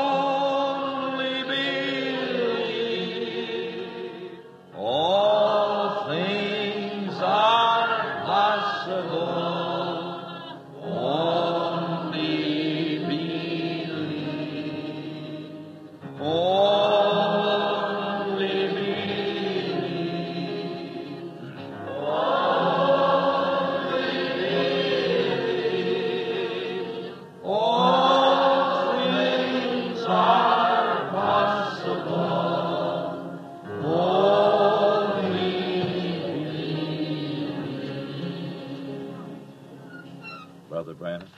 Only believe. All things are possible. Only believe. Only believe. Only believe. All things are possible. Only believe. Brother Branham.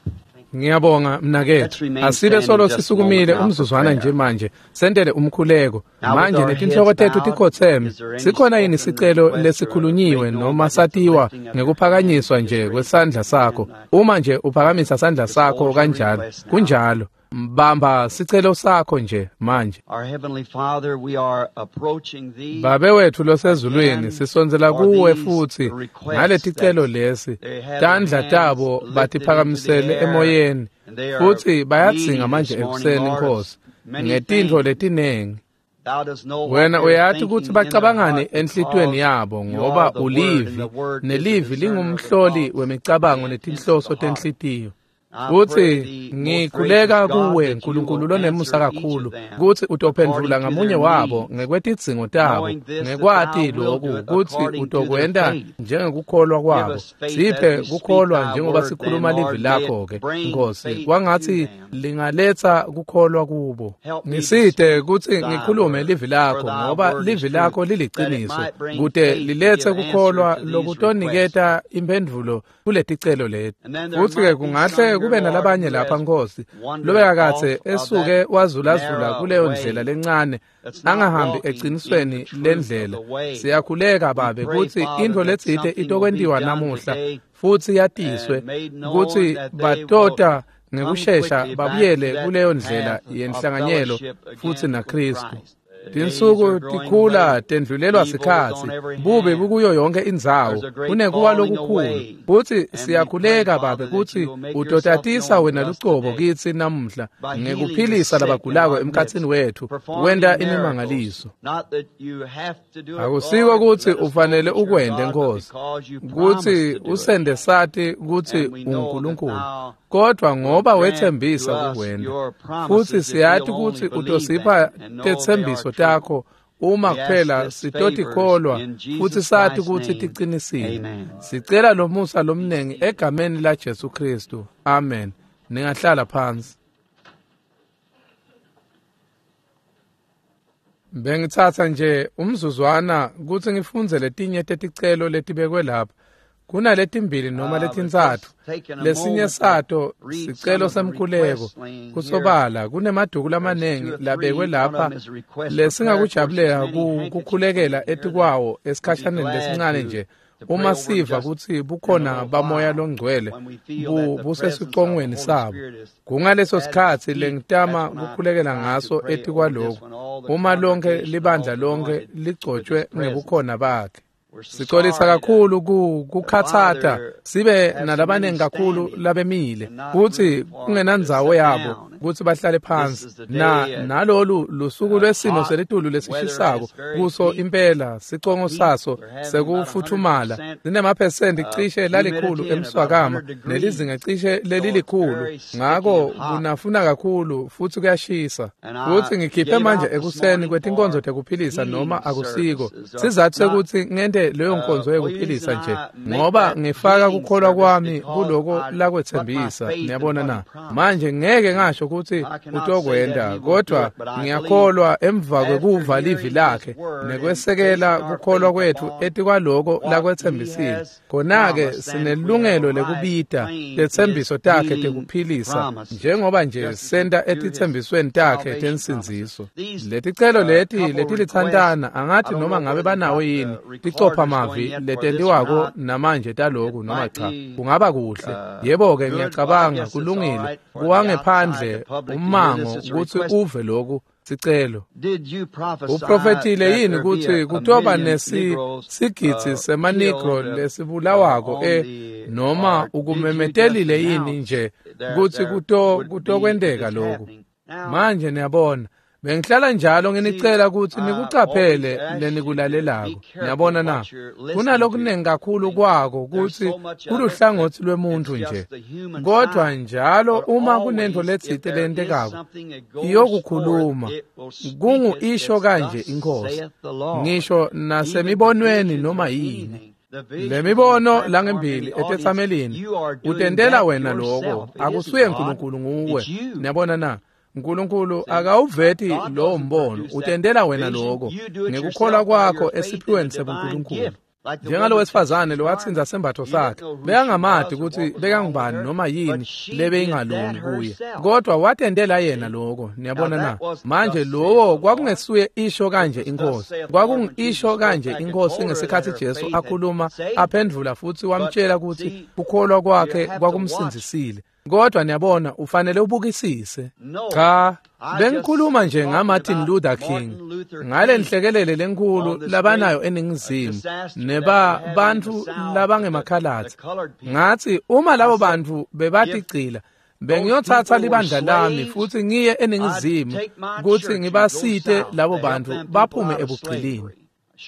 Ngiyabonga mnakethu. Asibe solo sisukumile umzuzwana nje manje sentele umkhuleko. Manje netinhloko tethu tikhotseme. Sikhona yini sicelo lesikhulunyiwe noma satiwa ngekuphakanyiswa nje kwesandla sakho? Uma nje uphakamisa sandla sakho kanjalo, kunjalo. Mbamba sicelo sakho nje manje. Our Heavenly Father, we are approaching thee. Babe wethu losezulwini, sisondzela kuwe futhi ngaleticelo lesi. Tandla tabo batiphakamisele emoyeni futhi bayadzinga manje ekuseni, Nkosi, ngetintfo letinengi. Thou dost know what Wena they're uyati thinking kutsi in their bacabangani heart enhlitiyweni because yabo, you are ngoba the Word, and ulivi, the Word is the nelivi discerner of the lingumhloli thoughts wemicabango and intents of netinhloso the heart. tenhlitiyo. I Futsi pray thee, most ngikhuleka gracious God, kuwe that you Nkulunkulu will lonemusa answer each of kakhulu them kutsi utophendvula according to ngamunye their wabo needs, ngekwetidzingo tabo, knowing this, that ngekwati thou wilt loku do it kutsi according to their utokwenta faith. njengekukholwa Give kwabo. us faith as Siphe we speak kukholwa thy njengoba word, then, sikhuluma livi Lord, may it lakho-ke, bring Nkosi, faith to kwangatsi them. lingaletsa kukholwa kubo. Help me to Ngisite speak kutsi thy ngikhulume word, livi for lakho, thy ngoba word is livi truth, lakho that it liliciniso, might bring kute faith to liletse give answer kukholwa to these requests. lokutoniketa imphendvulo kuleticelo leti. And then there Futsi-ke might be some kungahle here, kube Lord, nalabanye who lapha has Nkosi wandered lobekakadze off of esuke that wazulazula narrow kuleyo way ndlela lencane, that's not angahambi walking in the ecinisweni truth of lendlela. the way. Siyakhuleka We Babe pray, kutsi Father, intfo that letsite something will be itokwentiwa done namuhla today futsi yatiswe and made known kutsi that they will batota come ngekushesha quickly back to babuyele that kuleyo ndlela path of yenhlanganyelo fellowship futsi again with naKhristu. Christ. The days Tinsuku are growing tikhula late. tendlulelwa Evil is sikhatsi, on every bubi hand. bukuyo yonke indzawo, There's a great kunekuwa falling lokukhulu. away. Futsi And we pray, siyakhuleka Babe Father, that kutsi you will make yourself utotatisa known wena to us lucobo today kitsi namuhla by healing the ngekuphilisa sick in labagulako our emkhatsini midst, wethu, performing wenta miracles. imimangaliso. Not that you have to do it, Akusiko Lord, kutsi let us know ufanele that you're ukwente God, but Nkosi, because you promised kutsi to do it. usende sati kutsi And we know that unguNkulunkulu, thou kodwa will ngoba grant to wetsembisa us kukwenta. your Futsi promises if siyati we'll only kutsi believe utosipha them and know they are tetsembiso true. takho uma We ask kuphela this favors sitotikholwa in futsi Jesus sati Christ's kutsi name. ticinisile. Amen. Sicela lomusa lomnengi egameni laJesu Khristu. Amen. Ningahlala phansi. Bengitsatsa nje umzuzwana kutsi ngifundze letinye teticelo letibekwe lapha. Kunaletimbili noma But letintsatfu. just taking a Lesinye moment to sato read some sicelo of the semkhuleko. requests laying here. Kusobala kunemaduku There's lamanengi two or labekwe three. One of lapha them is a request for prayer. Of course, there's lesingakujabulela many handkerchiefs kukhulekela laying here that etikwawo we'd be esikhashaneni glad lesincane to, nje. to pray Uma over them siva just kutsi in a bukhona little bamoya while longcwele when we feel that the presence of the busesicongweni Holy sabo. Spirit is Kungaleso at its sikhatsi peak. That's lengitama when I kukhulekela try to ngaso pray over this etikwaloku. one, all the Uma lonke congregation libandla all lonke anointed with His ligcotshwe presence. ngebukhona bakhe. We're so Sicolisa sorry to, kakhulu to kukhatsata bother, sibe have so many nalabanengi kakhulu standing labemile and not kutsi room for 'em to kungenandzawo sit yabo down. kutsi bahlale This phansi. is the Na day at nalolu lusuku lwesimo hot selitulu weather and lesishisako it's very kuso deep impela sicongo heat. saso They're having about sekufuthumala 100% sinemaphesenti cishe lalikhulu humidity and about emswakama 100 degrees. nelizinga cishe So it's lelilikhulu, very sticky ngako and hot. kunafuna kakhulu futsi kuyashisa. And Futsi I ngikhiphe gave manje out this ekuseni morning kwetinkonzo for tekuphilisa healing noma akusiko services or sizatfu not. sekutsi ngente leyo nkonzo Well, the yekuphilisa reason nje I make ngoba that ngifaka healing kukholwa service kwami because kuloko I put my lakwetsembisa. faith in Niyabona what na? he promised. Manje ngeke ngasho kutsi I cannot say that utokwenta, he will do kodwa it, but I believe ngiyakholwa emva after kwekuva livi hearing his lakhe word and nekwesekela basing our kukholwa faith kwethu upon etikwaloko what he lakwetsembisile, has khona-ke promised, then we have a sinelungelo right lekubita to claim his tetsembiso takhe healing tekuphilisa promises, njengoba nje just as we senta do his etitsembisweni takhe salvation promises. tensindziso. These Leticelo leti couple requests, letilitsantana I angathi don't noma know ngabe whether they banawo got the yini recorders ticopha going mavi yet for this or letentiwako not. namanje taloku It noma might cha. be Kungaba kuhle. Yebo-ke good. Well, I ngiyacabanga guess it's all kulungile right for the outside, kuwangephandle the public to hear this. ummango It's a kutsi request. uve loku sicelo. Did you prophesy Uprofethile that yini there be kutsi a kutoba million Negroes sigidzi semanigro killed lesibulawako on the, noma or did you just ukumemetelile yini announce nje there kutsi there would be kutokwenteka this loku? happening? Manje niyabona, bengihlala njalo nginicela ukuthi nikucaphele lenikulalelako. Niyabona na? Kunalokunengi kakhulu kwako kutsi kuluhlangotsi lwemuntu nje. Kodwa njalo uma kunento letsite lentekako, iyokukhuluma. Kungu isho kanje inkosi. Ngisho nasemibonweni noma yini. Le mibono langembili etetsamelini utentela wena lokho, akusuye uNkulunkulu, nguwe. Niyabona na? uNkulunkulu akawuveti lowo mbono, utentela wena lokho ngekukholwa kwakho esiphiweni sebuNkulunkulu. Njengalo wesifazane lowatsinza sembatho sakhe, bekangamati ukuthi bekangubani noma yini lebeyingalungi kuye, kodwa watentela yena lokho. Niyabona na? Manje lowo kwakungesuye isho kanje inkosi, kwakungisho kanje inkosi ngesikhathi Jesu akhuluma aphendvula futhi wamtshela ukuthi kukholwa kwakhe kwakumsindzisile. Kodwa niyabona, ufanele ubukisise. Cha, bengikhuluma nje ngaMartin Luther King, ngale nhlekelele lenkulu labanayo eNingizimu neba bantu labangemakhalatsi. Ngathi uma labo bantu bebatigcila, bengiyothatha libandla lami futhi ngiye eNingizimu ukuthi ngibasite labo bantu baphume ebugcilini.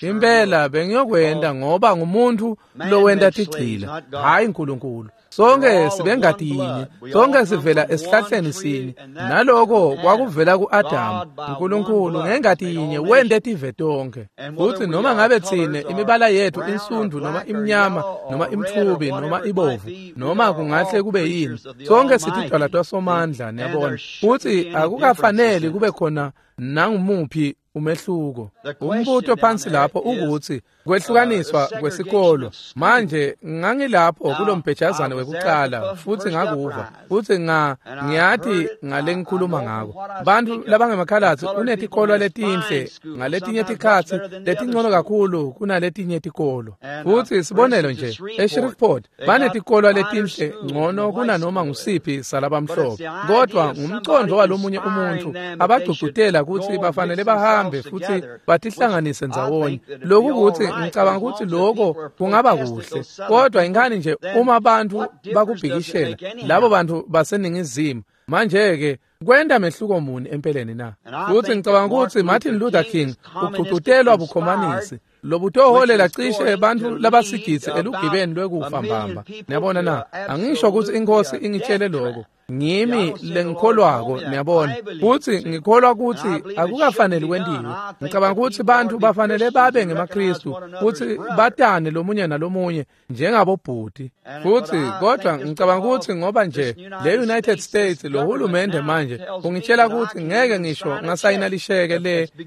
Impela bengiyokwenda ngoba ngumuntu lowenda tigcila, hayi uNkulunkulu. Sonke sibengati yinye, sonke sivela esihlahleni sinye, naloko kwakuvela ku-Adamu. uNkulunkulu ngengati yinye wente tive tonke. Futhi noma ngabe tsine imibala yethu insundu noma imnyama noma imtfubi noma ibovu noma kungahle kube yini, sonke sitidalwa tasomandla. Niyabona, futhi akukafaneli kube khona nangumuphi umehluko. Umbuto phansi lapho ukuthi kwehlukaniswa kwesikolo. Manje ngangilapho kulombhejazane wekuqala futhi ngakuva futhi ngiyathi ngale ngikhuluma ngako. Bantu labangemakhalatsi unetikolo letinhle ngaletinye tikhatsi letingcono kakhulu kunaletinye tikolo. Futhi sibonelo nje eShreveport banetikolo letinhle ngcono kunanoma ngusiphi salabamhlophe, kodwa ngumcondo walomunye umuntu abagcugcutela ukuthi bafanele bahambe futhi batihlanganise ndzawonye. Lokhu kuthi ngicabanga ukuthi lokho kungaba kuhle, kodwa ingani nje uma abantu bakubhikishela labo bantu baseNingizimu, manje-ke kwenta mehluko muni empeleni na? Futhi ngicabanga ukuthi Martin Luther King ugcugcutelwa bukhomanisi lobutoholela cishe bantu labasigidzi elugibeni lwekufa mbamba. Niyabona na? Angisho ukuthi inkosi ingitshele lokho, ngimi lengikholwako. Niyabona, futhi ngikholwa ukuthi akukafaneli kwentiwe. Ngicabanga ukuthi bantu bafanele babe ngemaKristu futhi batane lomunye nalomunye njengabobhuti. Futhi kodwa ngicabanga ukuthi ngoba nje le United States lo hulumende manje ungitshela ukuthi ngeke ngisho ngasayina lisheke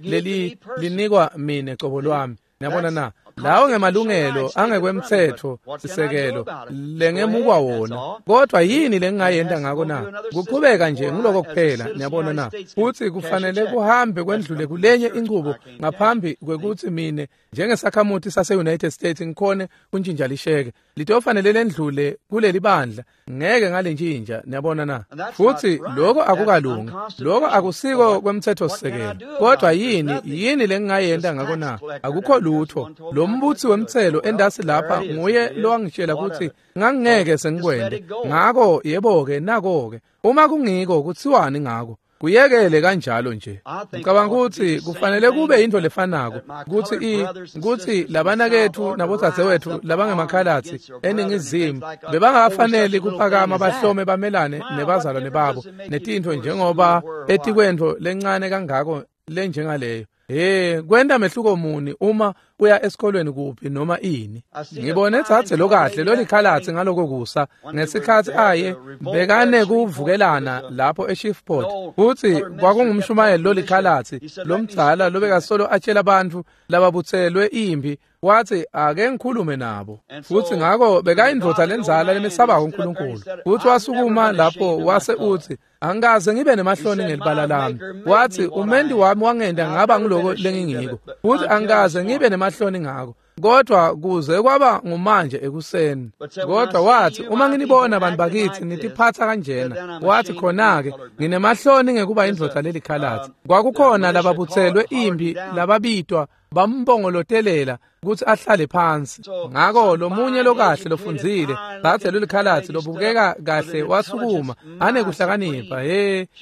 leli linikwa mina cobo lwami. Niyabona na? Lawo ngemalungelo angekwemthetho sisekelo lengemukwa wona, kodwa yini lengingayenta ngako na? Kuqhubeka nje ngiloko kuphela. Niyabona na? Futhi kufanele kuhambe kwendlule kulenye inqubo ngaphambi kwekuthi mine njengesakhamuti sase-United States ngikhone kuntshintsha lisheke. Litofanele lendlule kuleli bandla, ngeke ngalentshintsha. Niyabona na? Futhi lokho akukalungi, lokho akusiko kwemthetho sisekelo. Kodwa yini lengingayenta ngako na? Akukho lutho. Lo mbutsi wemtselo endasi lapha nguye lowangitshela ukuthi ngangingeke sengikwende ngako. Yebo-ke, nako-ke uma kungiko kutsiwani ngako? Kuyekele kanjalo nje. Ngicabanga ukuthi kufanele kube into lefanako ukuthi labanakethu nabodzadzewethu labangemakhalatsi eNingizimu bebangakafaneli kuphakama bahlome bamelane nebazalwane babo netintfo njengoba etikwentfo lencane kangako lenjengaleyo. Kwenta mehluko muni uma uya esikolweni kuphi noma ini? Ngibone dzadze lokahle lolikhalatsi ngaloko kusa ngesikhatsi aye bekane kuvukelana lapho eShreveport. Futhi kwakungumshumayeli lolikhalatsi lomdzala lobekasolo atshela bantfu lababutselwe impi, wathi ake ngikhulume nabo. Futhi ngako bekayindvodza lendzala lemesabako uNkulunkulu. Futhi wasukuma lapho wase uthi, angikaze ngibe nemahloni ngelibala lami. Wathi umendi wami wangenda ngaba ngiloko lengingiko, futhi angikaze ngibe nemahloni ngako, kodwa kuze kwaba ngumanje ekuseni. Kodwa wathi uma nginibona abantu bakithi nitiphatha kanjena, wathi khona-ke nginemahloni ngekuba indvodza lelikhalatsi. Kwakukhona lababutselwe impi lababitwa Bambongolotelela kutsi ahlale phansi. Ngako lomunye lokahle lofundzile, dzadze lolikhalatsi lobukeka kahle wasukuma, anekuhlakanipha,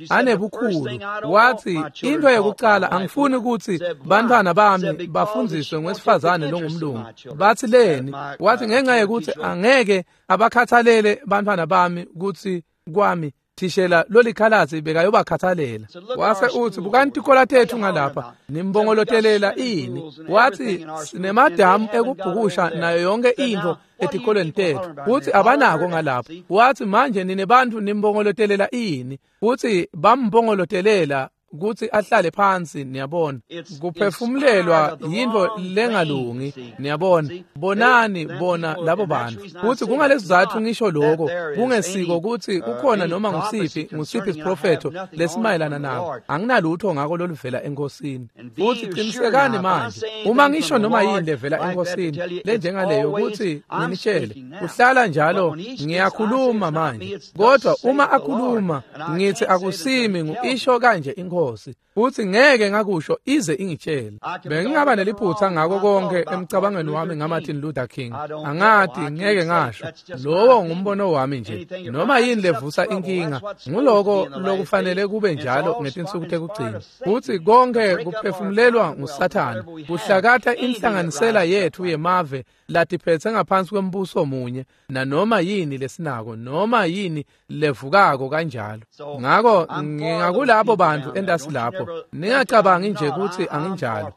anebukhulu. Watsi, intfo yekucala angifuni kutsi bantfwana bami bafundziswe ngwesifazane longumlungu. Batsi leni? Watsi ngenxa yekutsi angeke abakhathalele bantfwana bami kutsi kwami thishela lolikhalatsi bekayobakhathalela. Wase utsi, bukani tikolo tetfu ngalapha, nimbongolotelela ini? Watsi, sinemadamu ekubhukusha nayo yonke intfo etikolweni tetfu, kutsi abanako ngalapha. Watsi, manje nine bantfu nimbongolotelela ini? Kutsi bambongolotelela kutsi ahlale phansi. Niyabona, kuphefumulelwa yintfo lengalungi. Niyabona, bonani bona labo bantfu. Kutsi kungalesizatfu ngisho lokho, kungesiko kutsi kukhona noma ngusiphi isiprofetho lesimayelana nako. Anginalutho ngako loluvela enkosini. Futsi qinisekani manje, uma ngisho noma yini levela enkosini lenjengaleyo kutsi nginitshele, kuhlala njalo ngiyakhuluma manje. Kodwa uma akhuluma ngithi akusimi ngu-isho kanje inkosi, futhi ngeke ngakusho ize ingitshele. Bengingaba neliphutha ngako konke emcabangweni wami ngaMartin Luther King. Angati, ngeke ngasho. Lowo ngumbono wami nje. Noma yini levusa inkinga, nguloko lokufanele kube njalo ngetinsuku tekugcina. Futhi konke kuphefumulelwa nguSathane, kuhlakatha inhlanganisela yetfu yemave latiphethe ngaphansi kwembuso munye, nanoma yini lesinako, noma yini levukako kanjalo. Ngako ngingakulabo bantu entasi lapho. Ningacabangi nje kutsi anginjalo.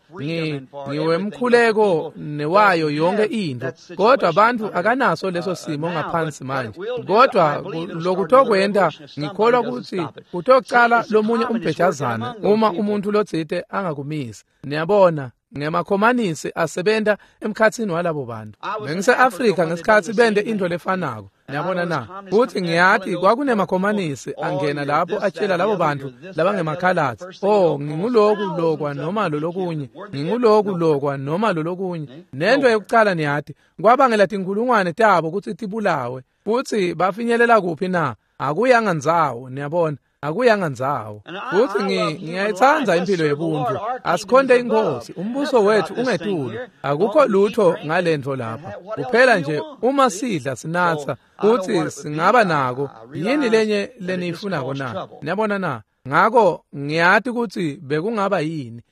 Ngiwemkhuleko newayo yonke intfo, kodwa bantfu akanaso leso simo ngaphansi manje. Kodwa lokutokwenta, ngikholwa kutsi kutocala lomunye umbhejazana uma umuntu lotsite angakumisi. Niyabona, ngemakhomanisi asebenta emkhatsini walabo bantu. Bengise-Afrika ngesikhatsi bente intfo lefanako. Niyabona na? Futsi ngiyati kwakunemakhomanisi angena lapho atshela labo bantu labangemakhalatsi, oh, nginguloku lokwa noma lolokunye, nginguloku lokwa noma lolokunye. Nento yekucala niyati, kwabangela tinkhulungwane tabo kutsi tibulawe. Futsi bafinyelela kuphi na? Akuyanga ndzawo, niyabona. Akuyanga ndzawo. Futsi ngiyayitsandza impilo yebuntu. Asikhonte inkosi, umbuso wethu ungetulu. Akukho lutho ngalentfo lapha. Kuphela nje uma sidla sinatsa, futsi singaba nako. Yini lenye leniyifunako na? Niyabona na? Ngako ngiyati kutsi bekungaba yini.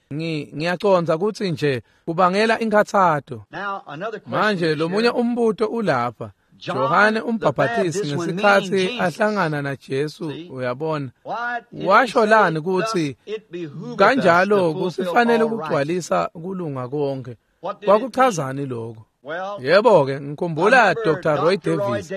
Ngiyacondza kutsi nje kubangela inkhatsato. Manje lomunye umbuto ulapha. Johane umbhaphatisi ngesikhatsi ahlangana naJesu, uyabona, washo lani kutsi kanjalo kusifanele ukugcwalisa kulunga konke? Kwakuchazani lokho? Yebo-ke, ngikhumbula Dr. Roy Davis,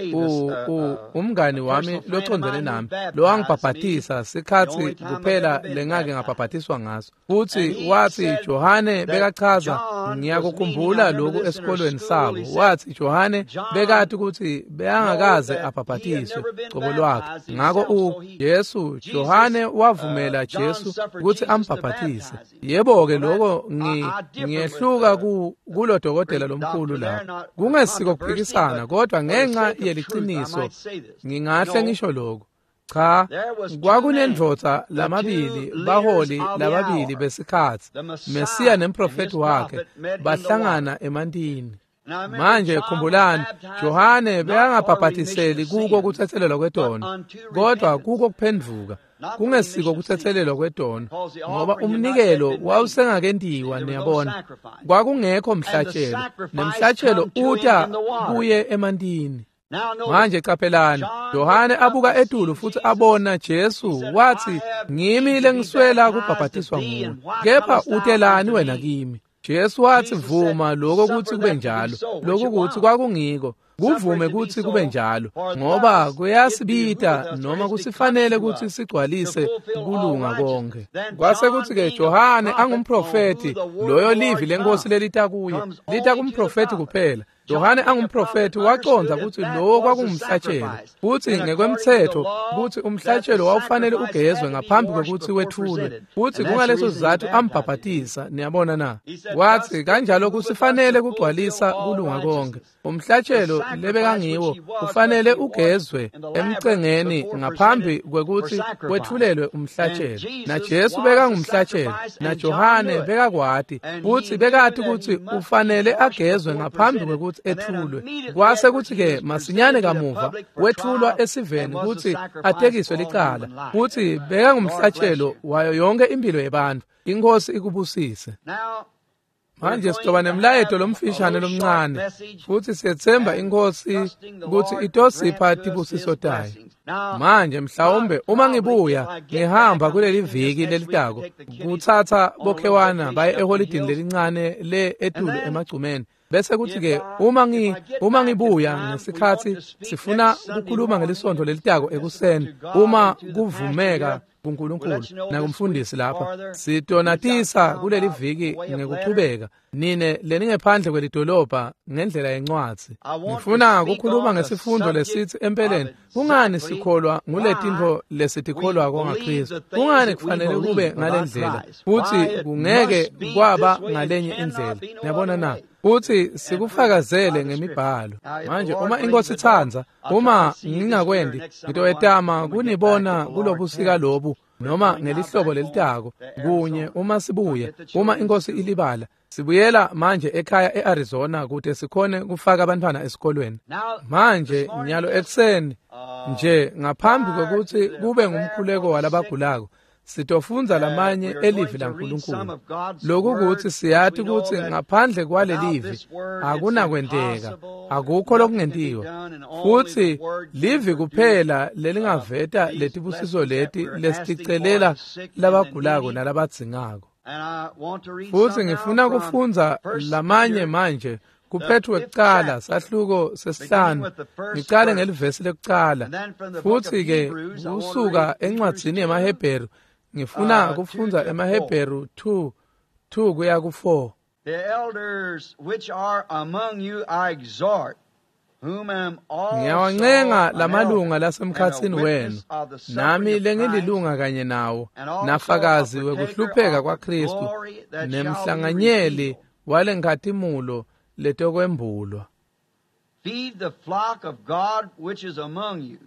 umngani wami locondzene nami, lowangibhabhatisa sikhatsi kuphela lengake ngabhabhatiswa ngaso. Futsi watsi Johane bekachaza, ngiyakukhumbula lokhu esikolweni sabo. Watsi Johane bekati kutsi bekangakaze abhabhatiswe cobo lwakhe. Ngako Jesu, Johane wavumela Jesu kutsi ambhabhatise. Yebo-ke, lokho ngiyehluka kulo dokotela lomkhulu lapho. Kungesiko kuphikisana, kodwa ngenxa yeliciniso ngingahle ngisho lokho. Cha, kwakunendvodza lamabili, baholi lababili besikhatsi, Mesiya nemprofeti wakhe, bahlangana emantini. Manje khumbulani, Johane bekangabhabhatiseli kuko kutsetselelwa kwetono, kodwa kuko kuphendvuka. Kungesiko kutsetselelwa kwetono, ngoba umnikelo wawusengakentiwa. Niyabona, kwakungekho mhlatshelo, nemhlatshelo uta kuye emantini. Manje qaphelani, Johane abuka etulu futsi abona Jesu, wathi, ngimi lengiswela kubhabhatiswa nguwe, kepha utelani wena kimi? Jesu wathi, vuma lokho kutsi kube njalo. Lokhu kutsi kwakungiko, kuvume kutsi kube njalo, ngoba kuyasibita noma kusifanele kutsi sigcwalise kulunga konke. Kwase kutsi-ke Johane angumprofeti, loyo livi lenkosi lelita kuye, lita kumprofeti kuphela. Yohane angumprofethi wacondza kutsi lowo kwakungumhlatshelo, futsi ngekwemtsetfo kutsi umhlatshelo wawufanele ugezwe ngaphambi kwekutsi wetfulwe, futsi kungaleso sizatfu ambhabhatisa. Niyabona na? Watsi kanjalo kusifanele kugcwalisa kulunga konkhe. Umhlatshelo lebekangiwo ufanele ugezwe emcengeni ngaphambi kwekutsi wetfulelwe umhlatshelo. Na Jesu bekangumhlatshelo, na Johane bekakwati, futsi bekati kutsi ufanele agezwe ngaphambi kwekutsi etfulwe. Kwase kutsi-ke masinyane kamuva wetfulwa esiveni kutsi atekiswe licala, futsi bekangumhlatshelo wayo yonke impilo yebantfu. Inkosi ikubusise. Manje sitoba nemlayeto lomfishane lomncane, futsi siyetsemba inkosi kutsi itosipha tibusiso tayo. Manje mhlawumbe uma ngibuya ngihamba kuleli viki lelitako kutsatsa bokhewana baye eholidini lelincane le etulu emagcumeni, bese kuthi-ke uma ngibuya ngesikhatsi sifuna kukhuluma ngelisonto lelitako ekuseni, uma kuvumeka kuNkulunkulu nakumfundisi lapha, sitonatisa kuleli viki ngekuchubeka nine leningephandle kwelidolobha ngendlela yencwadzi. Ngifuna kukhuluma ngesifundo lesitsi empeleni kungani sikholwa nguletintfo lesitikholwako ngaKristu, kungani kufanele kube ngalendlela futsi kungeke kwaba ngalenye indlela. Niyabona na? Futsi sikufakazele ngemibhalo. Manje uma inkosi itsandza, uma ngingakwendi, ngitoyetama kunibona kulobusika lobu noma ngelihlobo lelitako kunye uma sibuye, uma inkosi ilibala. Sibuyela manje ekhaya eArizona kute sikhone kufaka abantwana esikolweni. Manje nyalo ekuseni nje ngaphambi kwekutsi kube ngumkhuleko walabagulako, sitofundza lamanye elivi laNkulunkulu. Lokhu kutsi siyati kutsi ngaphandle kwalelivi akunakwenteka, akukho lokungentiwa. Futsi livi kuphela lelingaveta letibusiso leti lesiticelela labagulako nalabadzingako. Futsi ngifuna kufundza lamanye manje kuPetru wekucala sahluko sesihlanu, ngicale ngelivesi lekucala, futsi-ke kusuka encwadzini yemaHebheru ngifuna kufundza emaHebheru 2:2 kuya ku-4. The elders which are among you I exhort, whom am also Ngiyawancenga lamalunga lasemkhatsini wenu, nami lengililunga kanye nawo, nafakazi wekuhlupheka kwaKristu, nemhlanganyeli walenkhatimulo letokwembulwa. Feed the flock of God which is among you.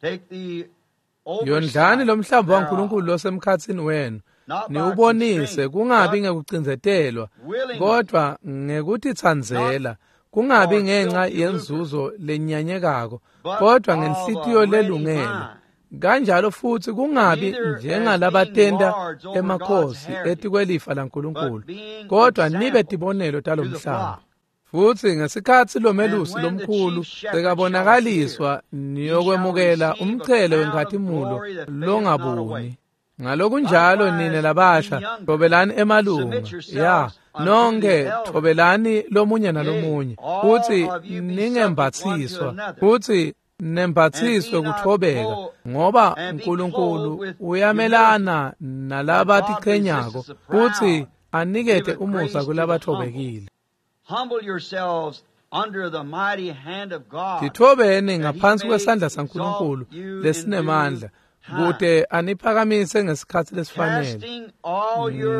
Take the Yondlani lomhlambi waNkulunkulu losemkhatsini wenu, niwubonise kungabi ngekucindzetelwa, kodvwa ngekutitsandzela, kungabi ngenxa yenzuzo lenyanyekako, kodvwa ngenhlitiyo lelungele. Kanjalo futsi kungabi njengalabatenta emakhosi etikwelifa laNkulunkulu, kodvwa nibe tibonelo talomhlaba. Futsi ngesikhatsi lomelusi lomkhulu sekabonakaliswa, niyokwemukela umchele wenkhatimulo longabuni. Ngalokunjalo nine labasha thobelani emalunga, ya nonke thobelani lomunye nalomunye, futsi ningembatsiswa, futsi nembatsiswe kuthobeka, ngoba uNkulunkulu uyamelana nalabatiqhenyako futsi anikete umusa kulabathobekile. Humble yourselves under the mighty hand of God. Tithobeni ngaphansi kwesandla saNkulunkulu lesinemandla, kute aniphakamise ngesikhatsi lesifanele.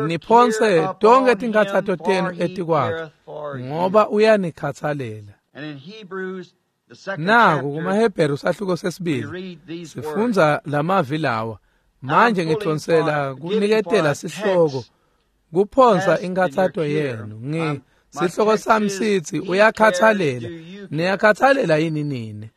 Niphonse tonke tinkhatsato tenu etikwakhe, ngoba uyanikhatsalela. Naku kumaHebheru sahluko sesibili sifundza lamavi lawa. Manje ngithonsela kuniketela sihloko kuphonsa inkhatsato yenu. Sihloko sami sithi uyakhathalela. Niyakhathalela yini nini?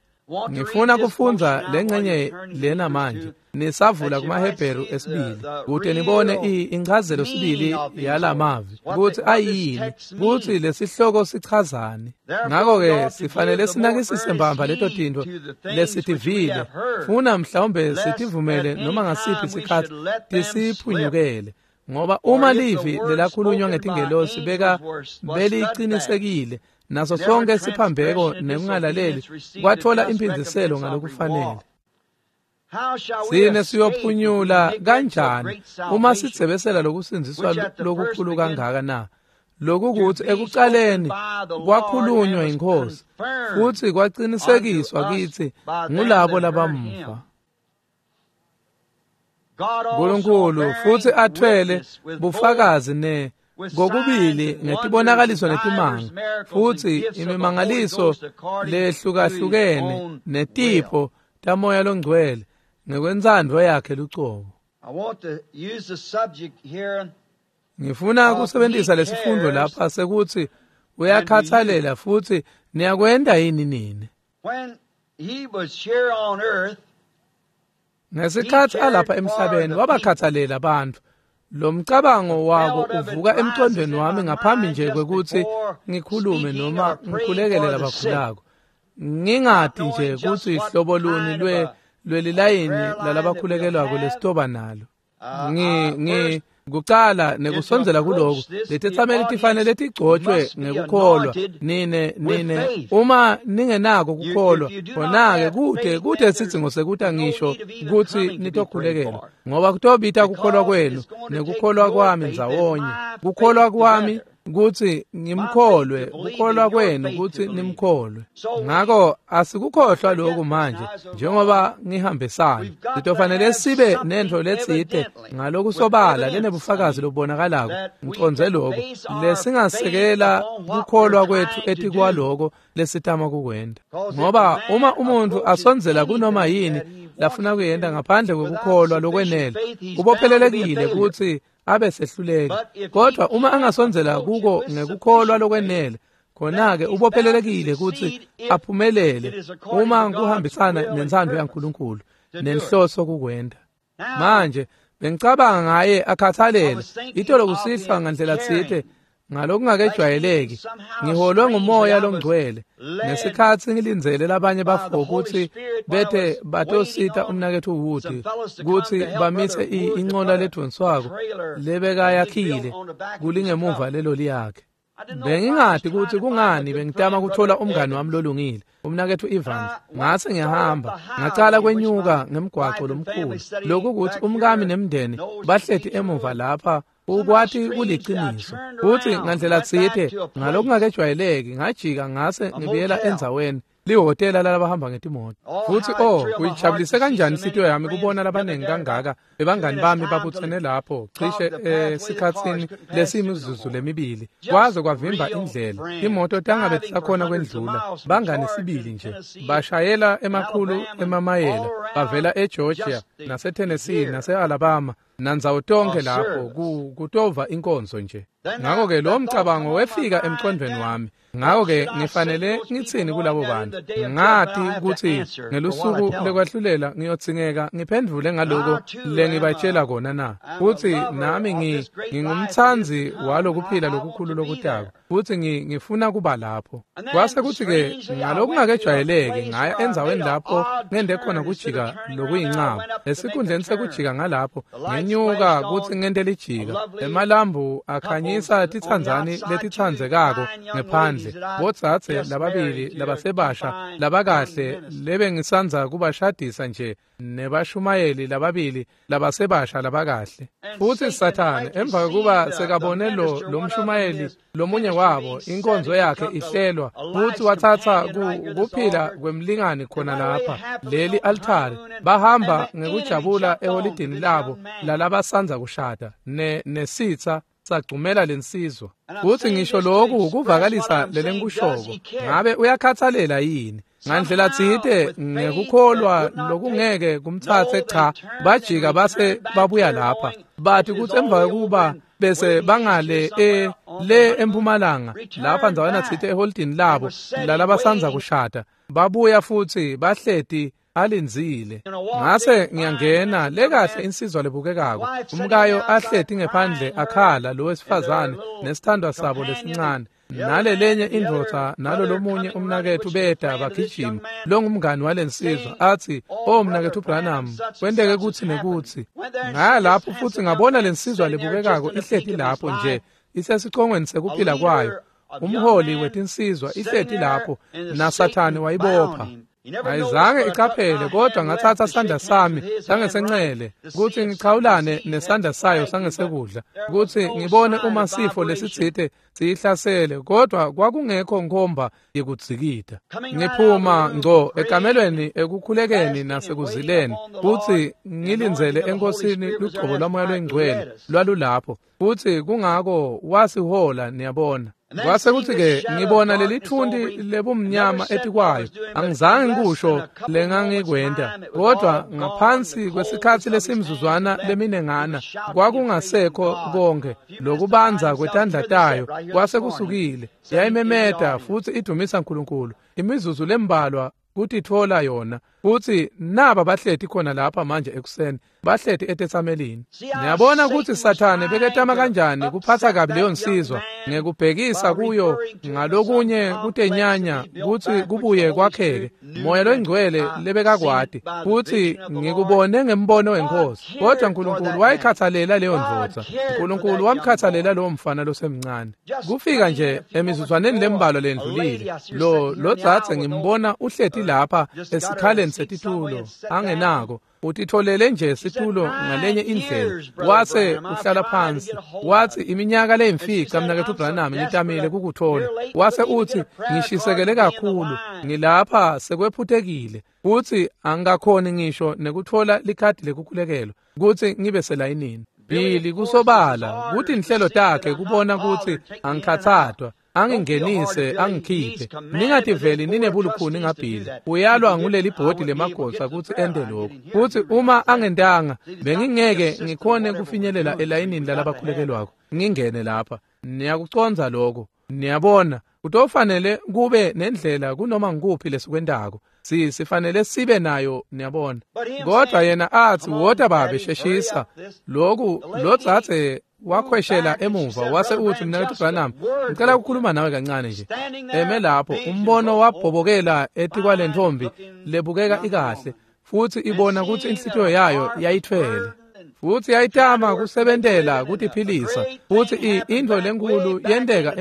Ngifuna kufundza lengcenye lena manje nisavula kumaHebheru esibili, kute nibone inchazelo sibili yalamavi kutsi ayini, kutsi lesihloko sichazani. Ngakho-ke sifanele sinakisise mbamba leto tintfo lesitivile, funa mhlawumbe sitivumele noma ngasiphi sikhatsi tisiphunyukele. Ngoba uma livi lelakhulunywa ngetingelosi belicinisekile, naso sonke siphambeko nekungalaleli kwatfola imphindziselo ngalokufanele. Sine siyophunyula kanjani uma sidzebesela lokusindziswa lokukhulu kangaka na? Lokukuthi ekuqaleni kwakhulunywa inkosi futhi kwaqinisekiswa kithi ngulabo labamva. uNkulunkulu futhi athwele bufakazi ne kokubili ngetibonakaliso netimanga futhi imimangaliso lehlukahlukene netipho tamoya longcwele ngekwentsandvo yakhe lucobo. Ngifuna kusebenzisa lesifundo lapha sekuthi uyakhathalela futhi niyakwenda yini nini. Ngesikhathi alapha emhlabeni wabakhathalela abantu. Lo mcabango wako uvuka emqondweni wami ngaphambi nje kwekuthi ngikhulume noma ngikhulekele labakhulako. Ngingati nje kutsi hlobo luni lwelilayini lalabakhulekelwako lesitoba nalo. Kucala nekusondzela kuloko letetsameli tifanele tigcotshwe ngekukholwa. Nine uma ningenako kukholwa khona-ke kude sidzingo sekuta ngisho kutsi nitokhulekelwa, ngoba kutobita kukholwa kwenu nekukholwa kwami ndzawonye. Kukholwa kwami kutsi ngimkholwe, kukholwa kwenu kutsi nimkholwe. Ngako asikukhohlwa lokhu manje njengoba ngihambisana. Sitofanele sibe nentfo letsite ngalokusobala lenebufakazi lobubonakalako. Ngiconze lokho lesingasekela kukholwa kwethu etikwaloko lesitama kukwenta, ngoba uma umuntu asondzela kunoma yini lafuna kuyenta ngaphandle kwekukholwa lokwenele, ubophelelekile kutsi abe sehluleki. Kodwa uma angasondzela kuko ngekukholwa lokwenele, khona-ke ubophelelekile kutsi aphumelele uma kuhambisana nentsandvo yaNkulunkulu nenhloso kukwenta. Manje bengicabanga ngaye akhathalela itolo kusihlwa ngandlela tsite ngalokungakejwayeleki. Ngiholwe ngumoya longcwele ngesikhatsi ngilindzele labanye bafo kutsi bethe batosita umnaketfu Wood kutsi bamise inqola ledvonswako lebekayakhile kulingemuva leloli yakhe. Bengingati kutsi kungani bengitama kuthola umngani wami lolungile, umnaketfu Evans. Ngase ngiyahamba ngacala kwenyuka ngemgwaco lomkhulu, lokhu kutsi umkami nemndeni bahleti emuva lapha ukwati kuliqiniso. Futhi ngandlela tsite ngalokungakejwayeleki ngajika ngase ngibuyela endzaweni lihhotela lalabahamba ngetimoto. Futhi kuyijabulise kanjani inhlitiyo yami kubona labanengi kangaka bebangani bami babutsene lapho cishe esikhatsini lesiyimizuzu lemibili, kwaze kwavimba indlela. Imoto tangabe tisakhona kwendlula. Bangani sibili nje bashayela emakhulu emamayela bavela eGeorgia naseTennessee nase-Alabama nandzawo tonke lapho kutova inkonzo nje. Ngakho-ke lo mcabango wefika emqondweni wami. Ngakho-ke ngifanele ngitsini kulabo bantu? Ngati kutsi ngelusuku lekwahlulela ngiyodzingeka ngiphendvule ngaloko lengibatshela kona na. Futsi nami ngingumtsandzi walokuphila lokukhulu lokutako, futsi ngifuna kuba lapho. Kwase kutsi-ke ngalokungakejwayeleki ngaya endzaweni lapho ngende khona kujika lokuyincaba. Esikhundleni sekujika ngalapho ngenyuka kutsi ngente lijika. Emalambu akhanyisa titsandzani letitsandzekako ngephandle. Botsatse lababili labasebasha labakahle lebengisandza kubashadisa nje nebashumayeli lababili labasebasha labakahle. Futhi Sathane emva kokuba sekabone lo mshumayeli lomunye wabo inkonzo yakhe ihlelwa, futhi wathatha kuphila kwemlingani khona lapha leli altare, bahamba ngekujabula eholidini labo lalabasandza kushada nesitha sagcumela lensizwa. Futhi ngisho lokhu kuvakalisa lelenkushoko, ngabe uyakhathalela yini? Ngandlela tsite ngekukholwa lokungeke kumtsatse cha, bajika base babuya lapha bathi kutsi emva kokuba bese bangale le empumalanga lapha ndzawana tsite eholidini labo lalabasandza kushada, babuya futhi bahleti alindzile. Ngase ngiyangena lekahle insizwa lebukekako, umkayo ahleti ngephandle akhala lo wesifazane nesithandwa sabo lesincane nale lenye indvodza nalo lomunye umnaketfu beta bagijima longumngani walensizwa athi, "Oh mnaketfu Branham, kwenteke kutsi nekutsi." Ngaya lapho futhi ngabona lensizwa lebukekako ihleti lapho nje isesicongweni sekuphila kwayo, umholi wetinsizwa ihleti lapho, naSathane wayibopha. Ayizange iqaphele, kodwa ngathatha sandla sami sangesenxele kutsi ngichawulane nesandla sayo sangesekudla kutsi ngibone uma sifo lesitsite siyihlasele, kodwa kwakungekho nkhomba yekudzikida. Ngiphuma ngco ekamelweni ekukhulekeni nasekuzileni kutsi ngilindzele enkosini lugcobo lwaMoya loyiNgcwele lwalulapho, futsi kungako wasihola, niyabona. Kwase kutsi-ke ngibona leli thunti lebumnyama etikwayo. Angizange ngikusho lengangikwenta, kodwa ngaphansi kwesikhatsi lesimzuzwana leminengana kwakungasekho konke lokubanza kwetandla tayo kwase kusukile. Yayimemeta futsi idumisa uNkulunkulu imizuzu lembalwa kutitfola yona, futsi naba bahleti khona lapha manje ekuseni, bahleti etetsamelini. Niyabona kutsi Sathane beketama kanjani kuphatsa kabi leyo nsizwa ngekubhekisa kuyo ngalokunye kutenyanya kutsi kubuye kwakheke Moya loyiNgcwele lebekakwati, futsi ngikubone ngembono wenkosi. Kodwa uNkulunkulu wayikhathalela leyo ndvodza, uNkulunkulu wamkhathalela lowo mfana losemncane. Kufika nje emizuzwaneni lembalwa lendlulile, lo dzadze ngimbona uhleti lapha esikhaleni setitulo angenako, utitholele nje situlo ngalenye indlela, wase uhlala phansi. Wathi iminyaka leyimfica mnaketfu Branham ngitamile kukuthola. Wase uthi ngishisekele kakhulu, ngilapha sekwephutekile, futhi angakhoni ngisho nekuthola likhadi lekukhulekelwa kutsi ngibe selayinini. Billy kusobala kuthi inhlelo takhe kubona kutsi angikhatsatwa, angingenise angikhiphe. Ningativeli ninebulukhuni ngabhili. Uyalwa nguleli bhodi lemagosa kutsi ente lokhu, futsi uma angentanga bengingeke ngikhone kufinyelela elayinini lalabakhulekelwako ngingene lapha. Niyakucondza lokho? Niyabona, kutofanele kube nendlela kunoma ngikuphi lesikwentako. Sifanele sibe nayo, niyabona. Kodwa yena athi wota babe sheshisa lokhu. Lo dzadze wakhweshela emuva wase uthi mnaketfu Branham, ngicela ukukhuluma nawe kancane nje. Eme lapho, umbono wabhobokela etikwalentfombi lebukeka ikahle, futsi ibona kutsi inhlitiyo yayo yayithwele, futsi yayitama kusebentela kutiphilisa, futsi intfo lenkhulu yenteka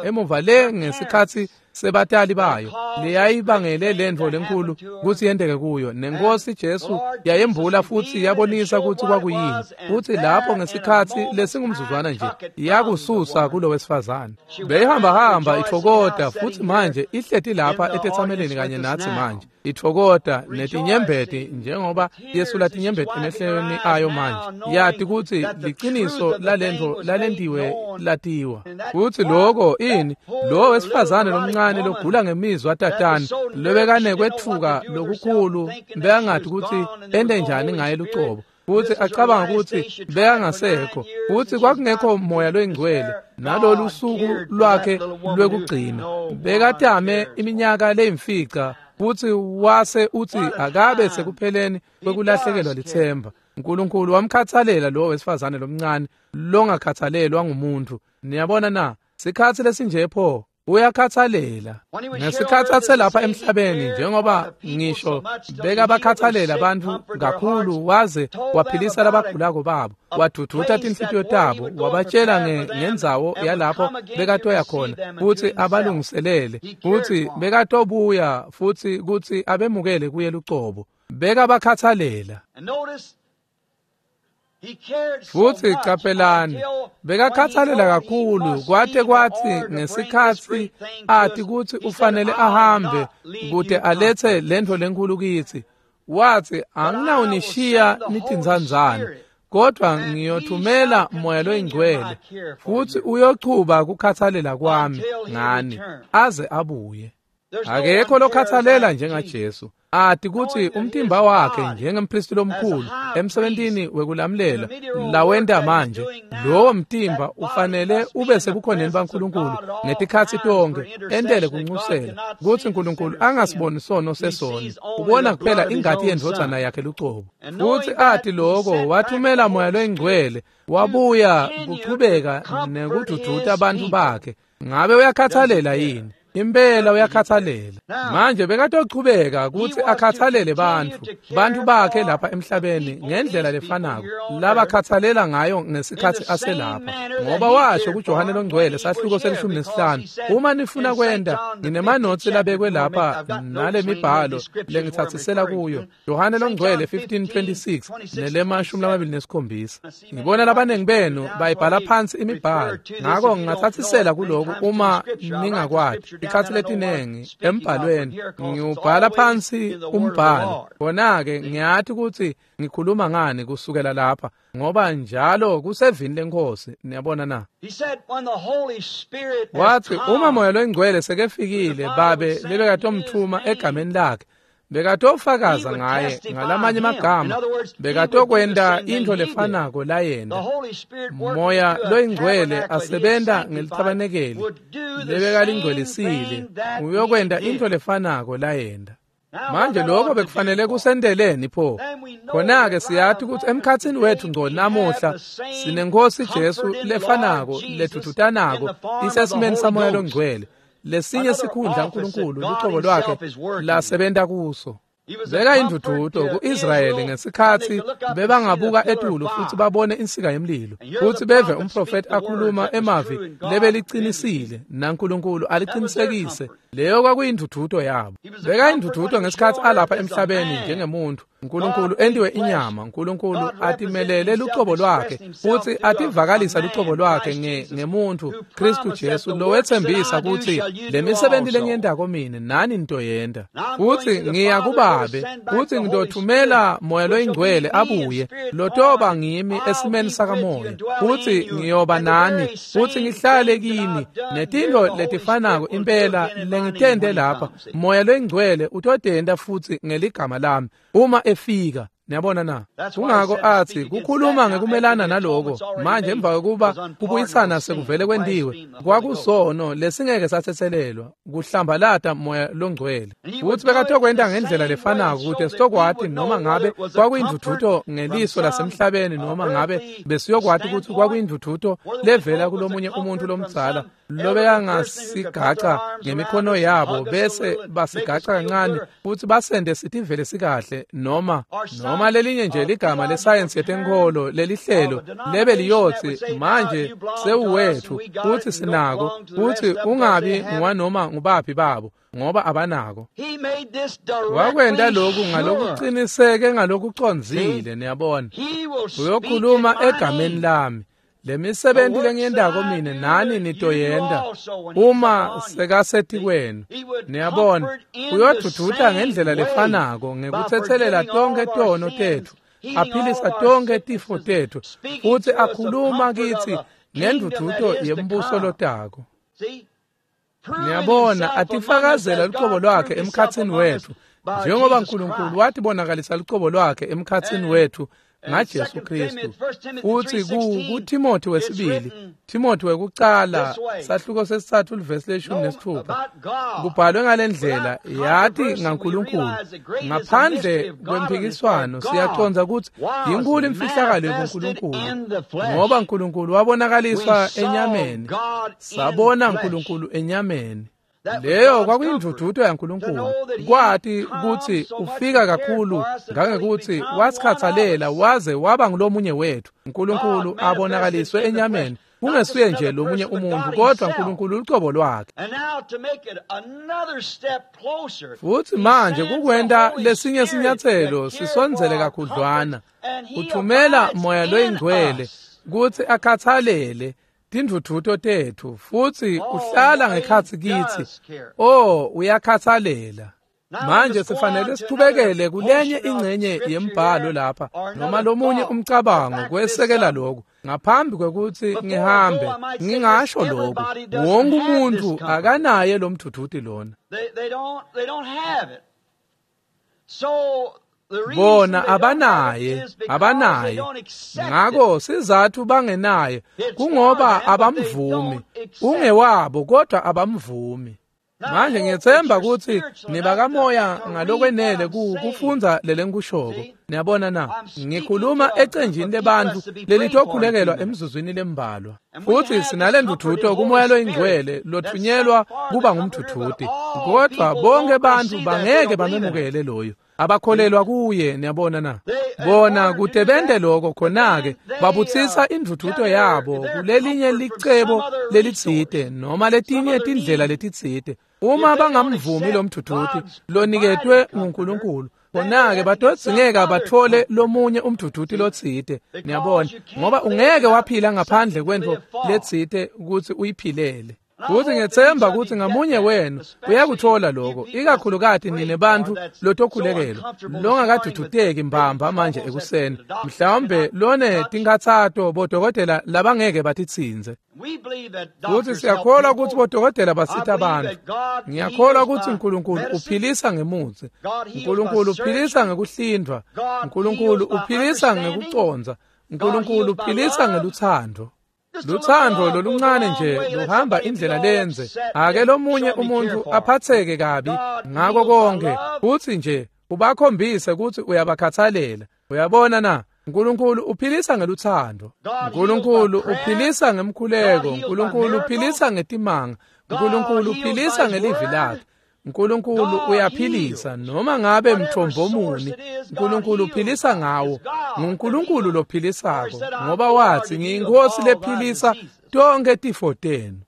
emuva le ngesikhatsi sebatali bayo leyayibangele lentfo lenkhulu kutsi yenteke kuyo. Nenkosi Jesu yayembula futsi yabonisa kutsi kwakuyini, futsi lapho ngesikhatsi lesingumzuzwana nje yakususa kulo wesifazane. Beyihambahamba itfokota, futsi manje ihleti lapha etetsameleni kanye natsi manje itfokota netinyembeti njengoba yesula tinyembeti emehlweni ayo manje, yati kutsi liciniso lalentfo lalentiwe latiwa. Futsi loko ini lo wesifazane lomncane logula ngemizwa tatane lobekanekwetfuka lokukhulu, bekangathi kutsi ente njani ngaye lucobo, futsi acabanga kutsi bekangasekho, futsi kwakungekho Moya loyiNgcwele nalolu suku lwakhe lwekugcina. Bekatame iminyaka leyimfica, futsi wase utsi akabe sekupheleni kwekulahlekelwa litsemba. uNkulunkulu wamkhathalela lo wesifazane lomncane longakhathalelwa ngumuntu. Niyabona na? Sikhatsi lesinje pho uyakhathalela. Ngesikhatsi aselapha emhlabeni, njengoba ngisho bekabakhathalela bantfu kakhulu, waze waphilisa labagulako babo, waduduta tinhlitiyo tabo, wabatshela ngendzawo yalapho bekatoya khona kutsi abalungiselele, kutsi bekatobuya futsi kutsi abemukele kuye lucobo. Bekabakhathalela. Futsi qaphelani, bekakhathalela kakhulu kwate kwatsi ngesikhatsi ati kutsi ufanele ahambe kute alethe lentfo lenkhulu kitsi, watsi anginawunishiya nitintsandzane, kodwa ngiyothumela Moya loyiNgcwele, futsi uyochuba kukhathalela kwami ngani aze abuye. Akekho lokhathalela njengaJesu, ati kutsi umtimba wakhe njengemphristi lomkhulu emsebentini wekulamlela lawenta manje, lowo mtimba ufanele ube sebukhoneni baNkulunkulu ngetikhatsi tonke, entele kunxusela kutsi uNkulunkulu angasiboni sono sesoni, ubona kuphela ingati yendvodzana yakhe lucobo. Futsi ati loko, wathumela Moya loyiNgcwele, wabuya kuchubeka nekududuta bantfu bakhe. Ngabe uyakhathalela yini? Impela uyakhathalela. Manje bekatochubeka kutsi akhathalele bantfu bakhe lapha emhlabeni ngendlela lefanako labakhathalela ngayo ngesikhatsi aselapha, ngoba washo kuJohane longcwele sahluko se-15, uma nifuna kwenta, nginemanotsi labekwe lapha nalemibhalo lengitsatsisela kuyo, Johane longcwele 15:26 nelema-27. Ngibona labanengi benu bayibhala phansi imibhalo, ngako ngingatsatsisela kuloku uma ningakwati. Ikhathi letinengi embhalweni ngiwubhala phansi umbhalo, khona-ke ngiyati kutsi ngikhuluma ngani kusukela lapha, ngoba njalo kusevini leNkhosi. Niyabona na? Wathi uma Moya loNgcwele sekefikile, Babe lebekatomthuma egameni lakhe, bekatofakaza ngaye. Ngalamanye amagama, bekatokwenta intfo lefanako layenta. Moya loyingcwele asebenta ngelithabanekeli lebekalingcwelisile, uyokwenta intfo lefanako layenta. Manje lokho bekufanele kusenteleni pho? Khona-ke siyati kutsi emkhatsini wethu ngco namuhla sineNkhosi Jesu lefanako ledvudvutanako isesimeni saMoya loNgcwele, lesinye sikhundla uNkulunkulu lucobo lwakhe lasebenta kuso. Beka indvudvuto ku-Israyeli ngesikhatsi bebangabuka etulu futsi babone insika yemlilo, futsi beve umprofeti akhuluma emavi lebelicinisile naNkulunkulu aliqinisekise. Leyo kwakuyindvudvuto yabo. Beka indvudvuto ngesikhatsi alapha emhlabeni njengemuntu, uNkulunkulu entiwe inyama, uNkulunkulu atimelele lucobo lwakhe futsi ativakalisa lucobo lwakhe ngemuntu Kristu Jesu lowetsembisa kutsi lemisebenti lengiyentako mine nani nitoyenta, futsi ngiya kuBabe, futsi ngitothumela Moya loyingcwele abuye lotoba ngimi esimeni sakamoya, futsi ngiyoba nani futsi ngihlale kini, netintfo letifanako impela lengitente lapha Moya loyingcwele utotenta futsi ngeligama lami uma efika. Niyabona na? Kungako athi kukhuluma ngekumelana naloko. Manje emva kokuba kubuyisana sekuvele kwentiwe, kwakusono lesingeke satsetselelwa, kuhlambalata Moya loNgcwele. Futsi bekatokwenta ngendlela lefanako kute sitokwati noma ngabe kwakuyindvudvuto ngeliso lasemhlabeni noma ngabe besiyokwati kutsi kwakuyindvudvuto levela kulomunye umuntu lomdzala lobekangasigaca ngemikhono yabo bese basigaca kancane futsi basende sitivele sikahle, noma lelinye nje ligama lesayensi yetenkholo lelihlelo lebe liyotsi manje sewuwethu futsi sinako, futsi ungabi ngwanoma ngubaphi babo ngoba abanako. Wakwenta lokhu ngalokuqiniseke ngalokucondzile. Niyabona, uyokhuluma egameni lami, lemisebenti lengiyentako mine nani nitoyenta uma sekasetikwenu. Niyabona, uyodvudvuta ngendlela lefanako ngekutsetselela tonkhe tono tetfu, aphilisa tonkhe tifo tetfu, futsi akhuluma kitsi ngendvudvuto yembuso lotako. Niyabona, atifakazela lucobo lwakhe emkhatsini wetfu njengoba uNkulunkulu watibonakalisa lucobo lwakhe emkhatsini wetfu ngaJesu Kristu. Futsi kuTimothy wesibili, Timothy wekucala sahluko sesithathu livesi le-16, kubhalwe ngalendlela: yati ngaNkulunkulu ngaphandle kwemphikiswano siyacondza kutsi yinkulu imfihlakalo yebuNkulunkulu, ngoba uNkulunkulu wabonakaliswa enyameni, sabona uNkulunkulu enyameni. Leyo kwakuyindvudvuto yaNkulunkulu, kwati kutsi ufika kakhulu ngangekuthi wasikhathalela waze waba ngulomunye wethu. uNkulunkulu abonakaliswe enyameni, kungesuye nje lomunye umuntu kodwa uNkulunkulu lucobo lwakhe. Futsi manje kukwenta lesinye sinyatselo sisondzele kakhudlwana, uthumela Moya loyingcwele kutsi akhathalele tindvudvuto tetfu, futsi uhlala ngekhatsi kitsi. Oh, uyakhathalela. Manje sifanele sichubekele kulenye ingcenye yembhalo lapha, noma lomunye umcabango kwesekela lokhu. Ngaphambi kwekutsi ngihambe, ngingasho lokhu: wonke umuntu akanaye lo mdvudvuti lona. Bona abanaye. Ngako sizathu bangenaye kungoba abamvumi. Ungewabo kodwa abamvumi. Manje ngiyethemba ukuthi nibakamoya ngalokwenele kufundza lelengikushoko. Niyabona na? Ngikhuluma ecenjini lebantu lelitokhulekelwa emzuzwini lembalwa. Futhi sinale ndvudvuto kumoya loyingcwele lothunyelwa kuba ngumdvudvuti. Kodwa bonke bantu bangeke bamemukele loyo. Abakholelwa kuye, niyabona na? Bona kute bente lokho khona-ke babutsisa indvudvuto yabo kulelinye licebo lelitsite noma letinye tindlela letitsite. Uma bangamvumi lo mdvudvuti loniketwe nguNkulunkulu, khona-ke batodzingeka batfole lomunye umdvudvuti lotsite, niyabona, ngoba ungeke waphila ngaphandle kwentfo letsite kutsi uyiphilele. Futhi ngethemba ukuthi ngamunye wenu uyakuthola lokho, ikakhulukati nine bantu lotokhulekelwa longakaduduteki mbamba manje ekuseni, mhlawumbe lone tinkhatsato bodokotela labangeke batitsinze. Futhi siyakholwa ukuthi bodokotela basita abantu. Ngiyakholwa ukuthi uNkulunkulu uphilisa ngemutsi, uNkulunkulu uphilisa ngekuhlindwa, uNkulunkulu uphilisa ngekucondza, uNkulunkulu uphilisa ngeluthando. Luthando loluncane nje luhamba indlela lenze ake lomunye umuntu aphatheke kabi ngako konke, futhi nje ubakhombise ukuthi uyabakhathalela. Uyabona na? uNkulunkulu uphilisa ngeluthando, uNkulunkulu uphilisa ngemkhuleko, uNkulunkulu uphilisa ngetimanga, uNkulunkulu uphilisa ngelivi lakhe. uNkulunkulu uyaphilisa noma ngabe mthombo muni, uNkulunkulu uphilisa ngawo. NguNkulunkulu lophilisako, ngoba wathi ngiyinkosi lephilisa tonke tifo tenu.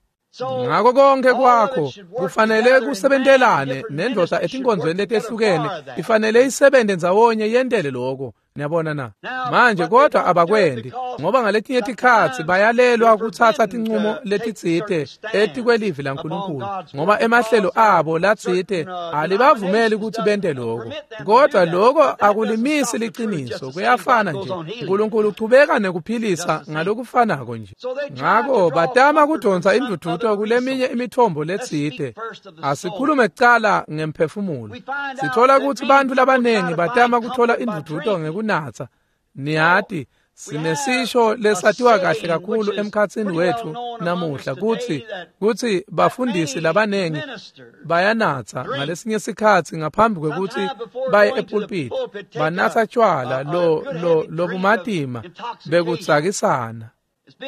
Ngako konke kwakho kufanele kusebentelane nendvodza etinkonzweni letehlukene, ifanele isebenze ndzawonye yentele lokho. Niyabona na? Manje kodwa abakwendi, ngoba ngaletinye tikhatsi bayalelwa kutsatsa tincumo letitsite etikwelivi laNkulunkulu, ngoba emahlelo abo latsite alibavumeli ukuthi bente lokho. Kodwa lokho akulimisi liciniso, kuyafana nje. uNkulunkulu uchubeka nekuphilisa ngalokufanako nje. Ngako batama kudonsa indvudvuto kuleminye imithombo letsite. Asikhulume kucala ngemphefumulo. Sithola ukuthi bantu labanengi batama kuthola indvudvuto ngekunatsa. Niyati, sinesisho lesatiwa kahle kakhulu emkhatsini wethu namuhla kutsi bafundisi labanengi bayanatsa ngalesinye sikhatsi ngaphambi kwekutsi baye epulpiti, banatsa tjwala lobumatima bekutsakisana.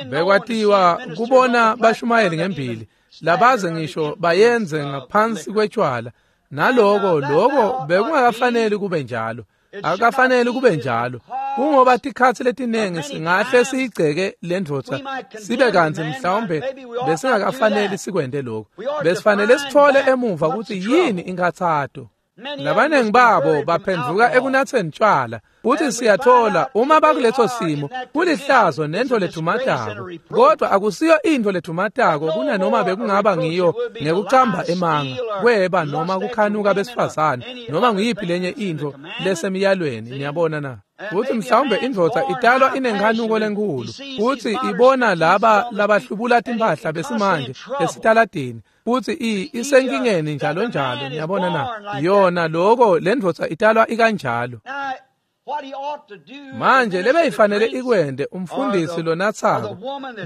Bekwatiwa kubona bashumayeli ngembili labaze ngisho bayenze ngaphansi kwetjwala, naloko lokho bekungakafaneli kube njalo. Akafanele kube njalo, kungoba tikhatsi letinengi singahle siyigceke lendvodza sibe kantsi mhlawumbe besingakafaneli sikwente lokho. Besifanele sithole emuva ukuthi yini inkhatsato. Labanengi babo baphendvuka ekunatseni tjwala, futhi siyathola uma bakuleso simo kulihlazo nento ledvumatako. Kodwa akusiyo into ledvumatako kunanoma bekungaba ngiyo ngekucamba emanga, kweba noma kukhanuka besifazane, noma nguyiphi lenye into lesemiyalweni. Niyabona na? Futhi mhlawumbe indvodza italwa inenkhanuko lenkulu, futhi ibona laba labahlubula timphahla besimanje esitaladini, futhi isenkingeni njalo njalo. Niyabona na? Yona lokho lendvodza italwa ikanjalo. Manje lebeyifanele ikwende umfundisi lonatsako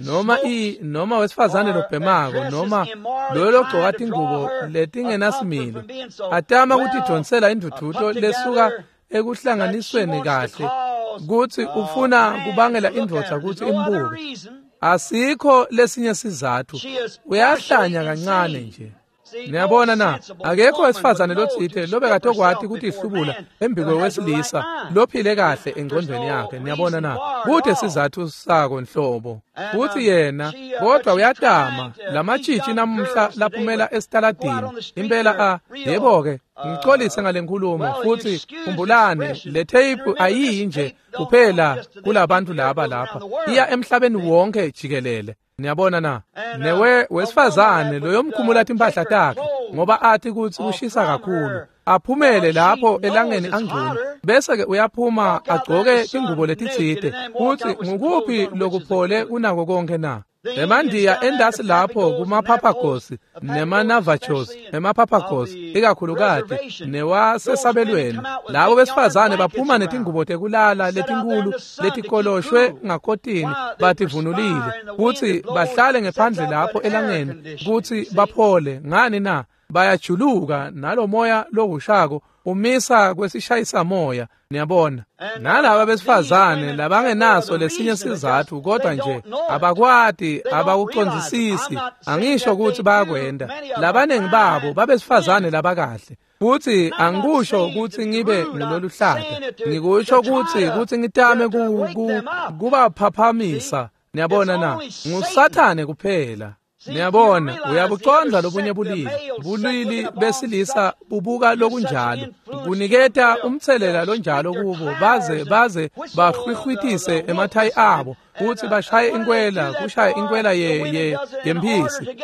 noma noma wesifazane lobhemako noma loyo logcoka tingubo letingenasimilo, atama kutidonsela indvudvuto lesuka ekuhlanganisweni kahle, kutsi ufuna kubangela indvodza kutsi imbuke. Asikho lesinye sizathu, uyahlanya kancane nje. Niyabona na? Akekho wesifazane lotsite lobekatokwati kutihlubula embikwe wesilisa lophile kahle engcondvweni yakhe. Niyabona na? Kute sizathu sako nhlobo. Futhi yena kodwa uyatama lamatshitshi namuhla laphumela esitaladini. Impela yebo-ke, ngicolise ngale nkulumo. Futhi khumbulani, le tape ayiyi nje kuphela kulabantu laba lapha, iya emhlabeni wonke jikelele. Niyabona na? Newe wesifazane loyomkhumula timphahla takhe ngoba athi kutsi kushisa kakhulu, aphumele lapho elangeni angcono, bese ke uyaphuma agcoke tingubo letitsite. Kutsi ngukuphi lokuphole kunako konke na? Emandiya endasi lapho kumaphaphagosi nemanavajos, emaphaphagosi ikakhulukati newasesabelweni, labo besifazane baphuma netingubo tekulala letinkulu letikoloshwe ngakotini bativunulile, kutsi bahlale ngephandle lapho elangeni kutsi baphole. Ngani na? Bayajuluka nalomoya lohushako umisa kwesishayisa moya, niyabona. Nalaba besifazane labangenaso lesinye sizathu kodwa nje abakwati, abakucondzisisi. Angisho ukuthi bayakwenda. Labaningi babo babesifazane labakahle. Futhi angikusho ukuthi ngibe ngiloluhlaka. Ngikusho ukuthi ngitame kubaphaphamisa. Niyabona na? NguSathane kuphela. Niyabona, uyabucondza lobunye bulili. Bulili besilisa bubuka lokunjalo. Kuniketa umthelela lonjalo kubo baze bahwihwitise emathayi abo futhi bashaye inkwela, kushaya inkwela yemphisi.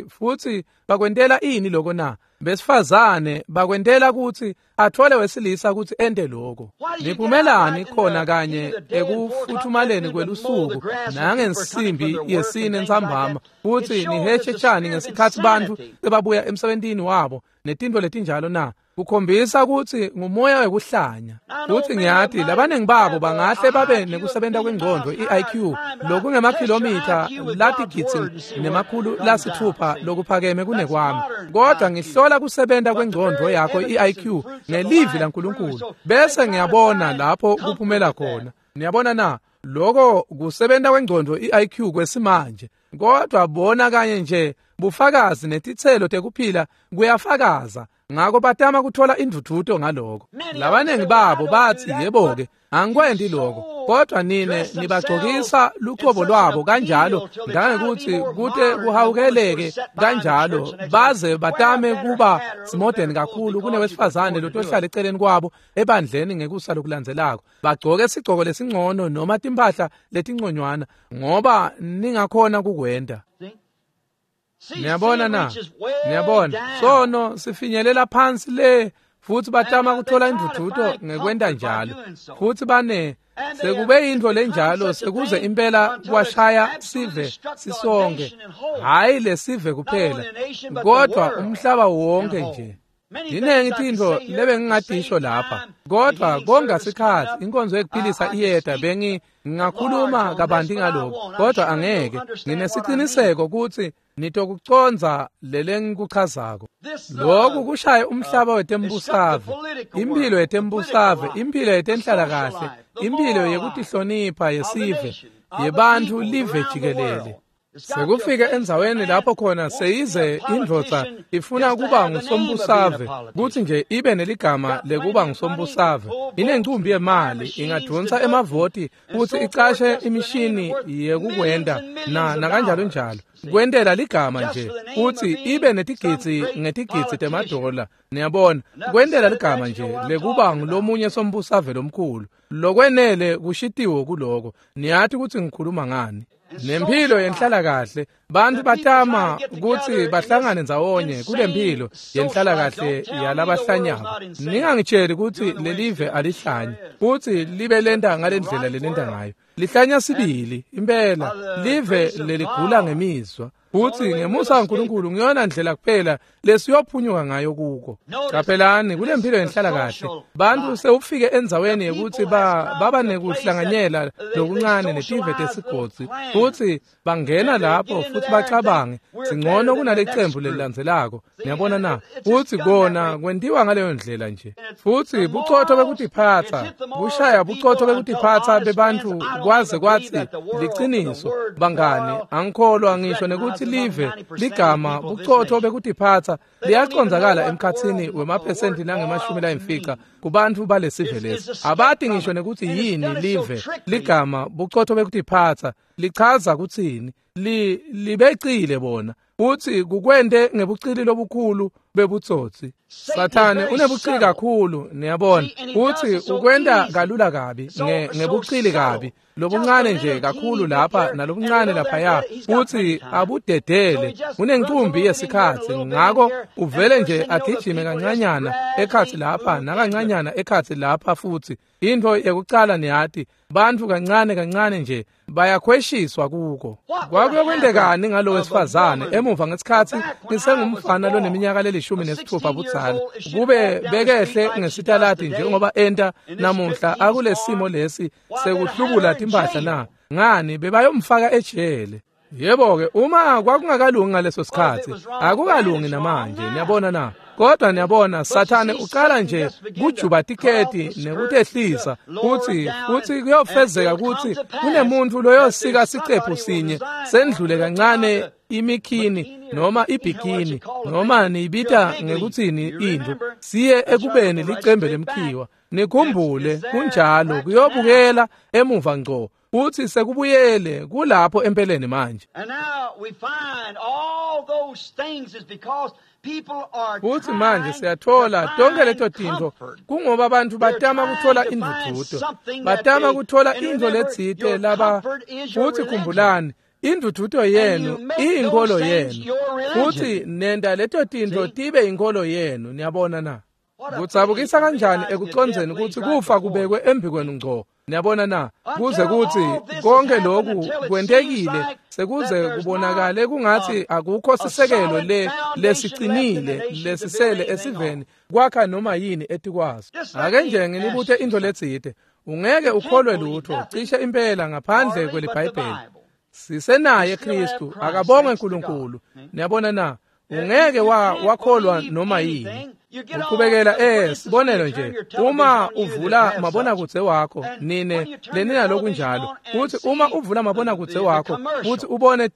Futhi bakwentela ini lokho na? Besifazane bakwentela ukuthi athole wesilisa ukuthi ente lokho. Niphumelani khona kanye ekufuthumaleni kwelusuku nangensimbi yesine ntsambama futhi niheshe tshani ngesikhathi bantu sebabuya emsebentini wabo netinto letinjalo na? Kukhombisa ukuthi ngumoya wekuhlanya. Futhi ngiyathi labaningi babo bangahle babe nekusebenta kwengqondo i-IQ lokungemakhilomitha latigidzi nemakhulu lasithupha lokuphakeme kunekwami, kodwa ngihlola kusebenta kwengqondo yakho i-IQ ngelivi laNkulunkulu bese ngiyabona lapho kuphumela khona. Niyabona na? Lokho kusebenta kwengqondo i-IQ kwesimanje, kodwa bona kanye nje bufakazi netitselo tekuphila kuyafakaza. Ngakho batama kuthola indvudvuto ngaloko. Labaningi babo bathi yebo-ke angikwendi lokho, kodwa nine nibagcokisa lucobo lwabo kanjalo ngangekuthi kute kuhawukeleke kanjalo baze batame kuba simodern kakhulu kunewesifazane lotohlala eceleni kwabo ebandleni ngekusa lokulandzelako. Bagcoke sigcoko lesingcono noma timphahla letinconywana ngoba ningakhona kukwenda. Niyabona na? Niyabona, sono sifinyelela phansi le futhi batama kuthola indvudvuto ngekwenta njalo. Futhi bane sekube yintfo lenjalo sekuze impela kwashaya sive sisonke, hhayi lesive kuphela kodwa umhlaba wonke nje. Dinengi tintfo lebengingadisho lapha, kodwa konga sikhathi inkonzo yekuphilisa iyeda bengingakhuluma kabanti ngalokho, kodwa angeke. Nginesiciniseko ukuthi nitokucondza lelengikuchazako. Lokhu kushaya umhlaba wetembusave, impilo yetembusave, impilo yetenhlalakahle, impilo yekutihlonipha yesive, yebantfu live jikelele. Sekufike endzaweni lapho khona seyize indvodza ifuna kuba ngusombusave, kutsi nje ibe neligama lekuba ngusombusave. Inencumbi yemali, ingadvonsa emavoti futsi icashe imishini yekukwenta na kanjalo njalo. Kwentela ligama nje futsi ibe netigidzi ngetigidzi temadola. Niyabona, kwentela ligama nje lekuba ngulomunye sombusave lomkhulu. Lokwenele kushitiwo kuloko. Niyati kutsi ngikhuluma ngani. Nempilo yenhlalakahle, bantu batama kutsi bahlangane ndzawonye kulempilo yenhlalakahle yalabahlanyako. Ningangitsheli kutsi lelive alihlanyi, futsi libe lenta ngalendlela lelenta ngayo. Lihlanya sibili, impela, live leligula ngemizwa. Futsi ngemusa kaNkulunkulu ngiyona ndlela kuphela lesiyophunyuka ngayo kuko. Qaphelani kulempilo yenhlalakahle, bantu sewufike endzaweni yekuthi baba nekuhlanganyela lokuncane netive tesigodzi, futsi bangena lapho futhi bacabange singcono kunalecembu lelilandzelako. Niyabona na? Futsi kona kwentiwa ngaleyo ndlela nje. Futsi bucotho bekutiphatsa, bushaya bucotho bekutiphatsa bebantfu kwaze kwatsi liciniso bangani angikholwa ngisho nekuthi live ligama bucotho bekutiphatsa liyacondzakala emkhatsini wemaphesenti langama-50 kubantfu balesive lesi. Abati ngisho nekuthi yini live ligama bucotho bekutiphatsa lichaza kutsini. Libecile bona futhi kukwente ngebucili lobukhulu bebutsotsi. Sathane unebucili kakhulu, niyabona, futhi ukwenta kalula kabi ngebucili kabi lobuncane nje kakhulu lapha nalobuncane laphaya, futhi abudedele. Unencumbi yesikhathi, ngakho uvele nje agijime kancanyana ekhatsi lapha nakancanyana ekhatsi lapha. Futhi into yekucala niyati, bantfu kancane kancane nje bayakhweshiswa kuko. Kwakuyokwentekani ngalo wesifazane emuva ngesikhathi ngisengumfana loneminyaka le16 budzala, kube bekehle ngesitaladi njengoba enta namuhla akulesimo lesi sekuhlubula timphahla na? Ngani, bebayomfaka ejele. Yebo-ke, uma kwakungakalungi ngaleso sikhatsi, akukalungi namanje, niyabona na? Kodwa niyabona, Sathane uqala nje kujuba tiketi nekutehlisa, kutsi kuyofezeka kutsi kunemuntu loyosika sicephu sinye sendlule kancane imikhini noma ibikini noma niyibita ngekutsini intfo, siye ekubeni licembe lemkhiwa. Nikhumbule, kunjalo, kuyobukela emuva ngco. Futhi sekubuyele kulapho empeleni manje. Futhi manje siyathola tonke leto tintfo kungoba abantu batama kuthola indvudvuto, batama kuthola intfo letsite laba. Futhi khumbulani, indvudvuto yenu iyinkolo yenu, futhi nenda leto tintfo tibe inkolo yenu. Niyabona na? Kudzabukisa kanjani ekucondzeni kutsi kufa kubekwe embikwenu ngco. Niyabona na? Kuze kutsi konke lokhu kwentekile sekuze kubonakale kungathi akukho sisekelo lesicinile lesisele esiveni kwakha noma yini etikwaso. Ake nje nginibute intfo letsite, ungeke ukholwe lutho cishe impela ngaphandle kweliBhayibheli. Sisenaye Kristu, akabongwe uNkulunkulu. Niyabona na? Ungeke wakholwa noma yini. Uqhubekela sibonelo nje, uma uvula mabonakudze wakho, nine leninalokunjalo, futhi uma uvula mabonakudze wakho futhi ubone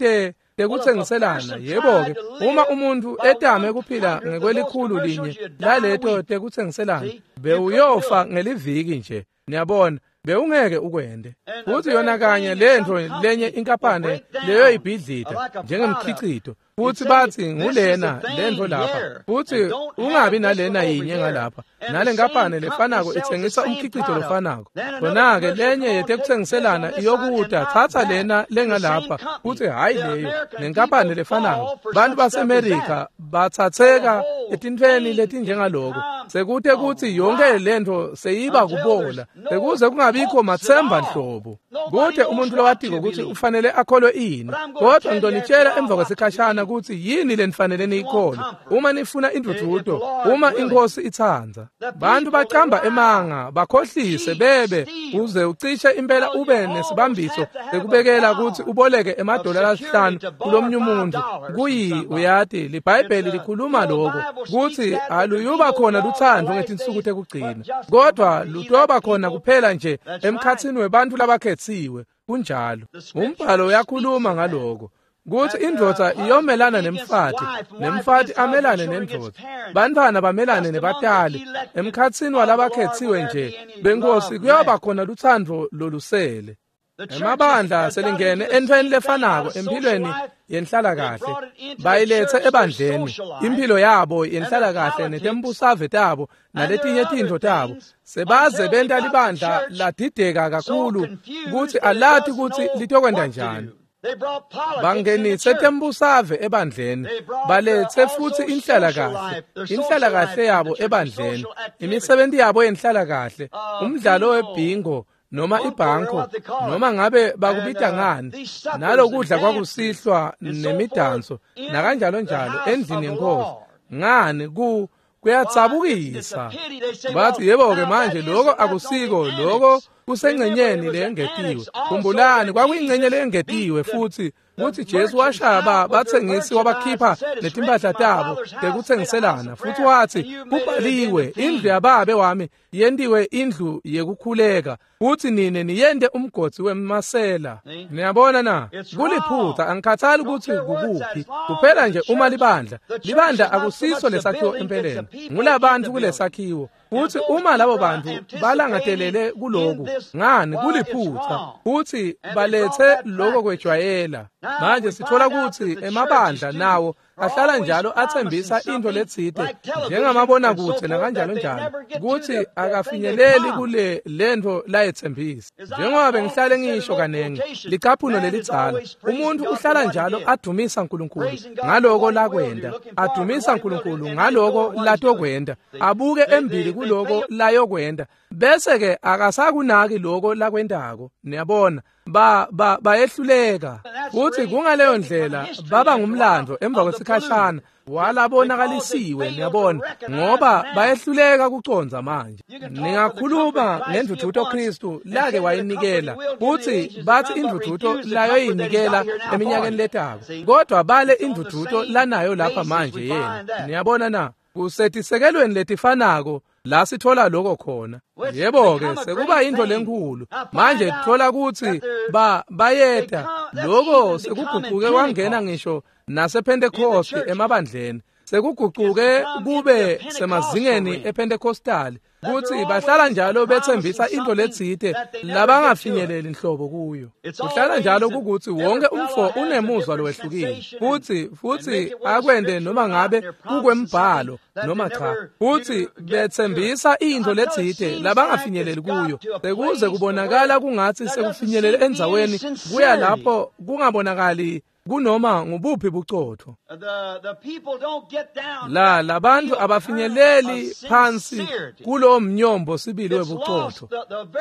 tekutsengiselana, yebo-ke, uma umuntu etame kuphila ngekwelikhulu linye laleto tekutsengiselana, bewuyofa ngeliviki nje. Niyabona, bewungeke ukwende. Futhi yona kanye lentfo lenye inkampane leyoyibhidlita njengemkhicito, futhi bathi ngulena lentfo lapha, futhi ungabi nalena yinye ngalapha, nale nkampane lefanako itsengisa umkhicito lofanako. Khona-ke lenye yetekutsengiselana iyokuta, thatha lena lengalapha, futhi hhayi leyo, nenkampane lefanako. Bantu baseMerika bathatheka etintfweni letinjengaloko, sekute kutsi yonke lentfo seyiba kubola, sekuze kungabikho matsemba nhlobo. Kute umuntu lowatiko kutsi ufanele akholwe ini, kodwa ngitonitshela emva kwesikhashana kutsi yini lenifanele niyikholwe uma nifuna indvudvuto, uma iNkhosi itsandza. Bantu bacamba emanga, bakhohlise bebe, uze ucishe impela ube nesibambiso sekubekela kutsi uboleke emadola 5 kulomnye umuntu. Kuyi uyati liBhayibheli likhuluma lokho kutsi aluyuba khona lutsandvo ngetinsuku tekugcina, kodwa lutoba khona kuphela nje emkhatsini webantfu labakhetsiwe. Kunjalo, umbhalo uyakhuluma ngaloko, kutsi indvodza iyomelana nemfati, nemfati amelane nendvodza, bantfwana bamelane nebatali. Emkhatsini walabakhetsiwe nje benkosi kuyoba khona lutsandvo lolusele. Emabandla selingene entfweni lefanako emphilweni yenhlalakahle, bayilethe ebandleni imphilo yabo yenhlalakahle netembusave tabo naletinye tintfo tabo. Sebaze benta libandla ladideka kakhulu kutsi alati kutsi litokwenta njani. Bangenise tembusave ebandleni, balethe futhi inhlalakahle, inhlalakahle yabo ebandleni, imisebenti yabo yenhlalakahle, umdlalo webhingo noma ibhanko, noma ngabe bakubita ngani, nalokudla kwakusihlwa nemidanso nakanjalo njalo endlini yenkosi. Ngani, kuyatsabukisa. Bathi yebo-ke manje lokho akusiko, lokho kusengcenyeni leyengetiwe. Khumbulani, kwakuyingcenye leyengetiwe futhi kutsi Jesu washaya batsengisi wabakhipha netimpahla tabo tekutsengiselana, futhi wathi kubhaliwe, indlu yababe wami yentiwe indlu yekukhuleka, futhi nine niyente umgodzi wemasela. Niyabona na? Kuliphutha. Angikhathali kutsi kukuphi, kuphela nje uma libandla, libandla akusiso lesakhiwo empeleni, ngulabantu kulesakhiwo. Futhi uma labo bantu balangatelele kuloku, ngani, kuliphutha, futhi balethe lokho kwejwayela. Manje sithola kutsi emabandla nawo ahlala njalo athembisa intfo letsite njengamabonakudze nakanjalo njalo, kutsi akafinyeleli kule lentfo layetsembisa. Njengoba bengihlale ngisho kanengi, licaphuno lelidzala, umuntu uhlala njalo adumisa uNkulunkulu ngaloko lakwenta, adumisa uNkulunkulu ngaloko latokwenta, abuke embili kuloko layokwenta. Bese ke akasakunaki lokho lakwentako. Niyabona, bayehluleka. Futhi kungaleyo ndlela baba ngumlando emva kwesikhashana walabonakalisiwe, niyabona, ngoba bayehluleka kucondza manje. Ningakhuluma ngendvudvuto Kristu lake wayinikela, futhi bathi indvudvuto layoyinikela eminyakeni letako, kodwa bale indvudvuto lanayo lapha manje yena. Niyabona na? Kusetisekelweni letifanako la sithola lokho khona. Yebo-ke, sekuba into lenkulu manje. Thola kutsi bayeta lokho sekuguquke kwangena ngisho nasePhentekoste emabandleni, sekuguquke kube semazingeni ePentecostal, kutsi bahlala njalo bethembisa into letsite labangafinyeleli nhlobo kuyo. Kuhlala njalo kukuthi wonke umfo unemuzwa lowehlukile, futhi akwende noma ngabe kukwembhalo noma cha, futhi bethembisa into letsite labangafinyeleli kuyo, sekuze kubonakala kungathi sekufinyelele endzaweni kuya lapho kungabonakali kunoma ngubuphi bucotho. La labantu abafinyeleli phansi kulo mnyombo sibili webucotho.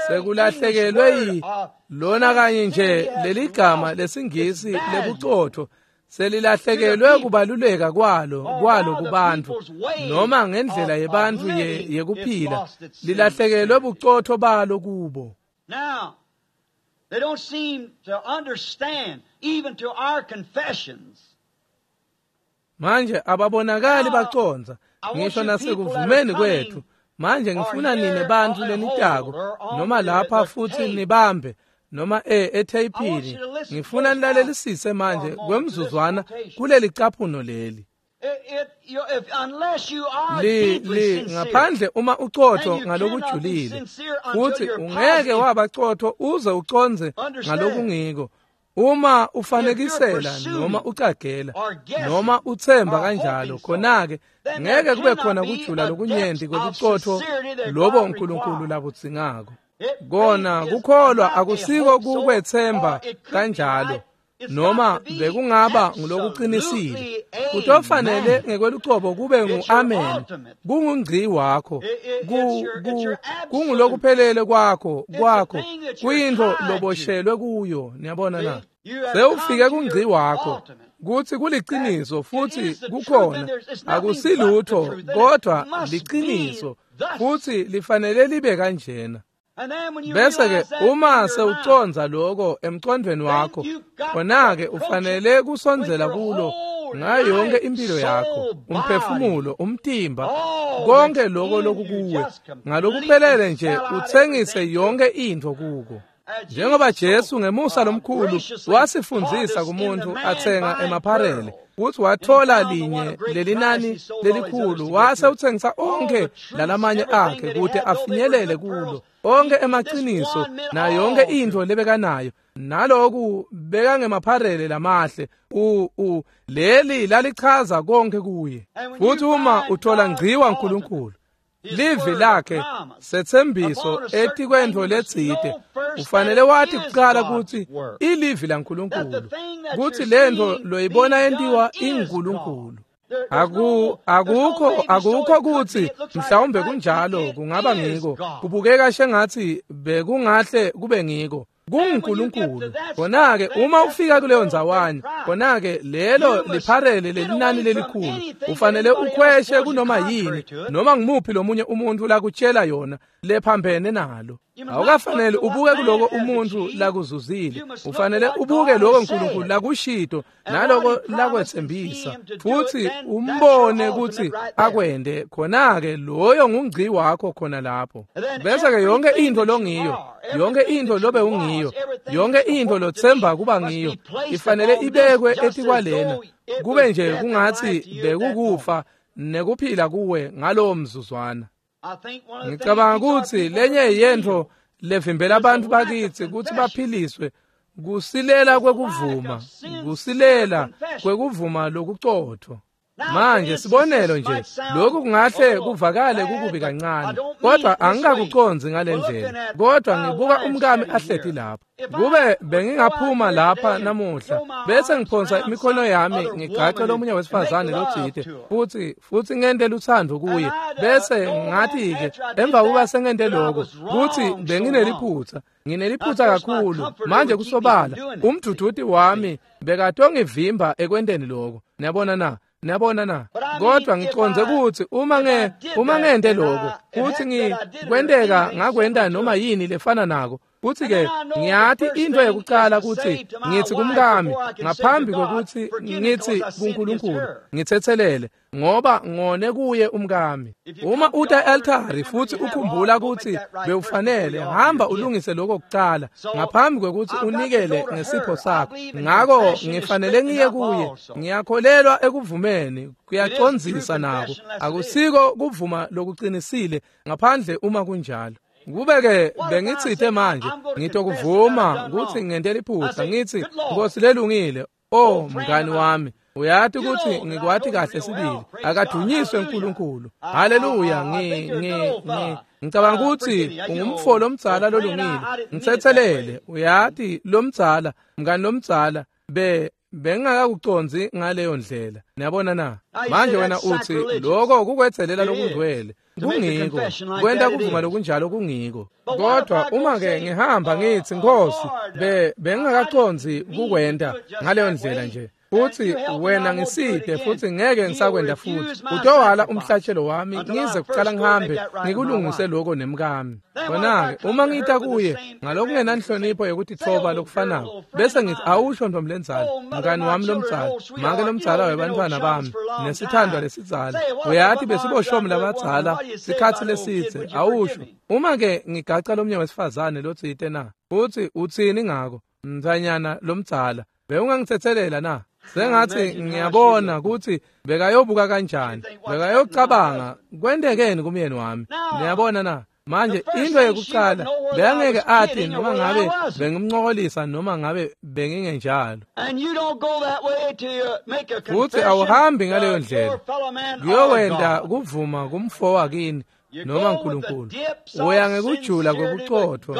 Sekulahlekelwe lona kanye nje leligama lesingisi lebucotho, selilahlekelwe kubaluleka kwalo kubantu, noma ngendlela yebantu yekuphila, lilahlekelwe bucotho balo kubo. They don't seem to understand even to our confessions. Manje ababonakali bacondza ngisho nasekuvumeni kwethu. Manje ngifuna nine bantu lenitako noma lapha futhi nibambe noma etheyipini, ngifuna nilalelisise manje kwemzuzwana kuleli caphuno leli. Ngaphandle uma ucotho ngalokujulile, futhi ungeke waba cotho uze uconze ngalokungiko. Uma ufanekisela noma ucagela noma uthemba kanjalo, khona-ke ngeke kube khona kujula lokunyenti kwebucotho lobo uNkulunkulu labudzingako. Kona kukholwa akusiko kukwethemba kanjalo, noma bekungaba ngulokuqinisile. Kutofanele ngekwelucobo kube ngu-amen, kungungci wakho, kungulokuphelele kwakho, kuyintfo loboshelwe kuyo. Niyabona na? Sewufike kungci wakho kuthi kuliciniso futhi kukhona, akusilutho kodwa liciniso, futhi lifanele libe kanjena. Bese-ke uma sewucondza lokho emcondweni wakho, khona-ke ufanele kusondzela kulo ngayo yonke impilo yakho, umphefumulo, umtimba, konke lokho lokukuwe, ngalokuphelele nje utsengise yonke intfo kuko. Njengoba Jesu ngemusa lomkhulu wasifundzisa kumuntu atsenga emapharele, kutsi wathola linye lelinani lelikhulu, wase utsengisa onke lalamanye akhe kute afinyelele kulo, onke emaqiniso nayo yonke intfo lebekanayo, naloku bekangemapharele lamahle. Leli lalichaza konke kuye. Futhi uma uthola ngciwa uNkulunkulu, livi lakhe sethembiso etikwentfo letsite, ufanele wathi kuqala kutsi ilivi laNkulunkulu, kutsi lentfo loyibona yentiwa inguNkulunkulu. Akukho kutsi mhlawumbe kunjalo, kungaba ngiko, kubukeka shengatsi bekungahle kube ngiko, kunguNkulunkulu. Khona-ke uma ufika kuleyo ndzawana, khona-ke lelo lipharele lelinani lelikhulu, ufanele ukhweshe kunoma yini noma ngumuphi lomunye umuntu lakutshela yona lephambene nalo. Awukafanele ubuke kuloko umuntu lakuzuzile, ufanele ubuke lokho uNkulunkulu lakushito naloko lakwethembisa, futhi umbone kutsi akwende. Khona-ke loyo ngungci wakho khona lapho. Bese-ke yonke intfo longiyo, yonke intfo lobe ungiyo, yonke intfo lothemba kuba ngiyo, ifanele ibekwe etikwalena, kube nje kungatsi bekukufa nekuphila kuwe ngalowo mzuzwana. Ngicabanga kutsi lenye yentfo levimbela abantu bakitsi kutsi baphiliswe kusilela kwekuvuma, kusilela kwekuvuma lokucotho. Manje sibonelo nje, lokhu kungahle kuvakale kukubi kancane, kodwa angikakucondzi ngale ndlela. Kodwa ngibuka umkami ahleti lapha. Kube bengingaphuma lapha namuhla bese ngiphonsa imikhono yami ngigace lomunye wesifazane lotsite futhi ngente luthando kuye, bese ngathi-ke emva kuba sengente lokho kuthi bengineliphutha, ngineliphutha kakhulu. Manje kusobala umduduti wami bekatongivimba ekwenteni lokho. Niyabona na? Niyabona na? Kodwa ngicondze ukuthi uma ngente lokho kuthi ngikwenteka ngakwenta noma yini lefana nako, kuthi-ke ngiyathi into yokucala ukuthi ngithi kumkami ngaphambi kokuthi ngithi kuNkulunkulu ngithethelele, ngoba ngone kuye umkami. Uma uta e-altari futhi ukhumbula ukuthi bewufanele, hamba ulungise lokho kucala ngaphambi kwekuthi unikele ngesipho sakho. Ngako ngifanele ngiye kuye. Ngiyakholelwa ekuvumeni, kuyacondzisa nako. Akusiko kuvuma lokuqinisile ngaphandle uma kunjalo. Kube-ke bengitsite manje ngitokuvuma ukuthi ngente liphutha, ngithi Nkosi lelungile, o mngani wami, uyati ukuthi ngikwati kahle sibili. Akadunyiswe uNkulunkulu. Haleluya. Ngicabanga ukuthi ungumfo lomdzala lolungile. Ngithethelele, uyati lomdzala, mngani lomdzala, bengingakakucondzi ngaleyo ndlela. Niyabona na? Manje wena uthi lokho kukwetselela lokungcwele. Kungiko kwenta kuvuma lokunjalo, kungiko. Kodwa uma-ke ngihamba ngithi Nkosi, bengingakacondzi kukwenta ngaleyo ndlela nje, futhi wena ngiside futhi ngeke ngisakwenda futhi, utowala umhlatshelo wami ngize kucala ngihambe ngikulungise lokho nemkami. Khona-ke uma ngita kuye ngalokungenanhlonipho yokuthi thoba lokufanako, bese ngithi awusho ntombi lenzala, mngani wami lomdzala, make lomdzala webantwana bami, nesithandwa lesidzala, uyathi besiboshomi labadzala sikhatsi lesidze, awusho. Uma-ke ngigaca lomnye wesifazane lotsite na, uthi utsini ngako mntfanyana lomdzala, bewungangithethelela na? Sengathi ngiyabona ukuthi bekayobuka kanjani, bekayocabanga kwentekeni kumyeni wami. Niyabona na? Manje into yokucala bekangeke athi noma ngabe bengimncokolisa noma ngabe bengingenjalo. Futhi awuhambi ngaleyo ndlela kuyowenta kuvuma kumfo wakini noma uNkulunkulu. Uya ngekujula kwekucotfo,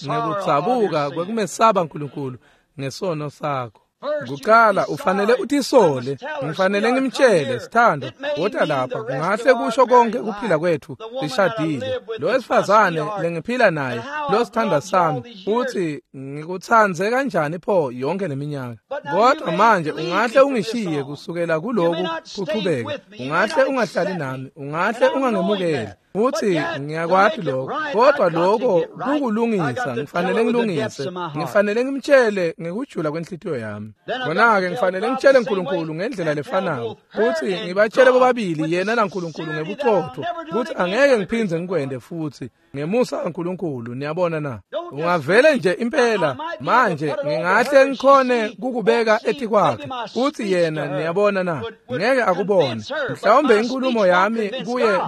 ngekutsabuka kwekumesaba uNkulunkulu ngesono sakho. Kuqala ufanele utisole, ngifanele ngimtshele, sithando, wota lapha, kungahle kusho konke ukuphila kwethu sishadile. Lo wesifazane lengiphila naye, lo sithanda sami, uthi ngikuthandze kanjani pho yonke leminyaka. Kodwa manje ungahle ungishiye kusukela kuloku kuchubeke, ungahle ungahlali nami, ungahle ungangemukeli. Uthi ngiyakwati lokho, kodwa lokho kukulungisa, ngifanele ngilungise, ngifanele ngimtshele ngekujula kwenhlitiyo yami. Khona-ke ngifanele ngitshele uNkulunkulu ngendlela lefanako, futhi ngibatshele bobabili yena naNkulunkulu ngebuqotho, ukuthi angeke ngiphindze ngikwende futhi ngemusa kaNkulunkulu. Niyabona na? Ungavele nje impela manje ngingahle ngikhone kukubeka etikwakhe kuthi yena, niyabona na, ngeke akubone. Mhlawumbe inkulumo yami kuye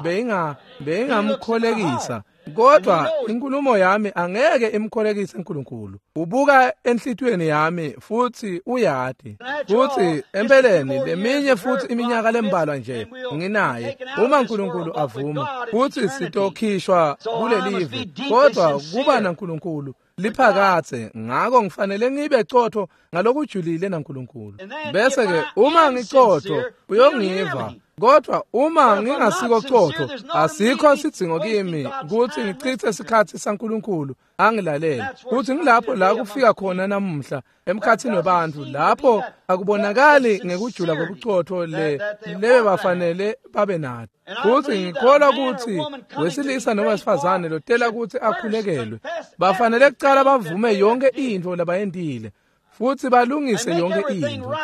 beyingamkholekisa, kodwa inkulumo yami angeke imkholekise uNkulunkulu. Ubuka enhlitiyweni yami futhi uyati. Futhi empeleni leminye futhi iminyaka lembalwa nje nginaye, uma uNkulunkulu avuma, futhi sitokhishwa kulelive, kodwa kuba naNkulunkulu liphakathe. Ngako ngifanele ngibe cotho ngalokujulile naNkulunkulu. Bese ke uma ngicotho uyongiva, kodwa uma ngingasiko cotho asikho sidzingo kimi ukuthi ngichithe isikhathi saNkulunkulu angilalele. Kuthi ngilapho la kufika khona namuhla emkhathini wabantu, lapho akubonakali ngekujula kobucotho lebe bafanele babe nathi. Futhi ngikholwa ukuthi wesilisa noma wesifazane lotela ukuthi akhulekelwe, bafanele kucala bavume yonke into labayentile futhi balungise yonke into.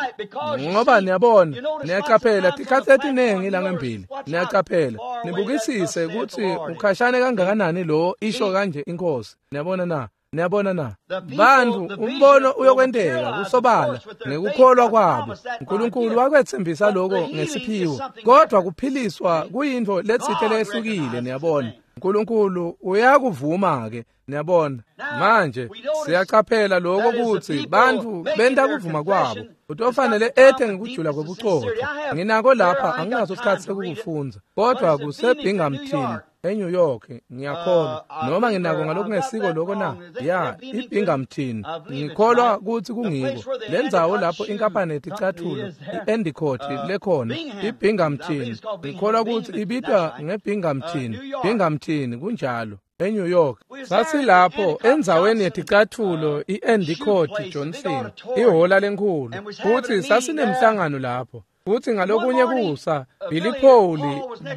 Ngoba niyabona, niyaqaphela tikhathi etinengi langembili, niyaqaphela nibukisise ukuthi ukhashane kangakanani lo isho kanje inkosi. Niyabona na? Niyabona na? Bantu umbono uyokwenteka kusobala ngekukholwa kwabo. uNkulunkulu wakwethembisa lokho ngesiphiwo, kodwa kuphiliswa kuyinto letsite lehlukile. Niyabona? uNkulunkulu uyakuvuma ke. Niyabona manje siyacaphela lokho kutsi bantfu benta kuvuma kwabo. Utofanele ethe ngekujula kwebucotho. Nginako lapha anginaso isikhathi sekukufundza, kodwa kuseBinghamton eNew York ngiyakholwa, noma nginako ngalokungesiko lokho na ya iBinghamton, ngikholwa kutsi kungiko lendzawo lapho inkampani yeticathulo iEndicott lekhona, iBinghamton, ngikholwa kutsi ibitwa ngeBinghamton, Binghamton kunjalo, eNew York. Sasilapho endzaweni yeticathulo iEndicott Johnson, ihhola lenkhulu, futsi sasinemhlangano lapho. Futsi ngalokunye kusa Billy Paul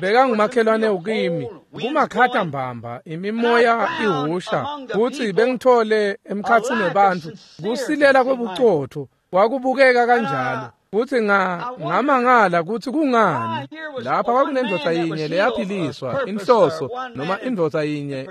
bekangumakhelwane ukimi kumakhata mbamba, imimoya ihusha, futsi bengithole emkhatsini webantfu kusilela kwebucotho, kwakubukeka kanjalo. Futsi ngamangala kutsi kungani lapha kwakunendvodza yinye leyaphiliswa inhloso, noma indvodza yinye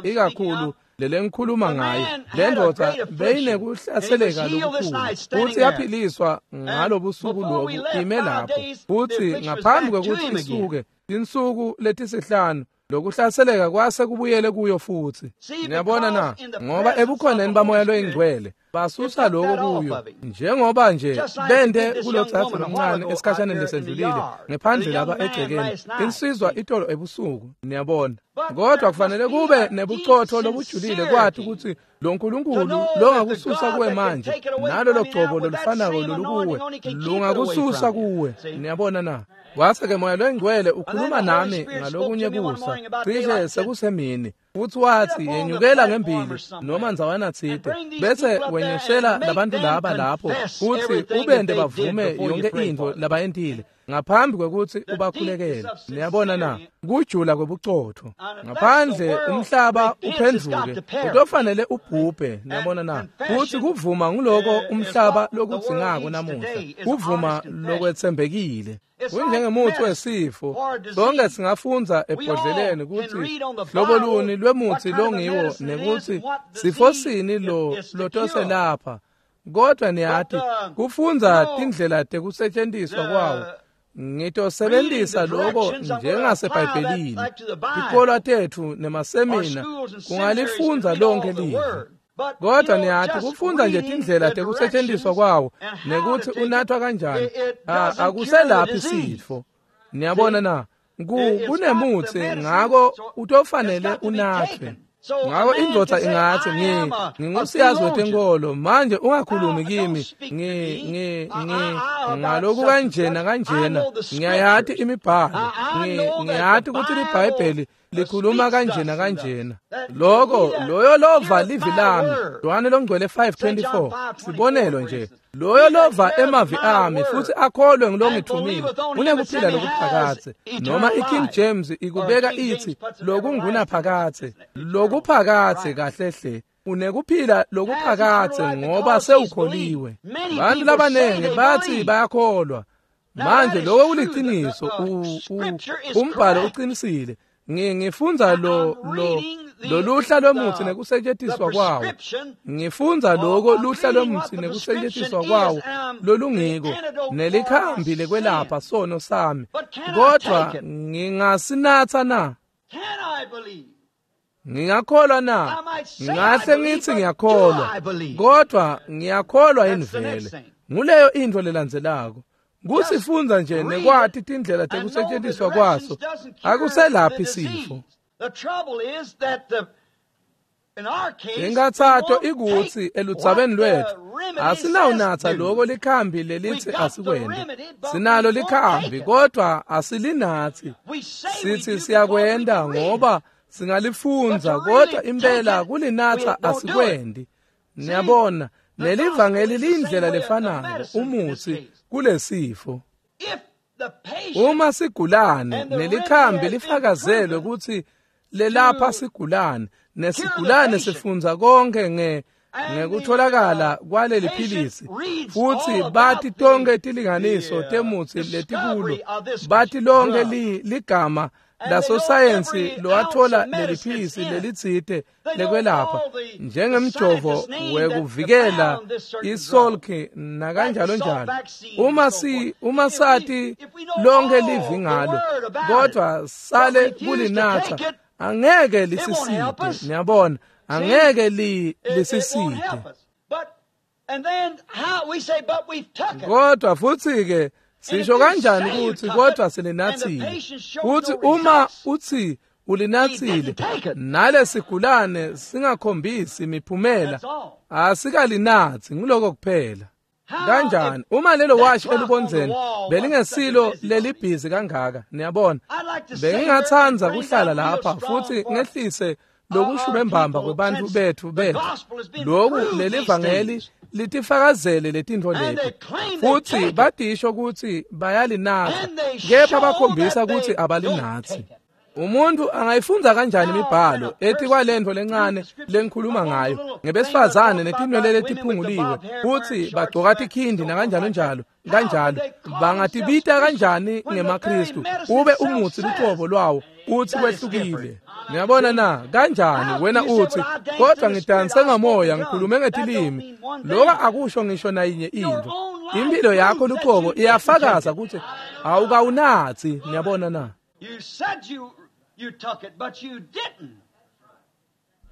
ikakhulu lelengikhuluma ngayo. Le ndvodza beyinekuhlaseleka lokukhulu, futsi yaphiliswa ngalobusuku lobu ime lapho. Futsi ngaphambi kwekutsi isuke tinsuku letisihlanu, lokuhlaseleka kwase kubuyele kuyo futsi. Niyabona na? Ngoba ebukhoneni baMoya loyiNgcwele basusa lokho kuyo, njengoba nje bente kulotsatsi lomncane esikhashaneni lesendlulile ngephandle lapha egcekeni, insizwa itolo ebusuku. Niyabona, kodwa kufanele kube nebucotho lobujulile kwathi kutsi lo Nkulunkulu longakususa kuwe manje nalolo gcobo lolufanako lolukuwe lungakususa kuwe. Niyabona na? Wase-ke Moya loyiNgcwele ukhuluma nami ngalokunye kusa cishe sekusemini, futsi watsi yenyukela ngembili noma ndzawana tsite, bese wenyushela labantu laba lapho, futsi ubente bavume yonke intfo labayentile ngaphambi kwekutsi ubakhulekele. Niyabona na? Kujula kwebucotho. Ngaphandle umhlaba uphendvuke, utofanele ubhubhe. Niyabona na? Futsi kuvuma nguloko umhlaba lokudzingako namuhla, kuvuma lokwetsembekile. Kunjengemutsi wesifo, sonke singafundza ebhodleleni kutsi hlobo luni lwemutsi longiwo nekutsi sifo sini lo lotoselapha. Kodwa niyati, kufundza tindlela tekusetjentiswa kwawo, ngitosebentisa lokho njengaseBhayibhelini. Tikolwa tetfu nemasemina kungalifundza lonke livi. Kodwa niyati, kufundza nje tindlela tekusetjentiswa kwawo nekutsi unathwa kanjani, akuselaphi sifo. Niyabona na? Kunemutsi, ngako utofanele unathwe. Ngako indvodza ingatsi, ngingusiyazi wetenkolo, manje ungakhulumi kimi ngaloku kanjena kanjena, ngiyayati imibhalo, ngiyati kutsi liBhayibheli likhuluma kanjena kanjena. Loko loyo lova livi lami, Yohane longcwele 5:24, sibonelo nje, loyo lova emavi ami futsi akholwe ngilongithumile unekuphila lokuphakadze. Noma iKing James ikubeka ithi lokungunaphakadze, lokuphakadze kahle hle, unekuphila lokuphakadze ngoba sewukholiwe. Bantu labanengi bathi bayakholwa. Manje lokho kuliciniso, umbhalo uqinisile. Ngifundza lo luhla lwemutsi nekusetjentiswa kwawo. Ngifundza lokho luhla lwemutsi nekusetjentiswa kwawo lolungiko nelikhambi lekwelapha sono sami. Kodwa ngingasinatsa na? Ngingakholwa na? Ngingahle ngitsi ngiyakholwa, kodwa ngiyakholwa yini vele? Nguleyo intfo lelandzelako. Kusifundza nje nekwati tindlela tekusetjentiswa kwaso akuselaphi sifo. Inkathato ikutsi eludzabeni lwetfu asinawunatsa loko likhambi lelitsi asikwente. Sinalo likhambi kodwa asilinatsi. Sithi siyakwenta ngoba singalifundza, kodwa impela kulinatsa asikwendi. Niyabona, nelivangeli liyindlela lefanako umutsi kulesifo. Uma sigulane nelikhambi lifakazelwe kutsi lelapha sigulane, nesigulane sifundza konke ngekutholakala kwaleli philisi, futsi bati tonke tilinganiso temutsi letikulo, bati lonke ligama lasosayensi lowathola leli philisi lelitsite lekwelapha, njengemjovo wekuvikela isolki nakanjalo njalo. Uma sati lonke livi ngalo, kodwa sale kulinatsa, Angeke lisisite, niyabona, angeke lisisite. Kodwa futhi-ke sisho kanjani ukuthi kodwa silinathile? Futhi uma uthi ulinathile nalesigulane singakhombisi imiphumela, asikalinathi, ngiloko kuphela. Kanjani uma lelo washi elubondzeni belingesilo lelibhizi kangaka, niyabona, bengingathanda kuhlala lapha futhi ngehlise lokushube mbamba kwebantfu bethu loku lelivangeli litifakazele letintfo leti, futhi batisho ukuthi bayalinatha, kepha bakhombisa ukuthi abalinathi. Umuntu angayifundza kanjani imibhalo ethi kwalento lencane lengikhuluma ngayo ngebesifazane netinwele letiphunguliwe futhi bagcoka tikhindi nakanjalo njalo kanjalo, bangatibita kanjani ngemaKristu ube umutsi lucobo lwawo uthi kwehlukile? Niyabona na? Kanjani wena uthi kodwa ngidanse ngamoya ngikhulume ngetilimi, lokho akusho ngisho nayinye into. Impilo yakho lucobo iyafakaza ukuthi awukawunathi. Niyabona na? You said you took it, but you didn't.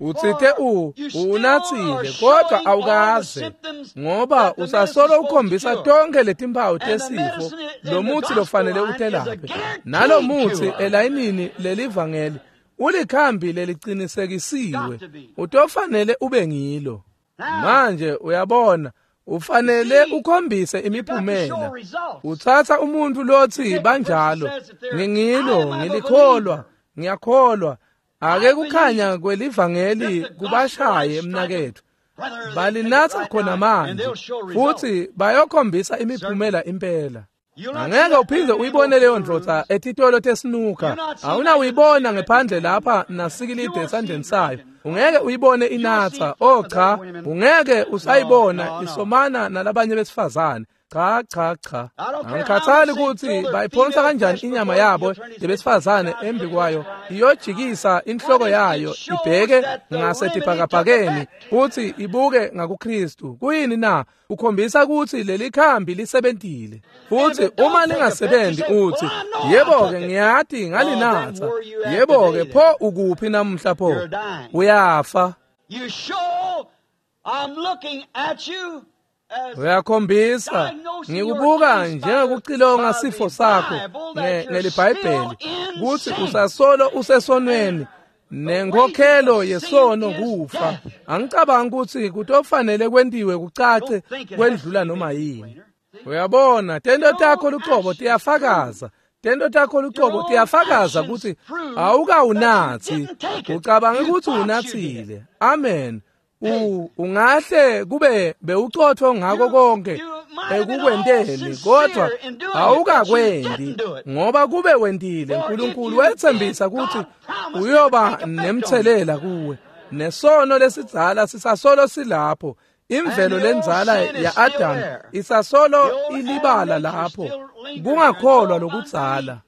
Utsite unathile kodwa awukaze, ngoba usasolo ukhombisa tonke letimpawu tesifo lo muthi lofanele utelaphe. Nalo muthi elayinini lelivangeli ulikhambi lelicinisekisiwe, utofanele ube ngilo. Manje uyabona, ufanele ukhombise imiphumela. Uthatha umuntu lothi banjalo, ngingilo, ngilikholwa, ngiyakholwa, ake kukhanya kwelivangeli kubashaye mnakethu, balinatha khona manje futhi bayokhombisa imiphumela impela. Angeke uphinde uyibone leyo ndvodza etitolo tesinuka, awunawuyibona ngephandle lapha nasikilide esandleni sayo. Ungeke uyibone inatha, oh cha, ungeke usayibona isomana nalabanye besifazane. Cha cha cha, angikhathali ukuthi bayiphonsa kanjani inyama yabo yebesifazane embi kwayo, iyojikisa inhloko yayo ibheke ngasetibhakabhakeni futhi ibuke ngakuKristu. Kuyini na? Ukhombisa ukuthi leli khambi lisebentile. Futhi uma lingasebenzi uthi yebo-ke ngiyati ngalinatha, yebo-ke pho ukuphi namuhla pho? Uyafa. Uyakhombisa ngikubuka njengokucilonga sifo sakho ngelibhayibheli ukuthi usasolo usesonweni nenkhokhelo yesono kufa. Angicabangi ukuthi kutofanele kwentiwe kucace kwendlula noma yini. Uyabona, tento takho lucobo tiyafakaza, tento takho lucobo tiyafakaza ukuthi awukawunathi, ucabange ukuthi unathile. Amen. Ungahle kube bewucotho ngako konke ekukwenteni, kodwa awukakwendi, ngoba kube wendile uNkulunkulu wethembisa ukuthi uyoba nemthelela kuwe. Nesono lesidzala sisasolo silapho, imvelo lenzala ya-Adam isasolo ilibala lapho, kungakholwa lokudzala.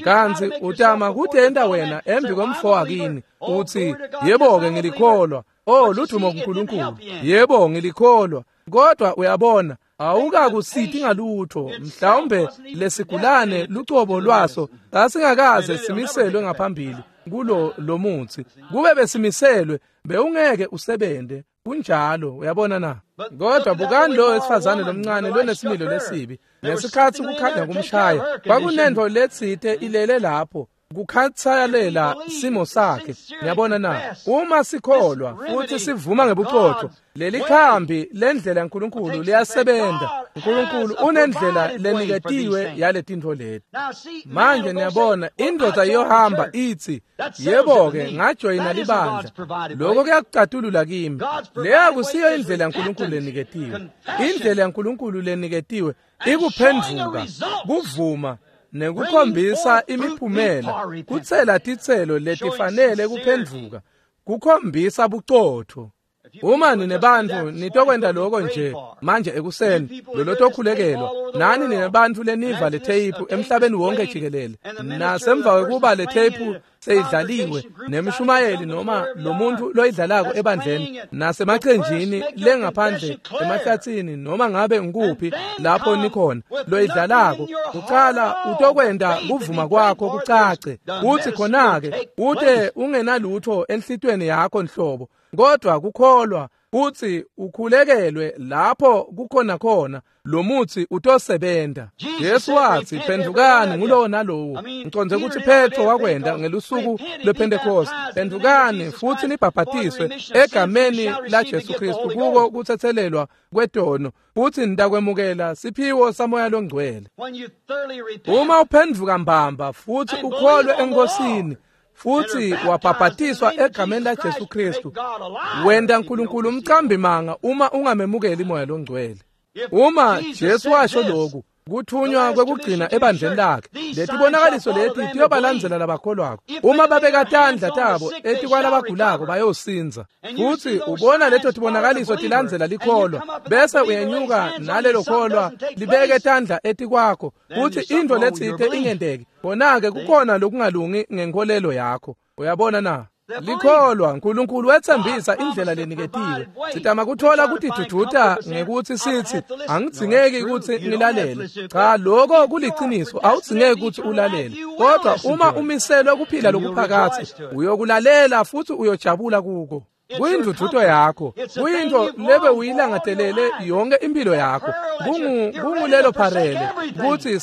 Kanti utama kutenta wena embi kwemfo wakini uthi yebo-ke ngilikholwa, oh ludumo kuNkulunkulu, yebo ngilikholwa, kodwa uyabona awukakusiti ngalutho. Mhlawumbe lesigulane lucobo lwaso sasingakaze simiselwe ngaphambili kulo lomuthi, kube besimiselwe bewungeke usebente. Kunjalo, uyabona na? Kodwa bukani lo wesifazane lomncane lonesimilo lesibi, ngesikhathi kukhanya kumshaya kwakunento letsite ilele lapho kukhathalela simo sakhe. Ngiyabona na? Uma sikholwa futhi sivuma ngebuqotho, leli khambi lendlela yaNkulunkulu liyasebenza. uNkulunkulu unendlela leniketiwe yaletintfo leti. Manje niyabona, indoda iyohamba ithi yebo-ke ngajoyina libandla, lokho kuyakucatulula kimi. Leyo akusiyo indlela yaNkulunkulu leniketiwe. Indlela yaNkulunkulu leniketiwe ikuphenduka, kuvuma nekukhombisa imiphumela, kutsela titselo letifanele kuphenduka, kukhombisa bucotho. Uma nine bantfu nitokwenta loko nje manje ekuseni, lolotokhulekelwa, nani nine bantfu leniva le theyiphu emhlabeni wonke jikelele, nasemva kwekuba le theyiphu seyidlaliwe nemshumayeli noma lomuntu loyidlalako ebandleni nasemaqenjini lengaphandle emahlatsini noma ngabe ngikuphi lapho nikhona loyidlalako, kucala utokwenta kuvuma kwakho kucace, uthi khona-ke ute ungenalutho enhlitweni yakho nhlobo, kodwa kukholwa kutsi ukhulekelwe lapho kukhona khona lo mutsi utosebenta. Jesu wathi phendvukani ngulowo nalowo. Ngicondze kutsi Petro wakwenta ngelusuku lwePhentekoste. Phendvukani futhi nibhabhatiswe egameni la Jesu Kristu kuko kutsetselelwa kwetono, futhi nitakwemukela siphiwo saMoya loNgcwele. Uma uphendvuka mbamba futhi ukholwe eNkosini futhi wabhabhatiswa egameni la Jesu Kristu, wenta uNkulunkulu umcambi manga uma ungamemukeli moya loNgcwele. Uma Jesu washo lokhu, kuthunywa kwekugcina ebandleni lakhe, letibonakaliso leti tiyobalandzela labakholwako. Uma babeka tandla tabo etikwalabagulako bayosinza. Futhi ubona leto tibonakaliso tilandzela likholwa, bese uyenyuka nalelo kholwa libeke tandla etikwakho, futhi into letsite ingenteki. Khona-ke kukhona lokungalungi ngenkolelo yakho. Uyabona na? Likholwa uNkulunkulu wethembisa indlela leniketiwe. Sitama kuthola kutiduduta ngekuthi sithi angidzingeki ukuthi ngilalele. Cha, lokho kuliciniso, awudzingeki ukuthi ulalele. Kodwa uma umiselwe kuphila lokuphakathe, uyokulalela futhi uyojabula kuko. Kuyinduduzo yakho, kuyinto lebe uyilangatelele yonke impilo yakho. Kungulelo pharele ukuthi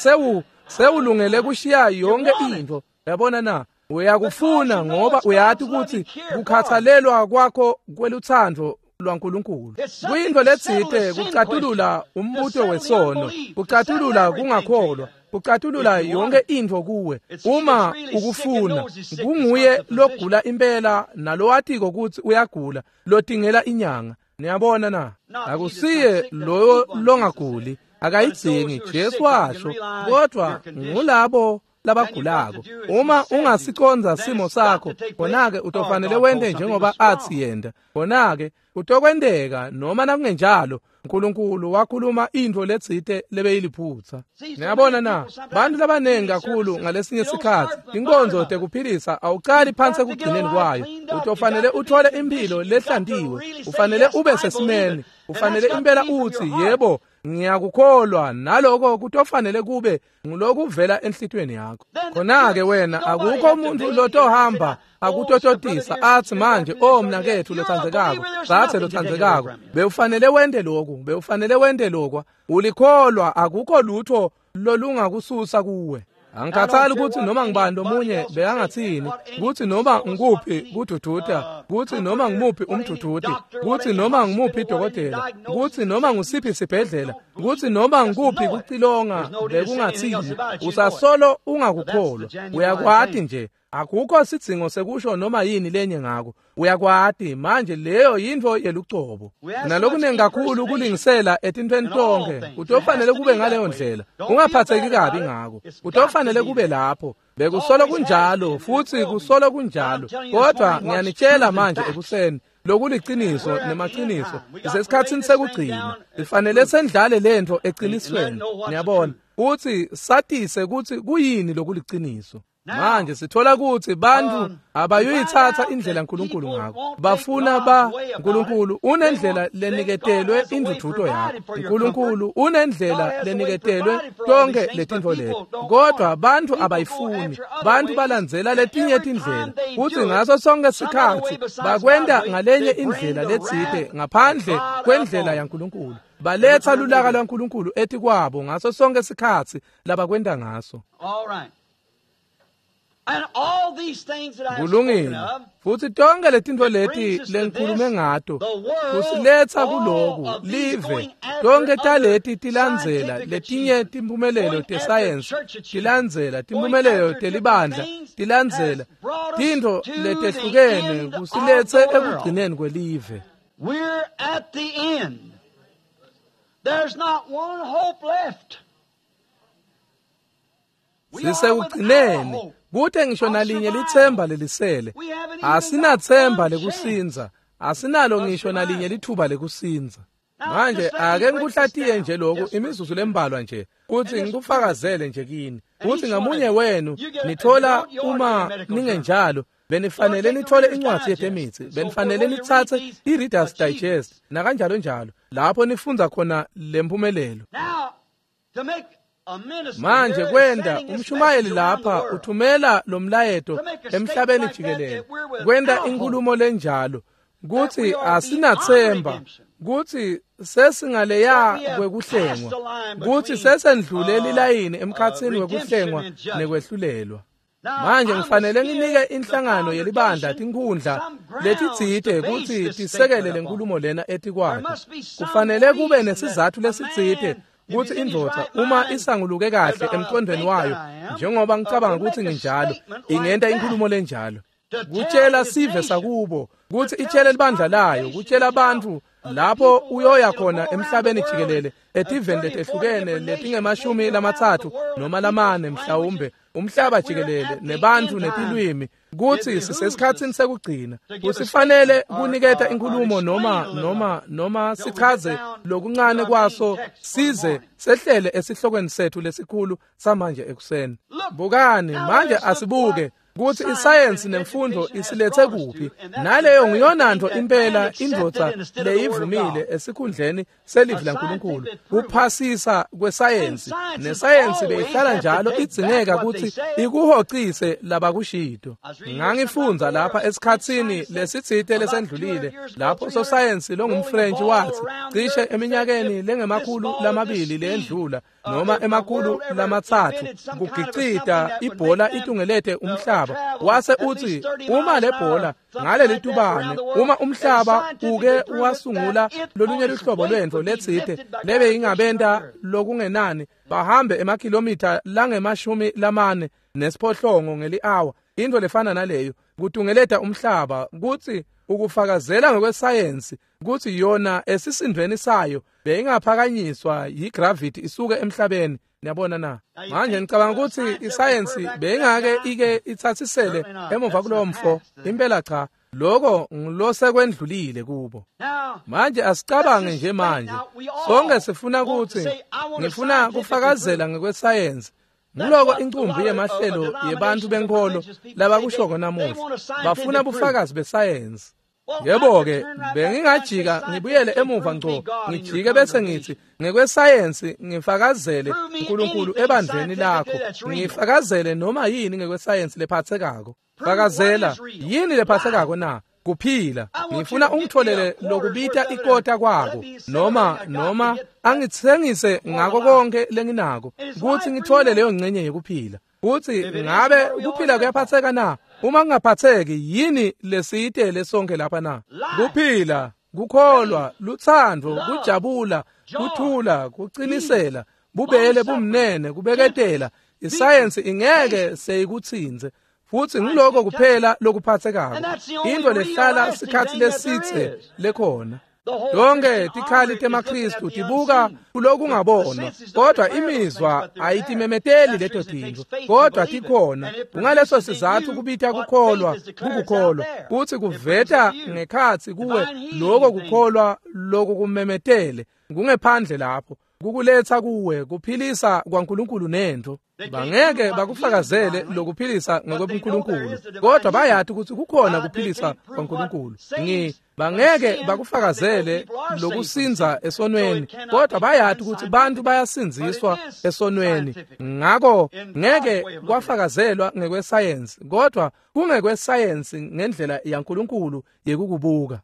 sewulungele kushiya yonke into. Uyabona na? Uyakufuna ngoba uyati ukuthi kukhathalelwa kwakho kweluthando lwaNkulunkulu. Kuyinto letsite kucatulula umbuto wesono, kucatulula kungakholwa, kucatulula yonke into kuwe. Uma ukufuna, kunguye logula impela nalowatiko ukuthi uyagula, lodingela inyanga. Niyabona na? Akusiye loyo longaguli, akayidzingi. Jesu washo, kodwa ngulabo labagulako. Uma ungasiconza simo sakho, khona-ke utofanele wente njengoba athi yenda. Khona-ke kutokwenteka, noma nakungenjalo uNkulunkulu wakhuluma intfo letsite lebeyiliphutsa. Niyabona na? Bantu labanengi kakhulu ngalesinye sikhatsi inkonzo tekuphilisa awucali phansi ekugcineni kwayo. Utofanele uthole impilo lehlantiwe, ufanele ube sesimeni, ufanele impela uthi yebo ngiyakukholwa, naloko kutofanele kube ngulokuvela enhlitweni yakho. Khona-ke wena akukho umuntu lotohamba akutototisa athi manje, oh mnakethu lothandzekako, dzadze lothandzekako, bewufanele wente lokhu, bewufanele wente lokwa. Ulikholwa, akukho lutho lolungakususa kuwe. Angikhathali ukuthi noma ngibani lomunye bekangathini, ukuthi noma ngikuphi kudududa, ukuthi noma ngimuphi umdududi, ukuthi noma ngimuphi idokotela, ukuthi noma ngusiphi isibhedlela, ukuthi noma ngikuphi kucilonga bekungathini, usasolo ungakukholwa. Uyakwati nje, akukho sidzingo sekusho noma yini lenye ngako. Uyakwati manje, leyo yintfo yelucobo. Nalokunengi kakhulu kulingisela etintfweni tonke, kutofanele kube ngaleyo ndlela. Ungaphatheki kabi ngako, kutofanele kube lapho. Bekusolo kunjalo futhi kusolo kunjalo, kodwa ngiyanitshela manje ekuseni lokuliciniso nemaciniso, isesikhatsini sekugcina. Sifanele sendlale lentfo eqinisweni. Niyabona uthi satise kutsi kuyini lokuliciniso. Manje sithola ukuthi bantu abayuyithatha indlela uNkulunkulu ngakho. Bafuna uNkulunkulu unendlela leniketelwe induduzo yakho. uNkulunkulu unendlela leniketelwe tonke letintfo leti, kodwa bantu abayifuni. Bantu balandzela letinye tindlela, futhi ngaso sonke sikhatsi bakwenta ngalenye indlela letsite ngaphandle kwendlela yaNkulunkulu. Baletha lulaka lwaNkulunkulu etikwabo ngaso sonke sikhatsi labakwenta ngaso. Kulungile. Futhi tonke letintfo leti lengikhulume ngato kusiletsa kuloku live. Tonke taleti tilandzela letinye timphumelelo tesayensi, tilandzela timphumelelo telibandla, tilandzela tintfo letehlukene kusiletse ekugcineni kwelive. We're at the end. There's not one hope left. Sisekugcineni, kute ngisho nalinye litsemba lelisele. Asinathemba lekusinza, Asinalo ngisho nalinye lithuba lekusindza. Manje ake ngikuhlatiye nje lokhu imizuzu lembalwa nje kuthi ngikufakazele nje kini kuthi ngamunye wenu nithola uma ningenjalo benifanele nithole incwadi yetemitsi, benifanele nitsatse i-Reader's Digest nakanjalo njalo lapho nifundza khona lempumelelo. Manje kwenda umshumayeli lapha uthumela lo mlayeto emhlabeni jikelele kwenda inkulumo lenjalo kuthi asinathemba, kuthi sesingaleya kwekuhlengwa, kuthi sesendlule lilayini emkhatsini wekuhlengwa nekwehlulelwa. Manje ngifanele nginike inhlangano yelibandla tinkhundla letitsite kutsi tisekele lenkulumo lena etikwakhe. Kufanele kube nesizatfu lesitsite kutsi indvodza uma isanguluke kahle emqondweni wayo njengoba ngicabanga kutsi nginjalo ingenta inkulumo lenjalo. Kutshela sive sakubo, kutsi itshele libandla layo, kutshela bantfu lapho uyoya khona emhlabeni jikelele etiveni letehlukene letingemashumi lamatsatfu noma lamane mhlawumbe umhlaba jikelele nebantfu netilwimi kutsi sisesikhatsini sekugcina. Kusifanele kuniketa inkulumo noma sichaze lokuncane kwaso size sehlele esihlokweni sethu lesikhulu samanje ekuseni. Bukani manje, asibuke kutsi isayensi nemfundo isilethe kuphi, naleyo ngiyonantfo impela indvodza leyivumile esikhundleni selivi laNkulunkulu, kuphasisa kwesayensi. Nesayensi beyihlala njalo idzingeka kutsi ikuhocise labakushito. Ngangifundza lapha esikhatsini lesitsite lesendlulile lapho sosayensi longumFrench watsi cishe eminyakeni lengemakhulu lamabili leyendlula noma emakhulu lamatsatfu kugicita ibhola itungelete umhlaba. Wase utsi uma le bhola ngaleli tubane, uma umhlaba uke wasungula lolunye luhlobo lwentfo letsite lebe ingabenta lokungenani bahambe emakhilomitha langemashumi lamane nesiphohlongo ngeli-awa, intfo lefana naleyo kutungeleta umhlaba, kutsi ukufakazela ngokwesayensi kutsi yona esisindvweni sayo beyingaphakanyiswa yigravity isuke emhlabeni. Niyabona na? Manje ngicabanga kutsi isayensi beyingake ike itsatsisele emuva kulowo mfo. Impela cha, lokho ngilosekwendlulile kubo. Manje asicabange nje manje. Sonke sifuna kutsi ngifuna kufakazela ngekwesayensi. Ngiloko incumbi yemahlelo yebantu benkholo labakushoko namuhla. Bafuna bufakazi besayensi. Yebo-ke, bengingajika ngibuyele emuva ngco, ngijike bese ngithi ngekwesayensi ngifakazele uNkulunkulu ebandleni lakho, ngifakazele noma yini ngekwesayensi lephathekako. Fakazela yini lephathekako na? Kuphila. Ngifuna ungitholele lokubita ikota kwako noma angitsengise ngako konke lenginako kutsi ngithole leyo ngcenye yekuphila. Kutsi ngabe kuphila kuyaphatheka na? Uma kungaphatheki yini lesiyitele sonke lapha na? Kuphila, kukholwa, lutsandvo, kujabula, kuthula, kucinisela, bubele, bumnene, kubeketela. Isayensi ingeke seyikutsinze. Futsi ngiloko kuphela lokuphathekako, intfo lehlala sikhatsi lesitse lekhona. Tonke tikhali temaKhristu tibuka kulokungabonwa, kodwa imizwa ayitimemeteli leto tintfo, kodwa tikhona. Kungaleso sizatfu kubita kukholwa kukukholwa, kutsi kuveta ngekhatsi kuwe loko kukholwa lokukumemetele kungephandle lapho, kukuletsa kuwe kuphilisa kwaNkulunkulu nentfo. Bangeke bakufakazele lokuphilisa ngokwebuNkulunkulu, kodwa bayati kutsi kukhona kuphilisa kwaNkulunkulu. Bangeke bakufakazele lokusindza esonweni, kodwa bayati kutsi bantu bayasindziswa esonweni. Ngako ngeke kwafakazelwa ngekwesayensi, kodwa kungekwesayensi ngendlela yaNkulunkulu yekukubuka.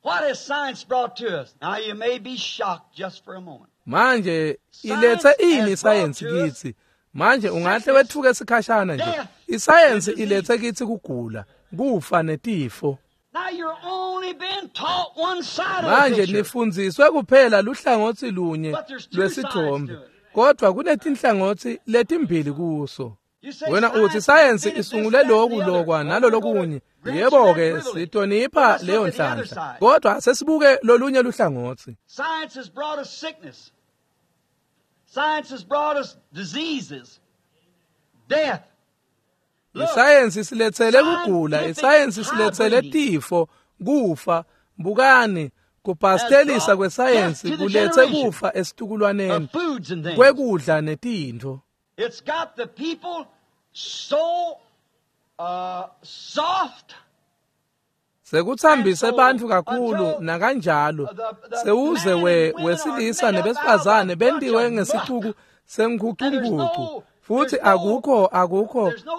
What has science brought to us? Now you may be shocked just for a moment. Manje ilethe ini isayensi kithi? Manje ungahle wethuke sikhashana nje. Isayensi ilethe kithi kugula, kufa netifo. Now you're only been taught one side of the Manje picture. nifundziswe kuphela luhlangotsi lunye lwesithombe, kodwa kunetinhlangotsi letimbili kuso. Wena uthi isayensi isungule loku lokwa nalolokunye. Yebo-ke, sitonipha leyo nhlanhla, kodwa sesibuke lolunye luhlangotsi. Science has brought us sickness. Science has brought us diseases, death. Isayensi isiletsele kugula, isayensi isiletsele tifo, Kufa, bukani, kubhastelisa kwesayensi kuletse kufa esitukulwaneni kwekudla netintfo. It's got the people so soft. Sekuthambise bantfu kakhulu nakanjalo sewuze wesilisa nebesifazane bentiwe ngesicuku senkhucunkucu futhi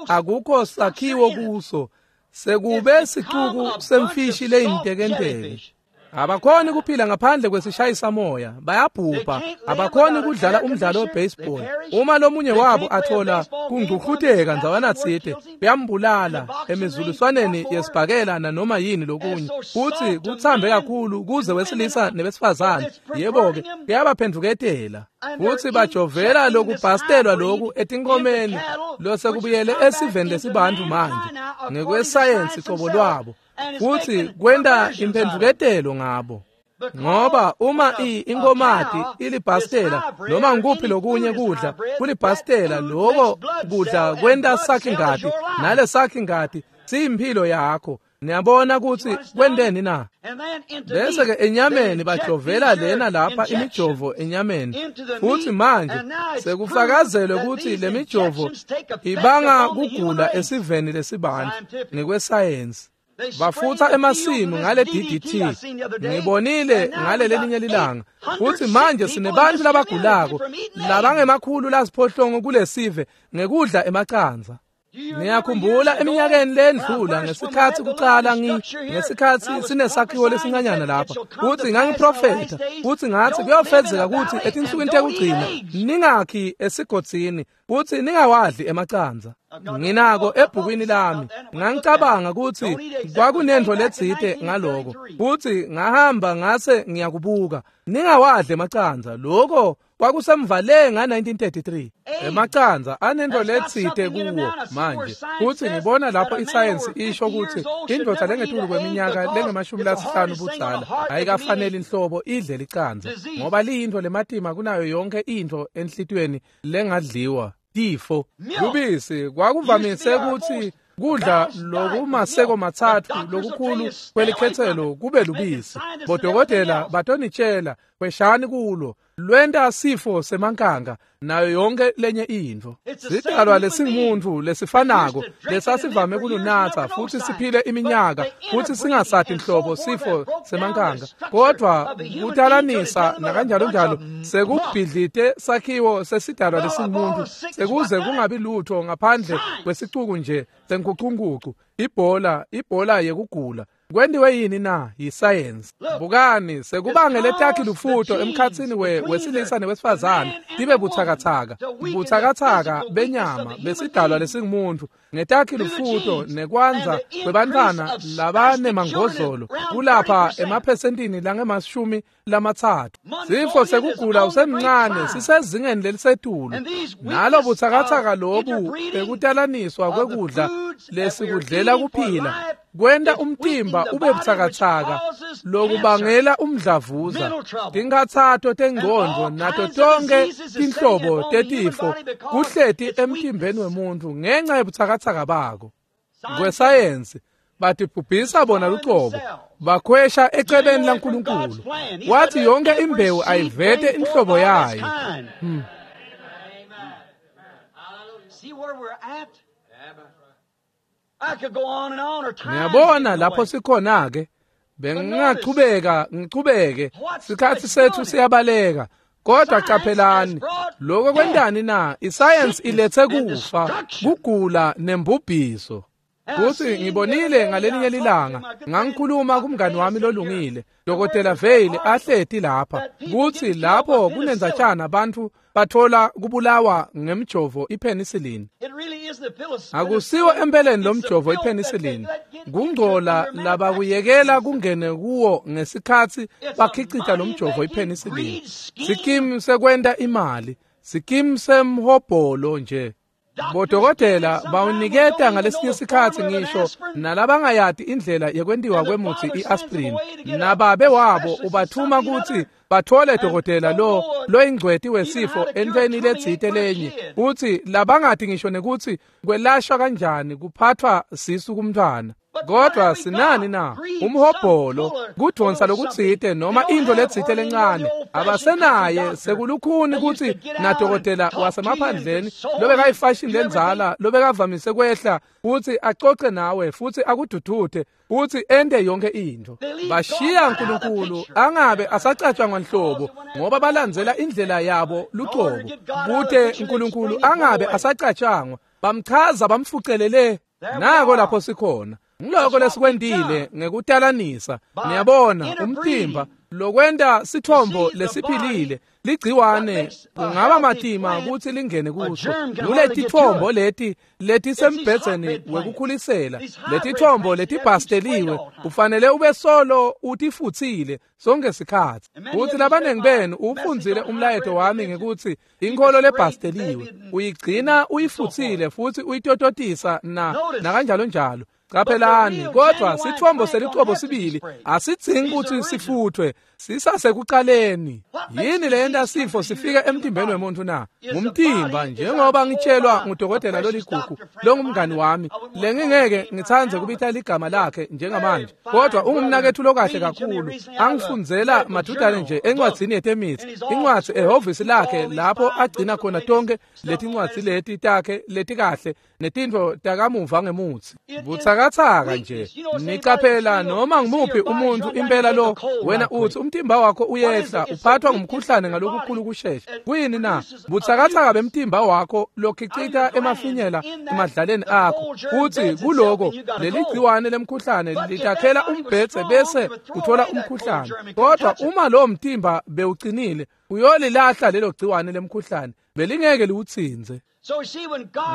akukho sakhiwo kuso sekube sicuku semfishi leyintekenteke. Abakhoni kuphila ngaphandle kwesishayisa moya, bayabhubha. Abakhoni kudlala umdlalo webaseball. Uma lomunye wabo athola kungcuhluteka ndzawanatsite, kuyambulala emizuliswaneni yesibhakela nanoma yini lokunye. Futhi kuthambe kakhulu kuze wesilisa nebesifazane. Yebo-ke, kuyabaphendvuketela. Futhi bajovela lokubhastelwa loku etinkomeni losekubuyele esiveni lesibantfu manje ngekwesayensi cobo lwabo. Futhi kwenta imphendvuketelo ngabo. Ngoba uma inkomati ilibhastela noma ngikuphi lokunye kudla kulibhastela, lokho kudla kwenta sakhi-ngati, nale sakhi-ngati siyimphilo yakho. Niyabona ukuthi kwenteni na? Bese ke enyameni bajovela lena lapha imijovo enyameni. Futhi manje sekufakazelwe ukuthi le mijovo ibanga kugula esiveni lesibantfu ngekwesayensi. Bafutha emasimu ngale DDT. Ngibonile ngale lelinye lilanga futhi manje sinebantu labagulako labangemakhulu lasiphohlongo kulesive ngekudla emacandza. Niyakhumbula eminyakeni lendlula ngesikhathi kucala ngesikhathi sinesakhiwo lesincanyana lapha futhi ngangiprofetha futhi ngathi kuyofezeka ukuthi etinsukwini tekugcina ningakhi esigodzini futhi ningawadli emacandza. Nginako ebhukwini lami. Ngangicabanga ukuthi kwakunento letsite ngaloko futhi ngahamba ngase ngiyakubuka. Ningawadli emacandza. Lokho kwakusemvale nga-1933. Emacandza anento letsite kuwo manje. Futhi ngibona lapho isayensi isho ukuthi indoda lengetulu kweminyaka lengama-50 budzala ayikafanele inhlobo idle licandza ngoba liyintfo lematima kunayo yonke intfo enhlitiyweni lengadliwa. Tifo lubisi kwakuvamise ukuthi kudla lokumaseko matsatfu lokukhulu kwelikhetselo kube lubisi. Bodokotela batonitshela kweshani kulo lwenta sifo semankanga nayo yonke lenye intfo. Sidalwa lesingumuntu lesifanako lesasivame kulunatsa futhi siphile iminyaka futhi singasati inhlobo sifo semankanga, kodwa kutalanisa nakanjalo njalo sekubhidlite sakhiwo sesidalwa lesingumuntu sekuze kungabi lutho ngaphandle kwesicuku nje senkhucunkucu. Ibhola yekugula kwentiwe yini na? Yisayensi. Bukani, sekubangele takhi lufuto emkhatsini wesilisa newesifazane tibe buthakathaka, buthakathaka benyama besidalwa lesingumuntu ngetakhi lufuto nekwandza kwebantfwana labanemangozolo kulapha emaphesentini langema-30. Sifo sekugula usemncane sisezingeni lelisetulu. Nalo buthakathaka lobu bekutalaniswa kwekudla lesikudlela kuphila kwenta umtimba ube buthakathaka lokubangela umdlavuza, tinkhatsato tengcondvo nato tonke tinhlobo tetifo kuhleti emtimbeni wemuntu ngenxa yebuthakathaka bako. Kwesayensi batibhubhisa bona lucobo, bakhwesha ecebeni laNkulunkulu. Wathi yonke imbewu ayivete inhlobo yayo. Ngiyabona lapho sikhona ke. Bengingachubeka ngichubeke, sikhathi sethu siyabaleka. Kodwa qaphelani, lokho kwentani na? Isayensi ilethe kufa, kugula nembubhiso. Kuthi ngibonile ngalelinye lilanga ngangikhuluma kumngani wami lolungile Dr. Vale ahleti lapha kuthi lapho kunendzatshana abantu bathola kubulawa ngemjovo ipenicillin. Akusiwo empeleni lomjovo ipenicillin, kungcola labakuyekela kungene kuwo ngesikhathi bakhicita lomjovo ipenicillin. Sikimu sekwenta imali, sikimu semhobholo nje. Bodokotela bawuniketa ngalesinye sikhathi ngisho nalabangayati indlela yekwentiwa kwemuthi i-aspirin. Nababe wabo ubathuma ukuthi bathole dokotela lo loyingcweti wesifo entweni letsite lenye, uthi labangati ngisho nekuthi kwelashwa kanjani kuphathwa sisu kumntwana. Kodwa sinani na? Umhobholo, kudvonsa lokutsite noma intfo letsite lencane. Abasenaye sekulukhuni kutsi nadokotela wasemaphandleni lobekayifashini lendzala lobekavamise kwehla kutsi acoce nawe futsi akududute futsi ente yonke intfo. Bashiya uNkulunkulu angabe asacatshangwa nhlobo ngoba balandzela indlela yabo lucobo. Kute uNkulunkulu angabe asacatshangwa, bamchaza bamfucelele. Nako lapho sikhona. Ngiloko lesikwentile ngekutalanisa. Niyabona umtimba lokwenta sithombo lesiphilile ligciwane kungaba matima kutsi lingene kuso. Kuletithombo leti letisembhedzeni wekukhulisela, letithombo letibhasteliwe, ufanele ube solo utifutsile sonke sikhatsi. Kutsi labanengi benu ufundzile umlayeto wami ngekutsi inkholo lebhasteliwe uyigcina uyifutsile futsi uyitototisa na nakanjalo njalo. Qaphelani, kodwa sithombo selicobo sibili asidzingi kutsi sifuthwe, sisasekuqaleni. Yini leyenta sifo sifike emtimbeni wemuntu na? Ngumtimba, njengoba ngitshelwa ngudokotela loligugu longumngani wami, lengingeke ngitsandze kubita ligama lakhe njengamanje, kodwa ungumnaketfu lokahle kakhulu. Angifundzela madudane nje encwadzini yetemitsi, incwadzi ehhovisi lakhe lapho agcina khona tonke letincwadzi leti takhe letikahle netintfo takamuva ngemutsi. Butsakatsaka nje. Nicaphela noma ngimuphi umuntu impela lo wena uthi umtimba wakho uyehla uphathwa ngumkhuhlane ngalokukhulu kushesha. Kuyini na? Butsakatsaka bemtimba wakho lokhicita emafinyela emadlaleni akho. Futhi kuloko leligciwane lemkhuhlane litakhela umbhedze bese uthola umkhuhlane. Kodwa uma lo mtimba bewucinile uyolilahla lelo gciwane lemkhuhlane, belingeke liwutsinze.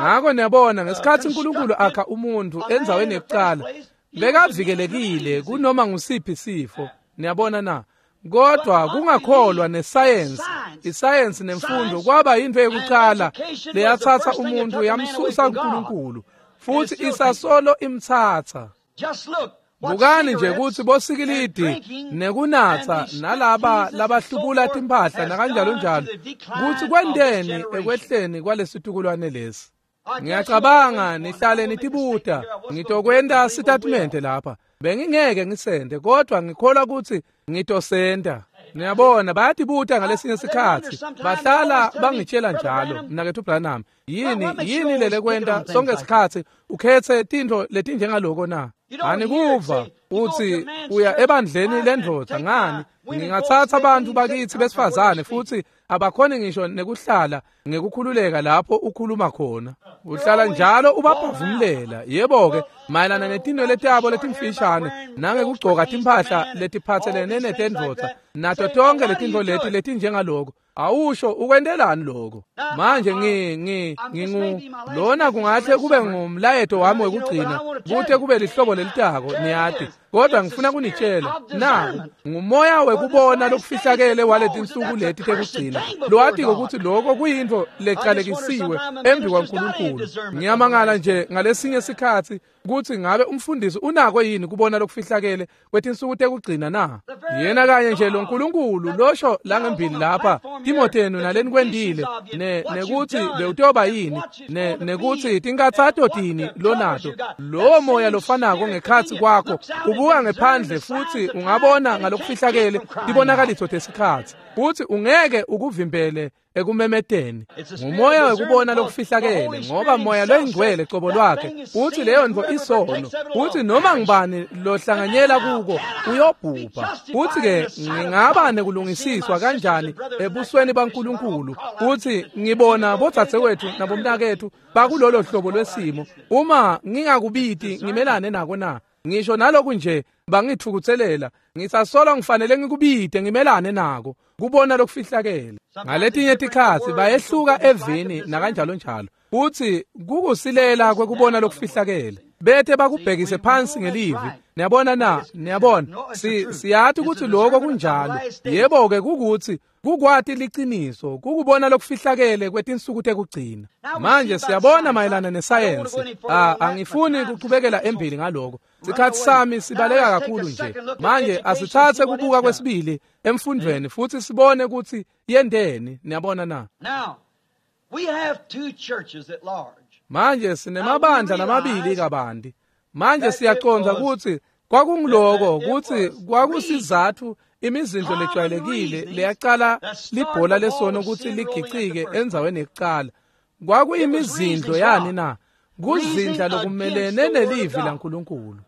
Ngako niyabona ngesikhatsi uNkulunkulu akha umuntu endzaweni yekucala, bekavikelekile kunoma ngusiphi sifo. Niyabona na? Kodwa kungakholwa nesayensi, isayensi nemfundo kwaba yintfo yekucala leyatsatsa umuntu yamsusa kuNkulunkulu, futsi isasolo imtsatsa. Bukani nje kutsi bosikilidi nekunatsa nalaba labahlubula timphahla nakanjalo njalo kutsi kwenteni ekwehleni kwalesitukulwane lesi. Ngiyacabanga nihlale nitibuta, ngitokwenta sitatimende lapha. Bengingeke ngisente, kodwa ngikholwa kutsi ngitosenta. Niyabona bayatibuta ngalesinye sikhatsi, bahlala bangitshela njalo, mnaketfu Branham, yini lelekwenta sonke sikhatsi ukhetse tintfo letinjengaloko na? Anikuva uthi uya ebandleni lendvodza ngani? Ngingatsatsa abantu bakithi besifazane futsi abakhoni ngisho nekuhlala ngekukhululeka lapho ukhuluma khona. Uhlala njalo ubabhavumlela. Yebo-ke, mayelana netinwele tabo letimfishane nangekugcoka timphahla letiphatselene netendvodza nato tonke letintfo leti letinjengaloko. Awusho ukwentelani lokho? Manje ngingu lona kungahle kube ngumlayeto wami wekugcina kute kube lihlobo lelitako, niyati. Kodwa ngifuna kunitshela naku ngumoya wekubona lokufihlakele waletinsuku leti tekugcina lowatiko kutsi lokho kuyintfo lecalekisiwe embi kwaNkulunkulu. Ngiyamangala nje ngalesinye sikhatsi kutsi ngabe umfundisi unako yini kubona lokufihlakele kwetinsuku tekugcina na? Yena kanye nje lo Nkulunkulu losho langembili lapha Timothenu naleni kwendile nekutsi bewutoba yini nekutsi tinkatsato tini lonato, lowo moya lofanako ngekhatsi kwakho ubuka ngephandle futsi ungabona ngalokufihlakele tibonakaliso tesikhatsi, futsi ungeke ukuvimbele ekumemeteni. Ngumoya wekubona lokufihlakele, ngoba moya loyingcwele cobo lwakhe uthi leyo ntfo isono, uthi noma ngibani lohlanganyela kuko uyobhubha. Uthi-ke ngingaba nekulungisiswa kanjani ebusweni baNkulunkulu? Uthi ngibona bodzadzewethu nabomnaketfu bakulolo hlobo lwesimo, uma ngingakubiti ngimelane nako na? Ngisho naloku nje bangithukutselela, ngisasola ngifanele ngikubite ngimelane nako kubona lokufihlakele. Ngaletinye tikhatsi bayehluka evini nakanjalo njalo, futsi kukusilela kwekubona lokufihlakele bete bakubhekise phansi ngelivi. Niyabona na? Niyabona, siyati kutsi lokho kunjalo. Yebo-ke, kukutsi kukwati liciniso, kukubona lokufihlakele kwetinsuku tekugcina. Manje siyabona mayelana nesayensi. Angifuni kuchubekela embili ngaloko, sikhatsi sami sibaleka kakhulu nje. Manje asitsatse kubuka kwesibili emfundvweni futsi sibone kutsi yenteni. Niyabona na? Manje sinemabandla lamabili kabanti. Manje siyacondza kutsi kwakungiloko kutsi kwakusizatfu imizindlo lejwayelekile leyacala libhola lesono kutsi ligicike endzaweni yekucala. Kwakuyimizindlo yani na? Kuzindla lokumelene nelivi laNkulunkulu.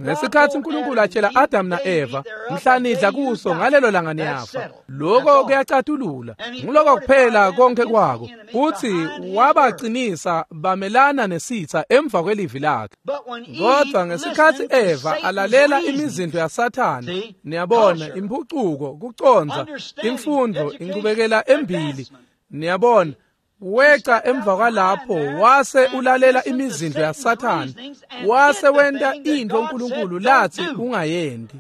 Ngesikhatsi uNkulunkulu atshela Adam na-Eva, mhla nidla kuso ngalelo langa niyafa. Lokho kuyacatulula. Nguloko kuphela konke kwako. Futhi wabacinisa bamelana nesitha emva kwelivi lakhe. Kodwa ngesikhatsi Eva alalela imizindlo yaSathane, niyabona impucuko, kucondza, imfundo, inqubekela embili, niyabona, weca emva kwalapho wase ulalela imizindlo yaSathane, wase wenta into uNkulunkulu lathi ungayendi.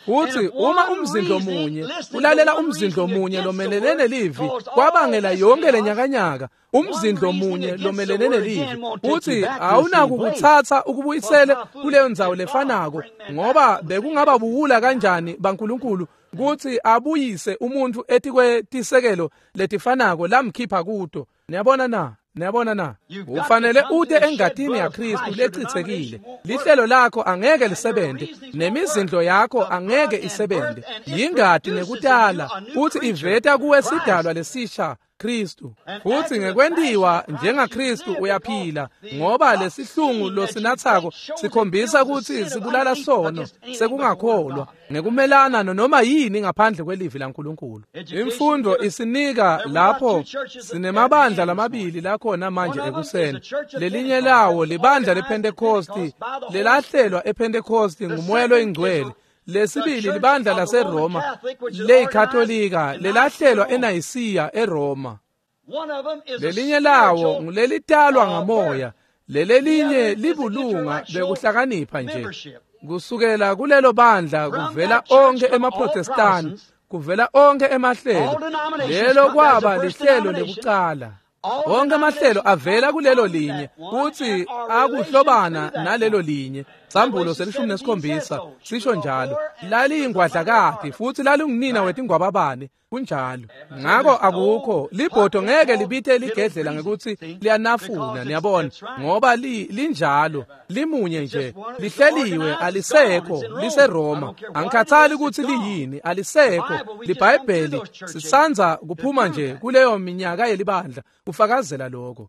Futhi uma umzindlo munye ulalela umzindlo munye lomelene nelivi, kwabangela yonke lenyakanyaka. Umzindlo munye lomelene nelivi, futhi awunakukuthatha ukubuyisele kuleyo ndzawo lefanako, ngoba bekungaba buwula kanjani baNkulunkulu kutsi abuyise umuntu etikwetisekelo letifanako lamkhipha kuto. Niyabona na? Niyabona na? Ufanele ute engatini yaKristu lechitsekile. Lihlelo lakho angeke lisebente, nemizindlo yakho angeke isebente. Yingati nekutala futhi iveta kuwe sidalwa lesisha, Kristu. Futhi ngekwentiwa njengaKristu uyaphila, ngoba lesihlungu losinathako sikhombisa kutsi sibulala sono sekungakholwa ngekumelana noma yini ngaphandle kwelivi laNkulunkulu. Imfundo isinika lapho sinemabandla lamabili lakhona manje ekuseni. Lelinye lawo libandla lePhentekosti lelahlelwa ePhentekosti nguMoya loyiNgcwele. Lesibili libandla laseRoma leyikatolika lelahlelwa eNayisiya eRoma. Lelinye lawo ngulelitalwa ngamoya, lelelinye libulunga bekuhlakanipha nje. Kusukela kulelo bandla kuvela onke emaProtestani, kuvela onke emahlelo. Lelo kwaba lihlelo lekucala. Onke amahlelo avela kulelo linye, kuthi akuhlobana nalelo linye. Sambulo se-17 sisho njalo. Laliyingwadlakati futhi lalingunina wetingwababane, kunjalo. Ngako akukho libhodo ngeke libite ligedlela ngekuthi liyanafuna, niyabona, ngoba linjalo, limunye nje, lihleliwe, alisekho, liseRoma. Angikhathali ukuthi liyini, alisekho. LiBhayibheli sisandza kuphuma nje kuleyo minyaka yelibandla kufakazela lokho.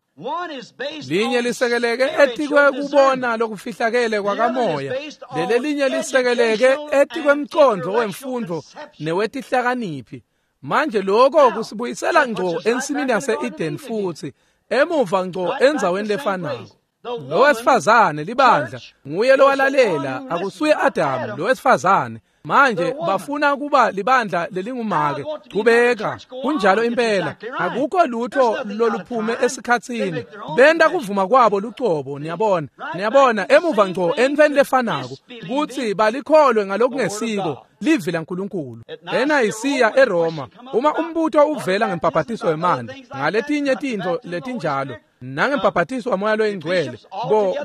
Linye lisekeleke etikwe kubona lokufihlakele kwakamoya, lelelinye lisekeleke etikwemcondvo wemfundo newetihlakaniphi. Manje lokho kusibuyisela ngco ensimini yase-Eden futhi emuva ngco endzaweni lefanako. Lo wesifazane libandla nguye lowalalela, akusuye Adamu, lo wesifazane. Manje bafuna kuba libandla lelingumake. Chubeka, kunjalo impela. Akukho lutho loluphume esikhatsini. Benta kuvuma kwabo lucobo, niyabona. Niyabona emuva ngco entweni lefanako kutsi balikholwe ngalokungesiko livi laNkulunkulu. ENayisiya eRoma, uma umbuto uvela ngembhabhatiso wemanti, ngaletinye tintfo letinjalo, nangembhabhatiso waMoya loyiNgcwele,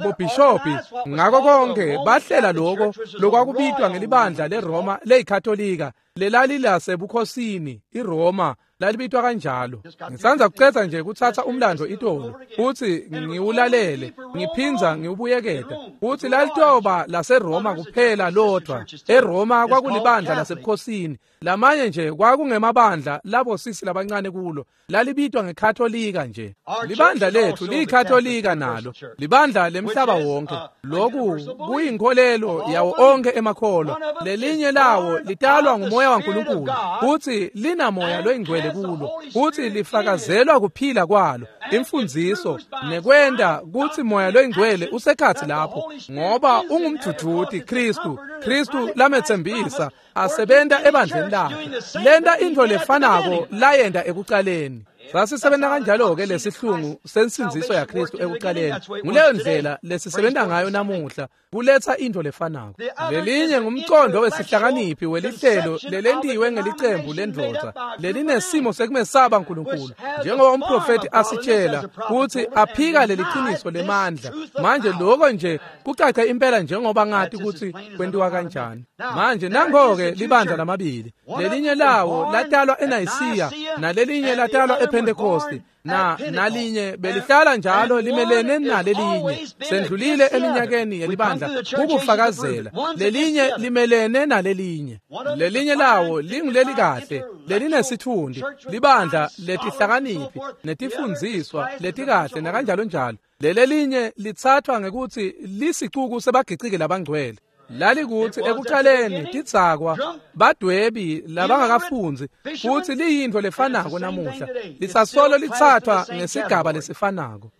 bobhishobhi ngako konke bahlela lokho lokwakubitwa ngelibandla leRoma leyikatolika lelalilasebukhosini iRoma lalibitwa kanjalo. Ngisandza kucedza nje kutsatsa umlando itolo futhi ngiwulalele ngiphindza ngiwubuyeketa futhi lalitoba laseRoma kuphela lodwa. eRoma kwakulibandla lasebukhosini, lamanye nje kwakungemabandla labo sisi labancane kulo, lalibitwa ngekatolika nje. Libandla lethu liyikatolika nalo, libandla lemhlaba wonke. Lokhu kuyinkolelo yawo onke emakholwa. Lelinye lawo litalwa nguMoya waNkulunkulu futhi linamoya loyingcwele kulo, futhi lifakazelwa kuphila kwalo, imfundziso nekwenta kutsi Moya loyingcwele usekhatsi lapho, ngoba ungumdvudvuti Kristu, Kristu lametsembisa asebenta ebandleni lakhe, lenta intfo lefanako layenta ekucaleni. Sasisebenta kanjalo-ke lesihlungu sensindziso yaKristu ekucaleni. Nguleyo ndlela lesisebenta ngayo namuhla, kuletsa intfo lefanako. Lelinye ngumcondo wesihlakaniphi welihlelo lelentiwe ngelicembu lendvodza lelinesimo sekumesaba Nkulunkulu, njengoba umprofethi asitshela kutsi aphika leliciniso lemandla. Manje lokho nje kucace impela njengoba ngati kutsi kwentiwa kanjani. Manje nango-ke libandla lamabili. Lelinye lawo latalwa eNayisiya nalelinye latalwa ePhentekosti, na nalinye belihlala njalo limelene nalelinye. Sendlulile eminyakeni yelibandla kukufakazela. Lelinye limelene nalelinye. Lelinye lawo linguleli kahle, lelinesitfundi, libandla letihlakaniphi netifundziswa letikahle nakanjalo njalo. Lelelinye lithathwa ngekutsi lisicuku sebagiciki labangcwele. Lalikuthi ekuqaleni tidzakwa, badwebi labangakafundzi, futsi liyintfo lefanako namuhla, lisasolo lithathwa ngesigaba lesifanako.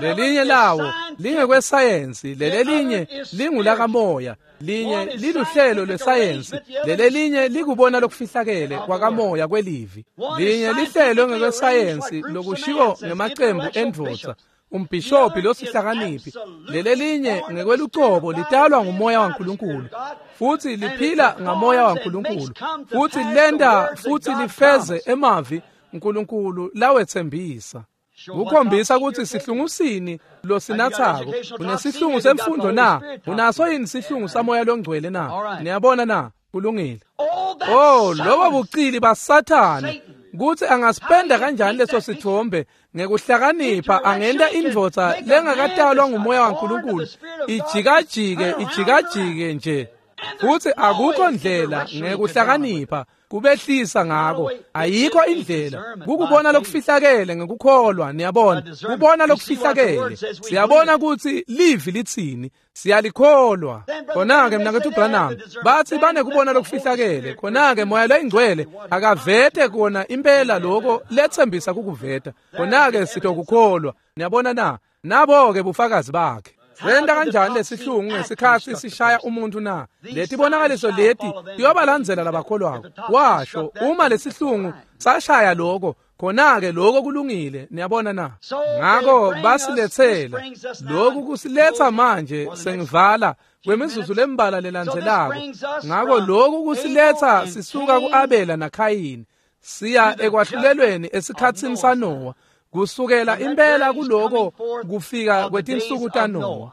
Lelinye lawo lingekwesayensi, lelelinye lingulakamoya, linye liluhlelo lwesayensi, lelelinye likubona lokufihlakele kwakamoya kwelivi. Linye lihlelo ngekwesayensi lokushiwo ngemacembu endvodza, umbhishobhi losihlakaniphi, lelelinye ngekwelucobo litalwa ngumoya waNkulunkulu, futsi liphila ngamoya waNkulunkulu, futsi lenta futsi lifeze emavi uNkulunkulu lawetsembisa. Kukhombisa kutsi sihlungusini losinathako. Unesihlungu semfundo na? Unaso yini sihlungu samoya longcwele na? Niyabona na? Kulungile. Oh, lobo bucili baSathane, kutsi angasipenda kanjani leso sithombe ngekuhlakanipha, angenta indvodza lengakatalwa ngumoya waNkulunkulu ijikajike ijikajike nje, futsi akukho ndlela ngekuhlakanipha kubehlisa ngako. Ayikho indlela kukubona lokufihlakele ngekukholwa. Niyabona, kubona lokufihlakele. Siyabona kutsi livi litsini, siyalikholwa. Khona-ke mnaketfu Branham batsi banekubona lokufihlakele. Khona-ke moya loyingcwele akavete kona impela loko letsembisa kukuveta. Khona-ke sitokukholwa. Niyabona na? Nabo-ke bufakazi bakhe. Senta kanjani lesihlungu ngesikhatsi sishaya umuntu na? Letibonakaliso leti tiyobalandzela labakholwako. Washo, uma lesihlungu sashaya loko, khona-ke loko kulungile. Niyabona na? Ngako basiletsela loku, kusiletsa manje sengivala kwemizuzu lembala lelandzelako. Ngako loku kusiletsa sisuka ku-Abela naKhayini siya ekwahlulelweni esikhatsini saNowa, kusukela impela kuloko kufika kwetinsuku taNowa.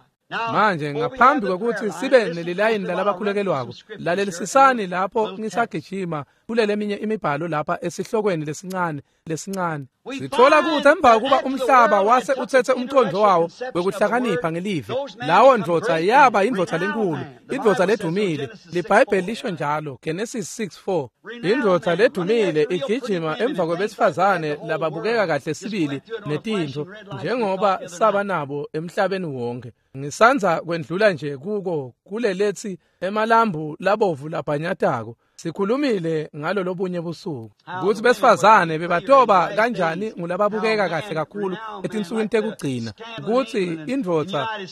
Manje ngaphambi kwekutsi sibe nelilayini lalabakhulekelwako, lalelisisani lapho ngisagijima kuleleminye imibhalo lapha esihlokweni lesincane lesincane. Sithola kutsi emva kuba umhlaba wase utsetse umcondvo wawo wekuhlakanipha ngelivi, lawo ndvodza yaba indvodza lenkulu, indvodza ledumile. LiBhayibheli lisho njalo, Genesis 6:4. Indvodza ledumile igijima emva kwebesifazane lababukeka kahle sibili netintfo, njengoba saba nabo emhlabeni wonke. Ngisandza kwendlula nje kuko kulelethi emalambu labovu labhanyatako. Sikhulumile ngalo lobunye busuku kutsi besifazane bebatoba kanjani ngulababukeka kahle kakhulu etinsukwini tekugcina, kutsi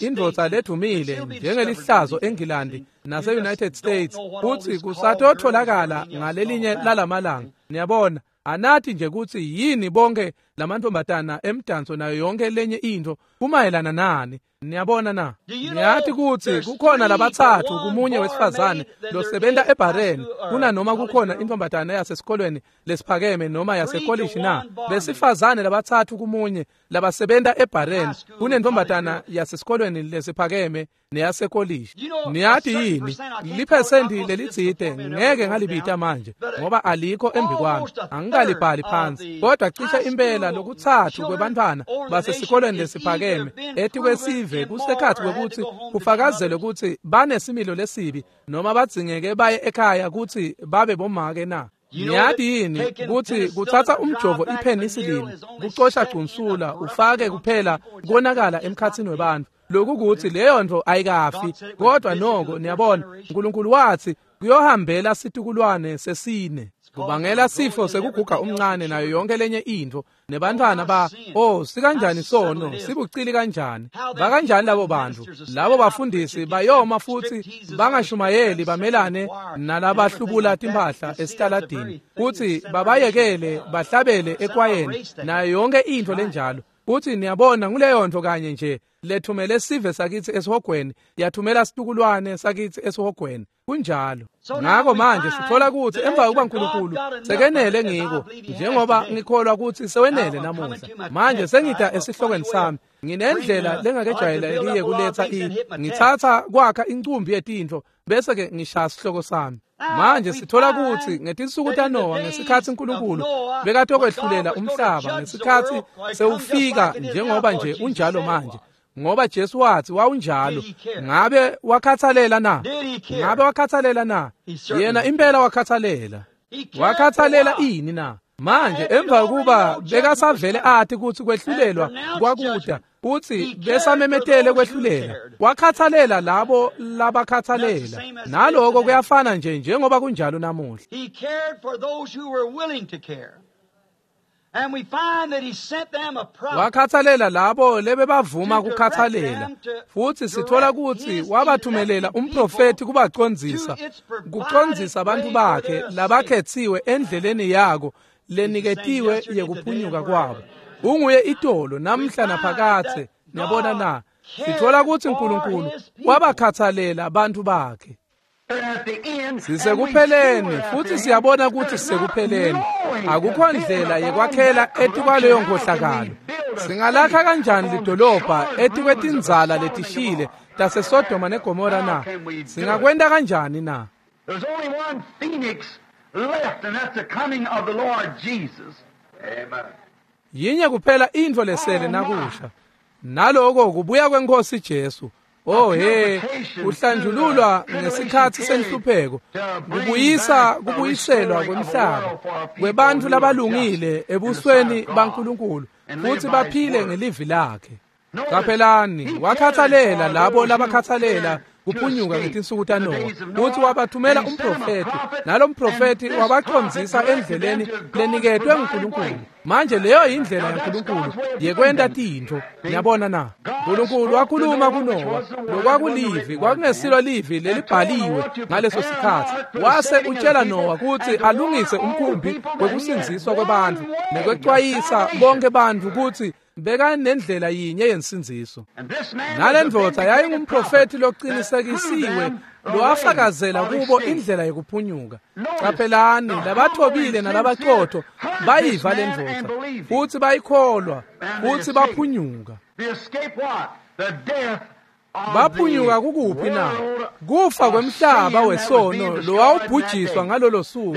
indvodza ledumile njengelihlazo eNgilandi nase-United States, kutsi kusatotholakala ngalelinye lalamalanga. Niyabona, anathi nje kutsi yini bonke lamantombazana emdanso nayo yonke lenye intfo kumayelana nani. Niyabona na? Niyati kutsi kukhona labatsatfu kumunye wesifazane losebenta ebhareni kunanoma kukhona intombazana yasesikolweni lesiphakeme noma yasekolishi na? Besifazane labatsatfu kumunye labasebenta ebhareni kunentombazana yasesikolweni lesiphakeme neyasekolishi. Niyati yini? Liphesenti lelitsite ngeke ngalibita manje ngoba alikho embi kwami, angikalibhali phansi, kodwa cishe impela lokutsatfu kwebantfwana basesikolweni lesiphakeme etikwesive kusekhathi kwekutsi kufakazelwe kutsi banesimilo lesibi noma badzingeke baye ekhaya kutsi babe bomake na. Niyati yini kutsi kutsatsa umjovo ipenicillin kucosha gcunsula ufake kuphela konakala emkhatsini webantfu, lokhu kutsi leyo ntfo ayikafi, kodwa noko niyabona uNkulunkulu wathi kuyohambela situkulwane sesine, kubangela sifo sekuguga umncane nayo yonke lenye intfo nebantfwana ba oh sikanjani sono, sibucili kanjani, bakanjani labo bantfu, labo bafundisi bayoma futsi bangashumayeli bamelane nalabahlubula timphahla esitaladini kutsi babayekele bahlabele ekwayeni nayo yonke intfo lenjalo. Kutsi niyabona nguleyo ntfo kanye nje lethumele sive sakithi esihogweni, yathumela situkulwane sakithi esihogweni. Kunjalo. Ngako manje sithola ukuthi emva kokuba uNkulunkulu sekenele ngiko, njengoba ngikholwa ukuthi sewenele namuhla. Manje sengida esihlokweni sami, nginendlela lengakejwayelekile kuletha ngithatha kwakha incumbi yetintfo bese ke ngishaya sihloko sami. Manje sithola ukuthi ngetinsuku taNowa, ngesikhathi uNkulunkulu bekatokwehlulela umhlaba, ngesikhathi sewufika njengoba nje unjalo manje, ngoba Jesu wathi wawunjalo. Ngabe wakhathalela na? Ngabe wakhathalela na? Yena impela wakhathalela. Wakhathalela ini na? Manje emva kuba bekasavele athi ukuthi kwehlulelwa kwakuda, uthi besamemetele kwehlulela, wakhathalela labo labakhathalela. Naloko kuyafana nje njengoba kunjalo namuhla. He cared for those who were willing to care. And we find that he sent them a prophet. Wakhathalela labo lebebavuma kukhathalela, futhi sithola ukuthi wabathumelela umprofeti kubacondzisa, kucondzisa abantu bakhe labakhethiwe endleleni yako leniketiwe yekuphunyuka kwabo. Unguye itolo namhla naphakathe. Niyabona na? Sithola ukuthi uNkulunkulu wabakhathalela abantu bakhe. Sisekupheleni, futhi siyabona ukuthi sisekupheleni. Akukho ndlela yekwakhela etikwaleyo nkhohlakalo. Singalakha kanjani lidolobha etikwetinzala letishile taseSodoma neGomora na? Singakwenta kanjani na? There's only one phoenix left, and that's the coming of the Lord Jesus. Amen. Yinye kuphela intfo lesele nakusha, naloko kubuya kwenkosi Jesu. Oh he, kuhlanjululwa ngesikhathi senhlupheko, kubuyisa kubuyiselwa kwemhlaba kwebantfu labalungile ebusweni baNkulunkulu, futhi baphile ngelivi lakhe. Qaphelani, wakhathalela labo labakhathalela kuphunyuka ngetinsuku taNowa, futhi wabathumela umprofeti, nalo mprofeti wabacondzisa endleleni leniketwe nguNkulunkulu. Manje leyo indlela yaNkulunkulu yekwenta tintfo. Niyabona na? uNkulunkulu wakhuluma kuNowa, lokwakulivi kwakungesilo livi lelibhaliwe ngaleso sikhathi. Wase utshela Nowa ukuthi alungise umkhumbi wekusindziswa kwebantfu nekwecwayisa bonke bantfu ukuthi bekanendlela yinye yensindziso. Nalendvodza yayingumprofeti loqinisekisiwe lowafakazela kubo indlela yekuphunyuka. Qaphelani, labathobile nalabaqotho bayiva lendvodza futhi bayikholwa futhi baphunyuka. Baphunyuka kukuphi na? Kufa kwemhlaba wesono lowawubhujiswa ngalolo suku.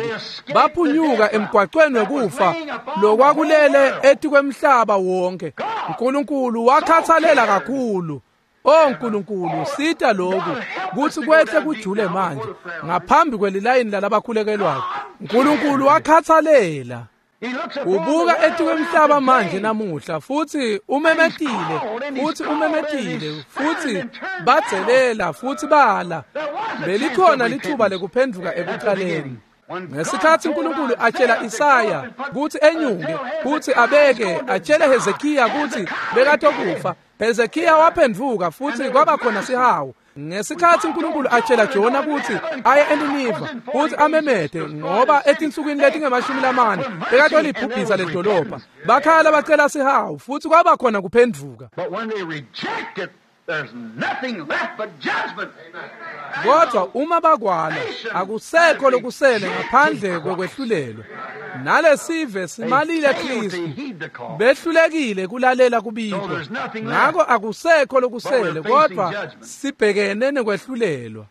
Baphunyuka emgwaqweni wekufa lokwakulele etikwemhlaba wonke. uNkulunkulu wakhathalela kakhulu. Oh Nkulunkulu, sita lokhu kuthi kwehle kujule manje ngaphambi kwelilayini lalabakhulekelwayo. uNkulunkulu wakhathalela. Ubuka etikwemhlaba manje namuhla, futhi umemetile, futhi umemetile, futhi badzelela, futhi bala. Belikhona lithuba lekuphenduka ekuqaleni. Ngesikhathi uNkulunkulu atshela Isaya ukuthi enyuke, kuthi abeke, atshele Hezekiya ukuthi bekatokufa, Hezekiya waphenduka futhi kwaba khona sihawu. Ngesikhathi uNkulunkulu atshela Jona ukuthi aye eNiniva futhi amemede, ngoba etinsukwini letingemashumi lamane bekatolibhubhisa ledolobha, bakhala bacela sihawu futhi kwaba khona kuphenduka. But when they reject it, there's nothing left but judgment. Kodwa uma bakwala, akusekho lokusele ngaphandle kokwehlulelwa. Nalesive simalile Kristu, behlulekile kulalela kubikho. Ngakho akusekho lokusele, kodwa sibhekene nekwehlulelwa.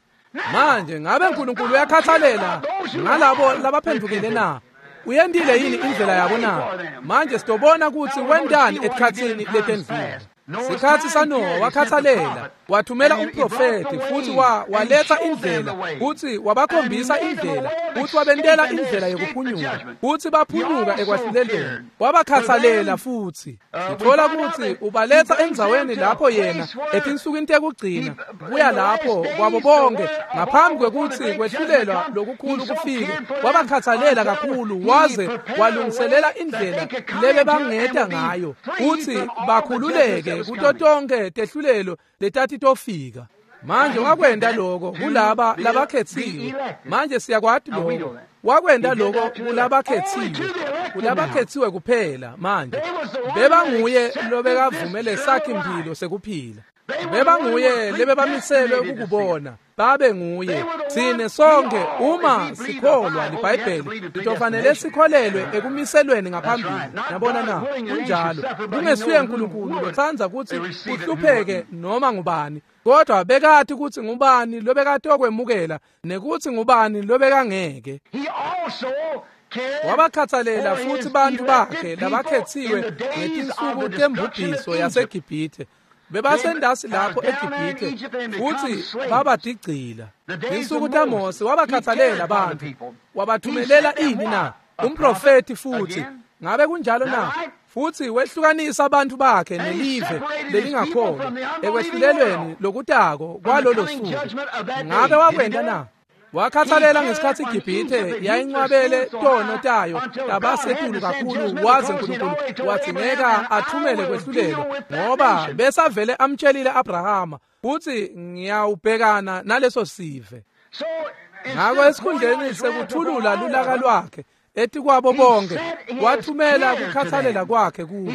Manje ngabe uNkulunkulu uyakhathalela ngalabo labaphendukile na? Uyentile yini indlela yabo na? Manje sitobona ukuthi wentani etikhatsini letendlule. Sikhathi saNowa wakhathalela, wathumela umprofeti futhi waletha indlela, futhi wabakhombisa indlela, futhi wabentela indlela yekuphunyuka, futhi baphunyuka ekwahlulelweni. Wabakhathalela futhi. Sithola ukuthi ubaletha endzaweni lapho yena etinsukwini tekugcina kuya lapho kwabo bonke ngaphambi kwekuthi kwehlulelwa lokukhulu kufike. Wabakhathalela kakhulu waze walungiselela indlela lebebangeta ngayo futhi bakhululeke kuto tonke tehlulelo letati tofika. Manje wakwenta lokho kulaba labakhethiwe. Manje siyakwati lokho. Wakwenta lokho kulabakhethiwe. Kulabakhetsiwe kuphela manje. Bebanguye lobekavumele sakhe impilo sekuphila. Bebanguye lebebamiselwe ukukubona. Babe nguye. Tsine sonke uma sikholwa liBhayibheli litofanele sikholelwe ekumiselweni ngaphambili. Yabona na? Kunjalo. Kungesuye uNkulunkulu lotsandza kutsi uhlupheke noma ngubani. Kodwa bekati kutsi ngubani lobekatokwemukela nekutsi ngubani lobekangeke. Wabakhathalela futhi bantu bakhe labakhetsiwe ngetinsuku tembubhiso yaseGibhithe. Bebasendasi lapho eGibhithe futhi babadigcila. Tinsuku taMose wabakhathalela abantu. Wabathumelela ini na? Umprofeti futhi. Ngabe kunjalo na? Futhi wehlukanisa abantu bakhe nelive lelingakholwa ekwehlulelweni lokutako kwalolo suku. Ngabe wakwenta na? Wakhathalela ngesikhathi iGibhithe yayincwabele tono tayo tabasetulu kakhulu, waze uNkulunkulu wadzingeka athumele kwehlulelwa, ngoba besavele amtshelile Abrahama futhi ngiyawubhekana naleso sive. Ngakho esikhundleni sekuthulula lulaka lwakhe etikwabo bonke, wathumela kukhathalela kwakhe kubo,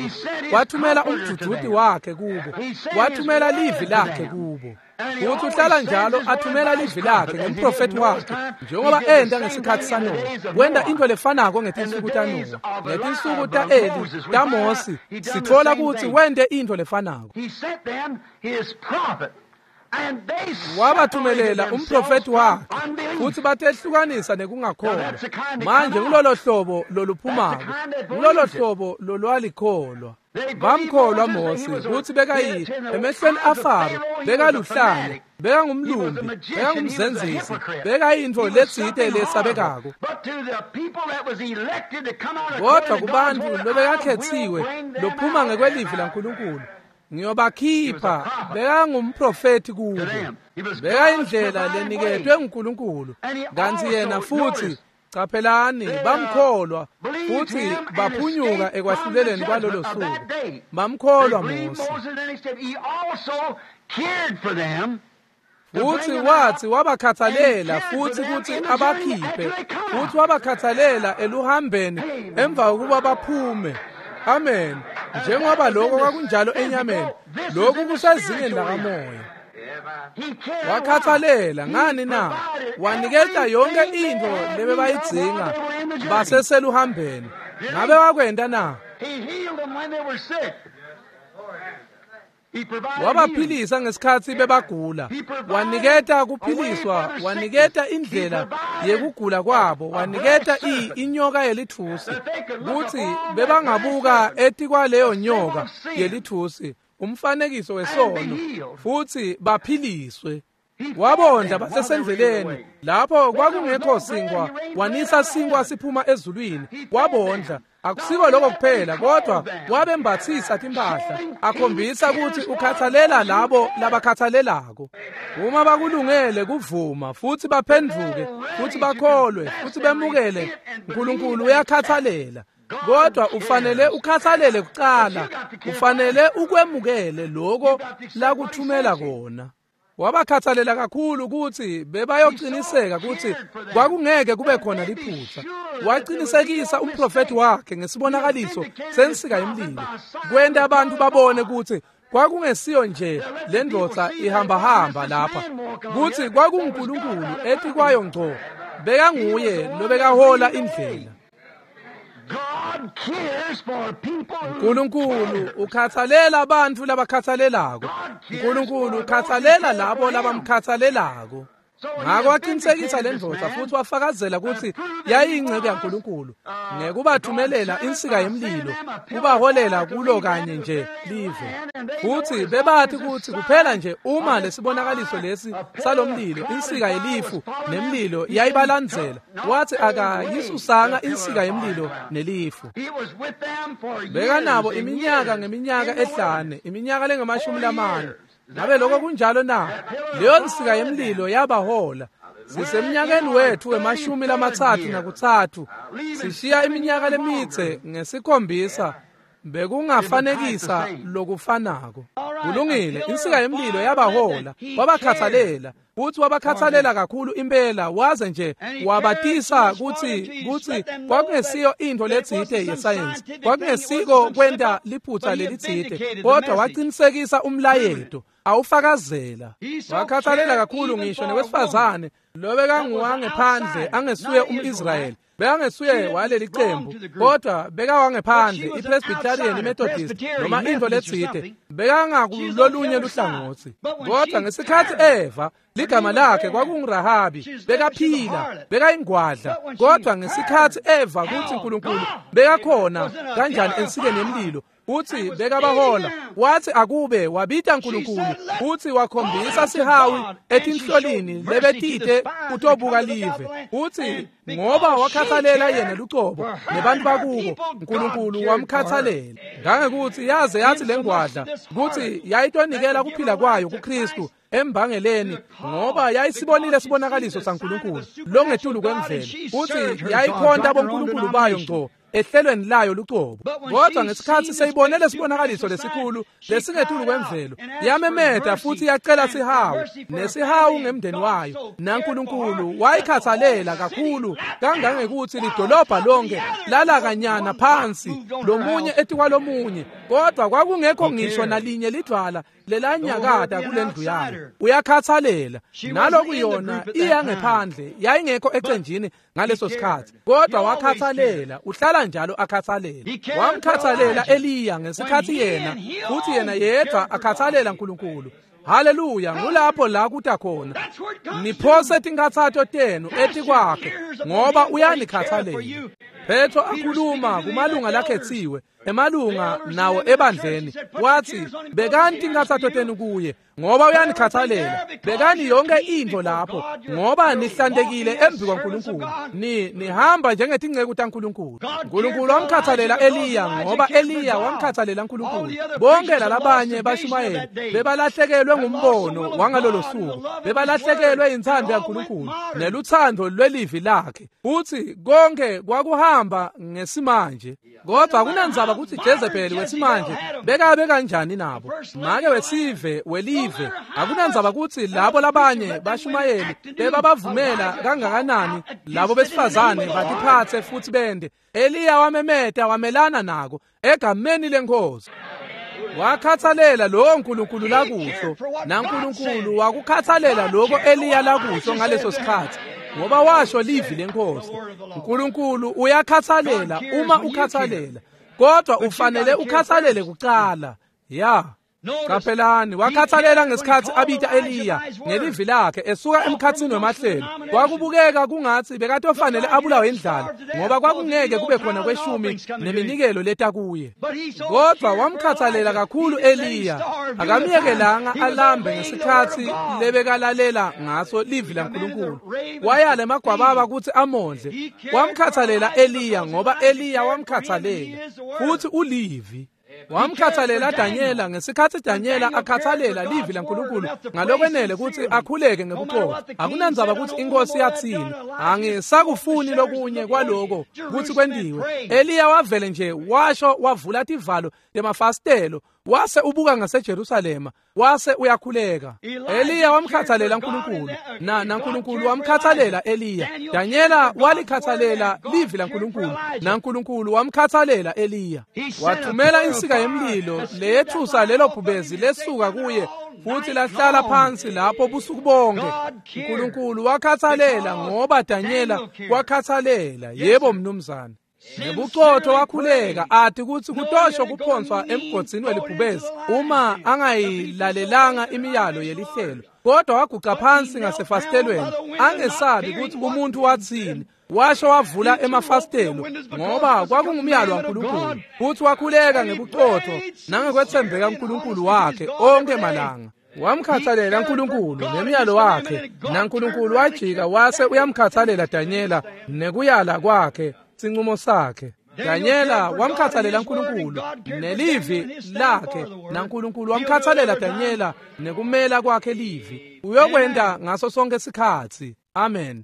wathumela umdvudvuti wakhe kubo, wathumela livi lakhe kubo. Futhi uhlala njalo athumela livi lakhe ngemprofeti wakhe, njengoba enta ngesikhathi saNowa. Wenta into lefanako ngetinsuku taNowa, ngetinsuku ta-Eli, taMosi. Sitfola kutsi wente into lefanako. Wabathumelela umprofeti wakhe futhi batehlukanisa nekungakholwa. Manje ngulolo hlobo loluphumako, ngulolo hlobo lolwalikholwa. Bamkholwa Mose kutsi bekayi emehlweni aFaro, bekaluhlanya, bekangumlumbi, bekangumzenzisi, bekayintfo letsite lesabekako. Kodwa kubantfu lobekakhetsiwe lophuma ngekwelivi laNkulunkulu, ngiyobakhipha, bekangumprofeti kubo. Bekayindlela leniketwe nguNkulunkulu. Kantsi yena futhi, qaphelani, bamkholwa futhi baphunyuka ekwahluleleni kwalolo suku. Bamkholwa Mose. Futhi wathi wabakhathalela futhi kutsi abakhiphe, futhi wabakhathalela eluhambeni emva kokuba baphume. Amen. Njengoba lokho kwakunjalo enyameni, lokhu kusezingeni lakamoya. Wakhathalela ngani na? Waniketa yonke into lebebayidzinga baseseluhambeni. Ngabe wakwenta na? Wabaphilisa ngesikhathi bebagula. Waniketa kuphiliswa, waniketa indlela yekugula kwabo, waniketa inyoka yelithusi kutsi bebangabuka etikwaleyo nyoka yelithusi, umfanekiso wesono, futhi baphiliswe. Wabondla basesendleleni lapho kwakungekho sinkwa, wanisa sinkwa siphuma ezulwini, wabondla. Akusiko lokho kuphela, kodwa wabembathisa timphahla, akhombisa ukuthi ukhathalela labo labakhathalelako. Uma bakulungele kuvuma futhi baphenduke futhi bakholwe futhi bemukele, uNkulunkulu uyakhathalela. Kodwa ufanele ukhathalele kucala, ufanele ukwemukele lokho lakuthumela kona. Wabakhathalela kakhulu ukuthi bebayociniseka ukuthi kwakungeke kube khona liphutha. Waqinisekisa umprofeti wakhe ngesibonakaliso sensika yemlilo, kwenta abantu babone ukuthi kwakungesiyo nje le ndvodza ihambahamba lapha, kutsi kwakunguNkulunkulu etikwayo ngco, bekanguye lobekahola indlela. uNkulunkulu ukhathalela abantu labakhathalelako. uNkulunkulu ukhathalela labo labamkhathalelako. Ngakho waqinisekisa le ndvodza futhi wafakazela ukuthi yayiyingcebo yaNkulunkulu ngekubathumelela insika yemlilo kubaholela kulo kanye nje live. Futhi bebathi ukuthi kuphela nje uma lesibonakaliso lesi salomlilo, insika yelifu nemlilo yayibalandzela, wathi akayisusanga insika yemlilo nelifu. Bekanabo iminyaka ngeminyaka ehlane, iminyaka lengamashumi lamane. Ngabe lokho kunjalo na? Leyo nsika yemlilo yabahola. Sisemnyakeni wethu wemashumi 33, sishiya iminyaka lemitse ngesikhombisa Bekungafanekisa lokufanako. Kulungile, insika yemlilo yabahola, wabakhathalela. Futhi wabakhathalela kakhulu impela, waze nje wabatisa kutsi kwakungesiyo into letsite yesayensi, kwakungesiko kwenta liphutha lelitsite, kodwa waqinisekisa umlayeto awufakazela. Wakhathalela kakhulu ngisho newesifazane lobekanguwangephandle angesuye umIsrayeli, bekangesuye waleli qembu, kodwa bekawangephandle, iPresbyterian, iMethodist noma into letsite, bekangakulolunye luhlangotsi. Kodwa ngesikhathi Eva, ligama lakhe kwakunguRahabi, bekaphila, bekayingwadla, kodwa ngesikhathi Eva kutsi uNkulunkulu bekakhona kanjani ensikeni yemlilo, uthi bekabahola, wathi akube wabita uNkulunkulu, uthi wakhombisa sihawu etinhlolini lebetite kutobuka live, uthi ngoba wakhathalela yena lucobo nebantu bakubo, uNkulunkulu wamkhathalela. Ngangekuthi yaze yathi lengwadla kutsi yayitonikela kuphila kwayo kuKristu embangeleni, ngoba yayisibonile sibonakaliso saNkulunkulu longetulu kwemvelo, uthi yayikhonta boNkulunkulu bayo ngco ehlelweni layo lucobo. Kodwa ngesikhathi seyibonele sibonakaliso lesikhulu lesingetulu kwemvelo, yamemeta futhi yacela sihawu, nesihawu ngemndeni wayo, naNkulunkulu wayikhathalela kakhulu kangangekuthi lidolobha lonke lalakanyana phansi lomunye etikwalomunye, kodwa kwakungekho ngisho nalinye lidwala lelanyakata kulendlu yayo. Uyakhathalela. Naloku yona iyangephandle, yayingekho ecenjini ngaleso sikhathi, kodwa wakhathalela, uhlala njalo akhathalela. Wamkhathalela Eliya ngesikhathi yena, futhi yena yedwa akhathalela uNkulunkulu. Haleluya, ngulapho la kuta khona. Niphose tinkhathato tenu etikwakhe ngoba uyanikhathalela. Petro akhuluma kumalunga lakhetsiwe, emalunga nawo ebandleni, wathi bekani tinkhathato tenu kuye ngoba uyanikhathalela. Bekani yonke into lapho ngoba nihlantekile embi kwaNkulunkulu, nihamba njengetinceku taNkulunkulu. uNkulunkulu wamkhathalela Eliya ngoba Eliya wamkhathalela uNkulunkulu. Bonke lalabanye bashumayeli bebalahlekelwe ngumbono wangalolo suku, bebalahlekelwe inthando yaNkulunkulu neluthando lwelivi lakhe. Uthi konke kwakuhamba ngesimanje, kodwa kunandzaba kutsi Jezebel wesimanje bekabe kanjani nabo, make wesive welive. Akunandzaba kutsi labo labanye bashumayeli bebabavumela kangakanani labo besifazane batiphatse futhi bende. Eliya wamemeta wamelana nako egameni leNkosi. Wakhathalela lowo Nkulunkulu lakusho, naNkulunkulu wakukhathalela lokho Eliya lakusho ngaleso sikhathi, ngoba washo livi leNkosi. uNkulunkulu uyakhathalela uma ukhathalela, kodwa ufanele ukhathalele kucala. Ya. Qaphelani, wakhathalela ngesikhathi abita Eliya ngelivi lakhe esuka emkhathini wemahlelo. Kwakubukeka kungathi bekatofanele abulawe indlala ngoba kwakungeke kube khona kweshumi neminikelo leta kuye. Kodwa wamkhathalela kakhulu Eliya, akamyekelanga alambe ngesikhathi lebekalalela ngaso livi laNkulunkulu. Wayala emagwababa kutsi amondle. Wamkhathalela Eliya ngoba Eliya wamkhathalela, futhi ulivi. Wamkhathalela Daniela ngesikhathi Daniela akhathalela livi laNkulunkulu ngalokwenele kutsi akhuleke ngebuqotho. Akunandzaba kutsi inkosi yatsini, angisakufuni lokunye kwaloko kutsi kwentiwe. Eliya wavele nje washo wavula tivalo temafasitelo, wase ubuka ngaseJerusalema, wase uyakhuleka. Eliya wamkhathalela uNkulunkulu, naNkulunkulu wamkhathalela Eliya. Daniela walikhathalela livi laNkulunkulu, naNkulunkulu wamkhathalela Eliya. Wathumela insika yemlilo leyethusa lelo bhubezi lesuka kuye futhi lahlala phansi lapho busuku bonke. uNkulunkulu wakhathalela ngoba Daniela wakhathalela. Yebo mnumzane. Ngebuqotho wakhuleka athi kutsi kutosho kuphonswa emgodzini welibhubezi uma angayilalelanga imiyalo yelihlelo, kodwa waguca phansi ngasefasitelweni angesabi kutsi umuntu watsini. Washo wavula emafasitelo ngoba kwakungumyalo waNkulunkulu, futhi wakhuleka ngebuqotho nangekwetsembeka uNkulunkulu wakhe onke malanga. Wamkhathalela uNkulunkulu nemiyalo wakhe, naNkulunkulu wajika wase uyamkhathalela Daniela nekuyala kwakhe sinqumo sakhe. Daniela wamkhathalela uNkulunkulu nelivi lakhe, naNkulunkulu wamkhathalela Daniela nekumela kwakhe livi. Uyokwenta ngaso sonke sikhatsi. Amen.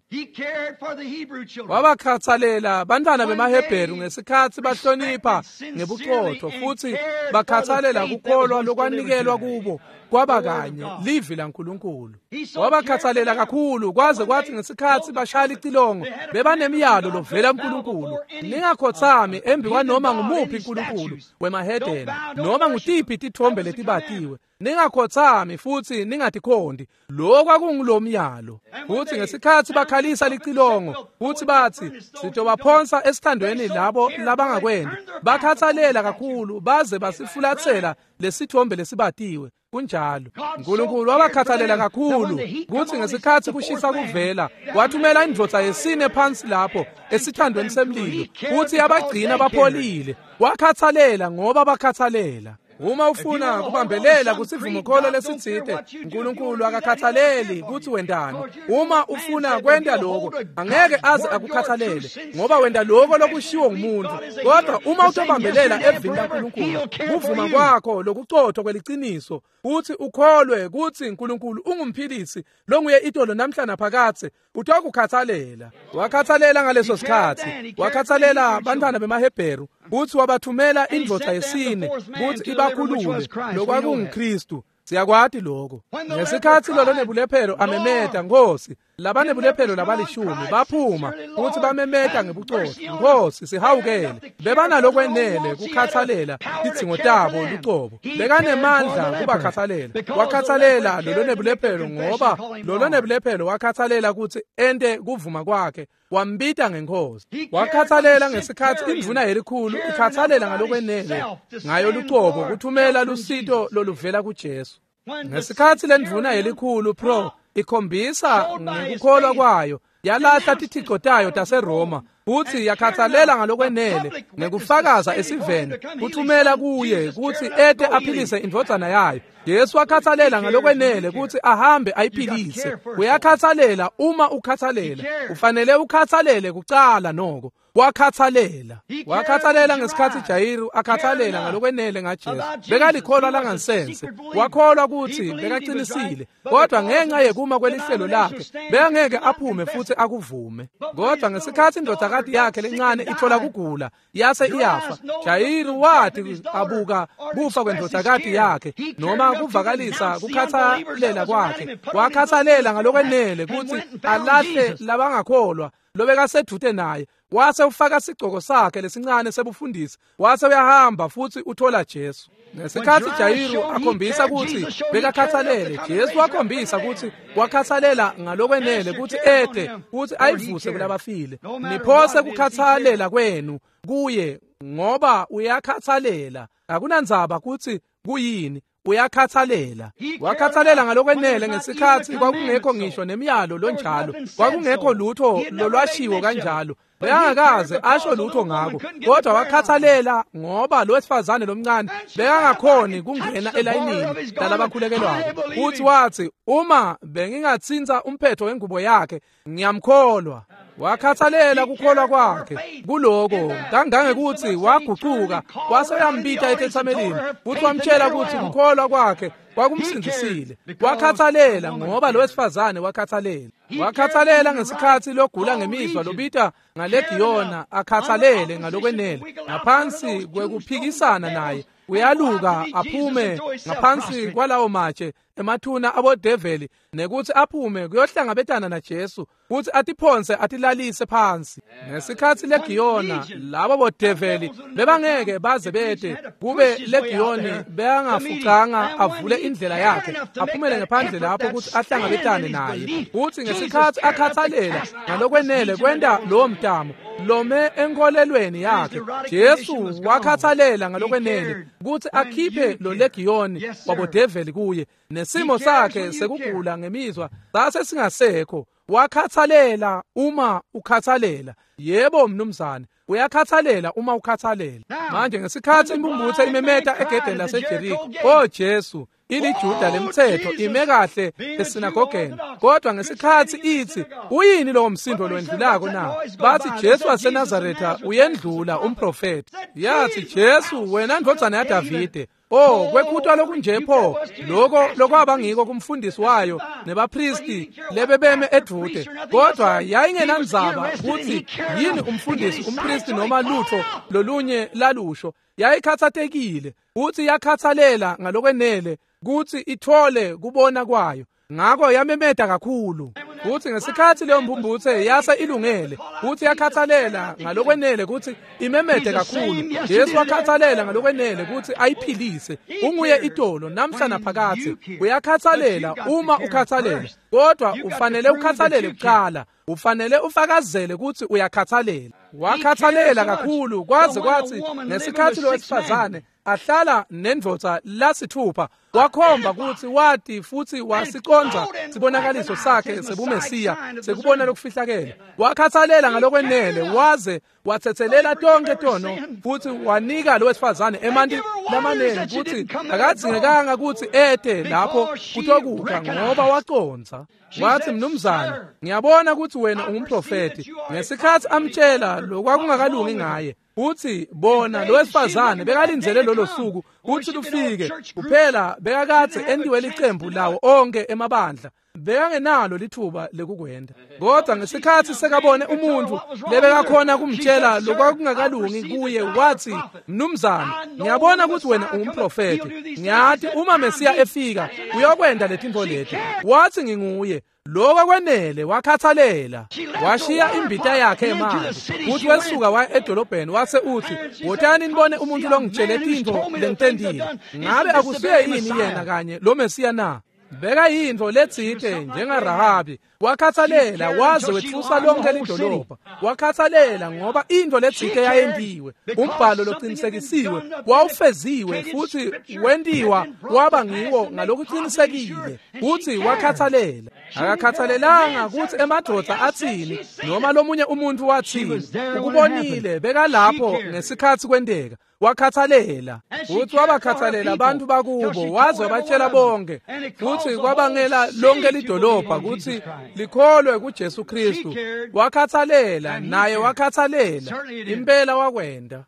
Wabakhathalela bantwana bemaHebheru ngesikhatsi bahlonipha ngebuqotho futhi bakhathalela kukholwa lokwanikelwa kubo kwaba kanye livi laNkulunkulu. Wabakhathalela kakhulu kwaze kwathi ngesikhatsi bashaya licilongo bebanemiyalo lovela kuNkulunkulu, ningakhothami embi kwanoma ngumuphi uNkulunkulu wemahedeni noma ngutiphi tithombe letibatiwe, ningakhothami futhi ningatikhondi. Lokho kwakungulomyalo. Futhi ngesikhatsi bakhalisa licilongo futhi bathi sitobaphonsa esithandweni labo labangakwendi, bakhathalela kakhulu baze basifulatsela lesithombe lesibatiwe. Kunjalo. uNkulunkulu wabakhathalela kakhulu kuthi ngesikhatsi kushisa kuvela wathumela indvodza yesine phansi lapho esithandweni semlilo futhi yabagcina bapholile. Wakhathalela ngoba bakhathalela. Uma ufuna kubambelela kusivumokholo lesitsite, uNkulunkulu akakhathaleli kutsi wendani. Uma ufuna kwenta lokho, angeke aze akukhathalele ngoba wenda lokho lokushiwo ngumuntu. Kodwa uma utobambelela evini laNkulunkulu, kuvuma kwakho lokucotho kweliciniso, uthi ukholwe kutsi uNkulunkulu ungumphilisi longuye itolo namhla naphakathe, utokukhathalela. Wakhathalela ngaleso sikhatsi. Wakhathalela bantwana bemaHebheru kutsi wabathumela indvodza yesine kutsi ibakhulule, lokwakunguKristu. Siyakwati lokho. Ngesikhatsi lolo nebulephelo amemeta, Nkosi, labanebulephelo labalishumi baphuma futhi bamemeta ngebucotho, Nkosi sihawukele. Bebanalokwenele kukhathalela tidzingo tabo lucobo. Bekanemandla kubakhathalela. Wakhathalela lolo nebulephelo ngoba lolo nebulephelo wakhathalela kutsi ente kuvuma kwakhe, wambita ngenkosi. Wakhathalela ngesikhatsi indvuna yelikhulu ikhathalela ngalokwenele ngayo lucobo kuthumela lusito loluvela kuJesu. Ngesikhatsi lendvuna yelikhulu pro ikhombisa ngekukholwa kwayo, yalahla tithico tayo taseRoma futhi yakhathalela ngalokwenele ngekufakaza esiveni kuthumela kuye kutsi ete aphilise indvodzana yayo. Jesu wakhathalela ngalokwenele kutsi ahambe ayiphilise. Uyakhathalela uma ukhathalela. Ufanele ukhathalele kucala noko. Wakhathalela. Wakhathalela ngesikhatsi Jayiru akhathalela ngalokwenele ngaJesu. Bekalikholwa langansense. Wakholwa kutsi bekaqinisile, kodwa ngenxa yekuma kwelihlelo lakhe bekangeke aphume futhi akuvume. Kodwa ngesikhatsi indodakati yakhe lencane ithola kugula yase iyafa, Jayiru wathi abuka kufa kwendodakati yakhe noma kuvakalisa kukhathalela kwakhe, wakhathalela ngalokwenele kutsi alahle labangakholwa lobekasedvute naye. Wase ufaka sigcoko sakhe lesincane sebufundisi, wase uyahamba futhi uthola Jesu. Ngesikhatsi Jayiru akhombisa kutsi bekakhathalele, Jesu wakhombisa kutsi wakhathalela ngalokwenele kutsi ete kutsi ayivuse kulabafile. Niphose kukhathalela kwenu kuye ngoba uyakhathalela. Akunandzaba kutsi kuyini, uyakhathalela. Wakhathalela ngalokwenele ngesikhatsi kwakungekho ngisho nemiyalo lonjalo, kwakungekho lutho lolwashiwo kanjalo. Bekangakaze asho lutho ngako, kodwa wakhathalela ngoba lo wesifazane lomncane bekangakhoni kungena elayinini lalabakhulekelwako. Futhi wathi, uma bengingatsintsa umphetho wengubo yakhe, ngiyamkholwa. Wakhathalela kukholwa kwakhe kuloko kangangekuthi wagucuka wase uyambita etetsamelini futhi wamtshela ukuthi kukholwa kwakhe kwakumsindzisile. Wakhathalela ngoba lo wesifazane wakhathalela. Wakhathalela ngesikhatsi logula ngemizwa lobita ngalegiyona akhathalele ngalokwenele ngaphansi kwekuphikisana naye. Uyaluka aphume ngaphansi kwalawo matshe emathuna abodeveli nekuthi aphume kuyohlangabetana naJesu futhi atiphonse atilalise phansi. Ngesikhatsi legiyona labo bodeveli bebangeke baze bete kube legiyoni beyangafucanga avule indlela yakhe aphumele ngaphandle lapho ukuthi ahlangabetane naye. Futhi ngesikhatsi akhathalela ngalokwenele kwenta lowo mtamo lome enkolelweni yakhe, Jesu wakhathalela ngalokwenele ukuthi akhiphe lo legiyoni wabodeveli kuye. Nesimo sakhe sekugula ngemizwa sase singasekho. Wakhathalela uma ukhathalela. Yebo mnumzane, uyakhathalela uma ukhathalela. Manje ngesikhatsi impumputhe imemeta egedeni laseJeriko, "Oh Jesu," ilijuda lemthetho ime kahle esinagogeni, kodwa ngesikhatsi ithi, "Uyini lowo msindo lowendlulako na?" Bathi, "Jesu waseNazaretha uyendlula, umprofeti." Yathi, "Jesu, wena ndvodzana yaDavide." Oh, kwekhutwa lokunje pho lokho lokwaba ngiko kumfundisi wayo nebapristi lebebeme edvute, kodwa yayingenandzaba kutsi yini umfundisi, umpristi noma lutho lolunye lalusho. Yayikhathatekile kutsi yakhathalela ngalokwenele kutsi ithole kubona kwayo, ngako yamemeta kakhulu. Kutsi ngesikhatsi leyo mphumphutse yase ilungele kutsi yakhathalela ngalokwenele kutsi imemete kakhulu, Jesu wakhathalela ngalokwenele kutsi ayiphilise. Unguye itolo namhla naphakadze. Uyakhathalela uma ukhathalela, kodwa ufanele ukhathalele kuqala. Ufanele ufakazele kutsi uyakhathalela. Wakhathalela kakhulu kwaze kwatsi ngesikhatsi lowesifazane ahlala nendvodza lasithupha, wakhomba kutsi wati futsi wasiconza sibonakaliso sakhe sebumesiya sekubona lokufihlakele. Wakhathalela ngalokwenele waze watsetselela tonke tono futsi wanika lowesifazane emanti lamanengi kutsi akadzingekanga kutsi ete lapho kutokukha, ngoba waconza. Wathi, mnumzane, ngiyabona kutsi wena ungumprofeti. Ngesikhatsi amtshela lokwakungakalungi ngaye, uthi bona lowesifazane bekalindzele lolo suku kutsi lufike. Kuphela bekakadze entiwe licembu lawo onke emabandla, bekangenalo lithuba lekukwenda. Kodwa ngesikhatsi sekabone umuntfu lebekakhona kumtshela lokwakungakalungi kuye, wathi, mnumzane, ngiyabona kutsi wena ungumprofeti. Ngiyati uma Mesiya efika uyokwenda letintfo leti. Wathi, nginguye. Lokho kwenele. Wakhathalela, washiya imbita yakhe emanti futhi wesuka waya edolobheni, wase uthi, wotani nibone umuntu longitshele tintfo lengitentile. Ngabe akusiye yini yena kanye lo Mesiya na? Beka yintfo letsite njengaRahabi. Wakhathalela waze wetfusa lonke lidolobha. Wakhathalela ngoba intfo letsite yayentiwe, umbhalo loqinisekisiwe wawufeziwe futhi wentiwa waba ngiwo ngalokuqinisekile. Futhi wakhathalela. Akakhathalelanga kutsi emadvodza atsini noma lomunye umuntu watsini. Ukubonile, bekalapho ngesikhatsi kwenteka. Wakhathalela futhi wabakhathalela abantu bakubo, waze wabatshela bonke, futhi kwabangela lonke lidolobha kutsi likholwe kuJesu Kristu. Wakhathalela naye, wakhathalela impela, wakwenda.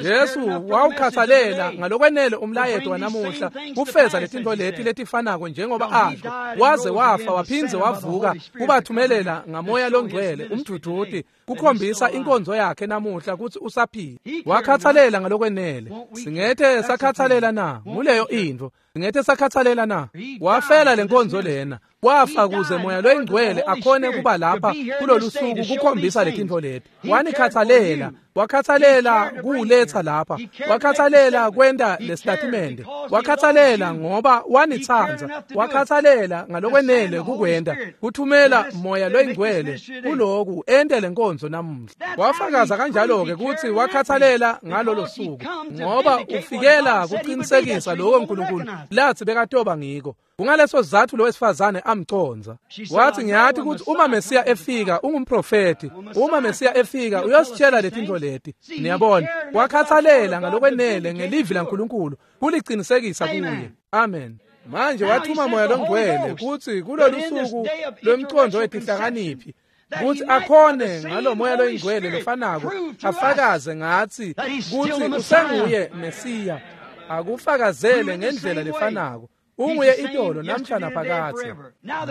Jesu wawukhathalela ngalokwenele umlayeto wanamuhla kufeza letintfo leti letifanako njengoba asho, waze wafa waphindze wavuka kubathumelela ngamoya longcwele umduduti kukhombisa inkonzo yakhe namuhla kutsi usaphila. Wakhathalela ngalokwenele. Singethe sakhathalela na? Nguleyo intfo. Singethe sakhathalela na? Wafela lenkonzo lena. Wafa kuze moya loyingcwele akhone kuba lapha kulolu suku kukhombisa letintfo leti. Wanikhathalela, wakhathalela kuletha lapha, wakhathalela kwenta lesitatimende, wakhathalela ngoba wanitsandza, wakhathalela ngalokwenele kukwenta, kuthumela moya loyingcwele kuloku ente lenkonzo namuhla. Wafakaza kanjalo-ke kutsi wakhathalela ngalolo suku, ngoba ufikela kuqinisekisa lokho uNkulunkulu lathi bekatoba ngiko. Kungaleso sizatfu lowesifazane amconza. Wathi, ngiyati kutsi uma Mesiya efika ungumprofeti, uma Mesiya efika uyositshela letintfo leti. Niyabona, wakhathalela ngalokwenele ngelivi laNkulunkulu kuliqinisekisa kuye. Amen. Manje wathuma moya longcwele kutsi kulolu suku lwemcondo wetihlakaniphi kutsi akhone ngalo moya loyingcwele lofanako afakaze ngatsi kutsi usenguye Mesiya, akufakazele ngendlela lefanako. Unguye itolo namhla naphakadze.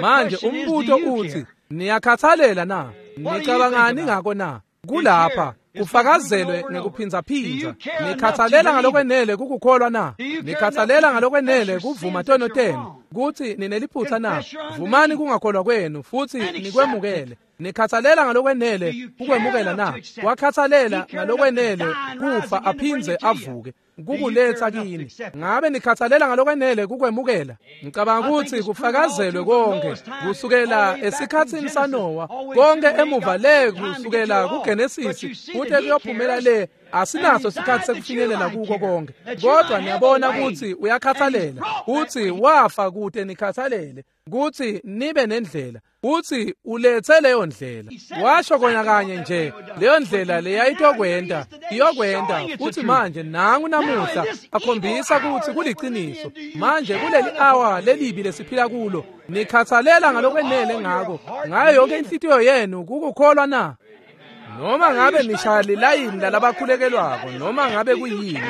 Manje umbuto uthi, niyakhathalela na? Nicabangani ngako na? Kulapha kufakazelwe ngekuphindzaphindza. Nikhathalela ngalokwenele kukukholwa na? Nikhathalela ngalokwenele kuvuma tono tenu kutsi nineliphutsa na? Vumani kungakholwa kwenu futsi nikwemukele. Nikhathalela ngalokwenele kukwemukela na? Wakhathalela ngalokwenele kufa aphindze avuke kukuletha kini. Ngabe nikhathalela ngalokwenele kukwemukela? Ngicabanga kutsi kufakazelwe konke kusukela esikhatsini saNowa, konke emuva le kusukela kuGenesis kute kuyophumela le. Asinaso sikhatsi sekufinyelela kuko konke, kodwa niyabona kutsi uyakhathalela, kutsi wafa kute nikhathalele, kutsi nibe nendlela, kutsi ulethe leyo ndlela. Washo kona kanye nje leyo ndlela leyayitokwenta iyokwenta, futhi manje nangu namuhla akhombisa kutsi kuliciniso. Manje kuleli awa lelibi lesiphila kulo, nikhathalela ngalokwenele ngako ngayo yonke inhlitiyo yenu kukukholwa na? Noma ngabe nishaya lilayini lalabakhulekelwako, noma ngabe kuyini,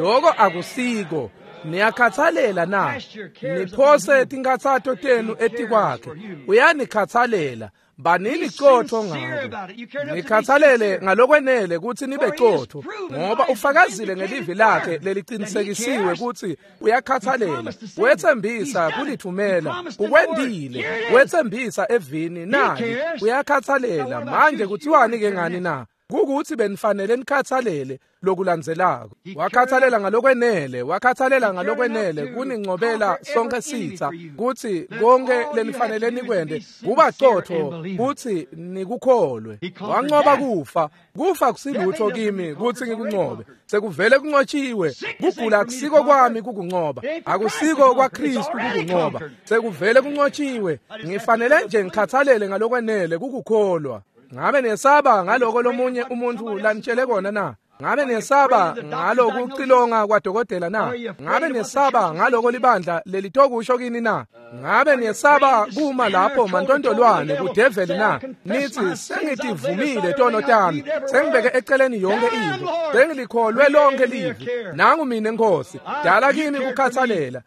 lokho akusiko. Niyakhathalela na? Niphose tinkhatsato tenu etikwakhe. Uyanikhathalela. Banini qotho ngako. Nikhathalele ngalokwenele kutsi nibe qotho, ngoba ufakazile ngelivi lakhe lelicinisekisiwe kutsi uyakhathalela. Wetsembisa kulithumela, ukwendile. Wetsembisa evini naye uyakhathalela. Manje kuthiwani ke ngani na? Kukuthi benifanele nikhathalele lokulandzelako. Wakhathalela ngalokwenele, wakhathalela ngalokwenele kunincobela sonke sitha, kutsi konke lenifanele nikwente kuba qotho kutsi nikukholwe. Wanqoba kufa. Kufa kusilutho kimi kutsi ngikunqobe. Sekuvele kunqotshiwe. Kugula akusiko kwami kukunqoba, akusiko kwaKristu kukunqoba. Sekuvele kunqotshiwe. Ngifanele nje ngikhathalele ngalokwenele kukukholwa. Ngabe nesaba ngaloko lomunye umuntu lanitshele kona na? Ngabe nesaba ngaloko kucilonga kwadokotela na? Ngabe nesaba ngaloko libandla lelitokusho kini na? Ngabe nesaba kuma lapho mantontolwane kudeveli na? Nithi sengitivumile tono tami, sengibeke eceleni yonke into, sengilikholwe lonke livi. Nangu mina Nkosi, dala kimi kukhathalela.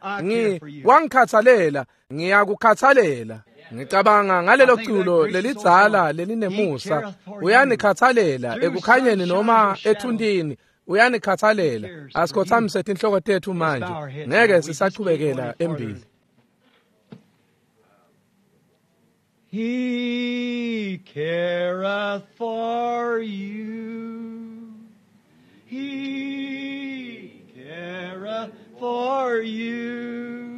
Wangikhathalela, ngiyakukhathalela. Ngicabanga ngalelo culo lelidzala lelinemusa. Uyanikhathalela ekukhanyeni noma ethuntini, uyanikhathalela. Asikhothamise tinhloko tethu manje, ngeke sisachubekela embili. He careth for you. He careth for you.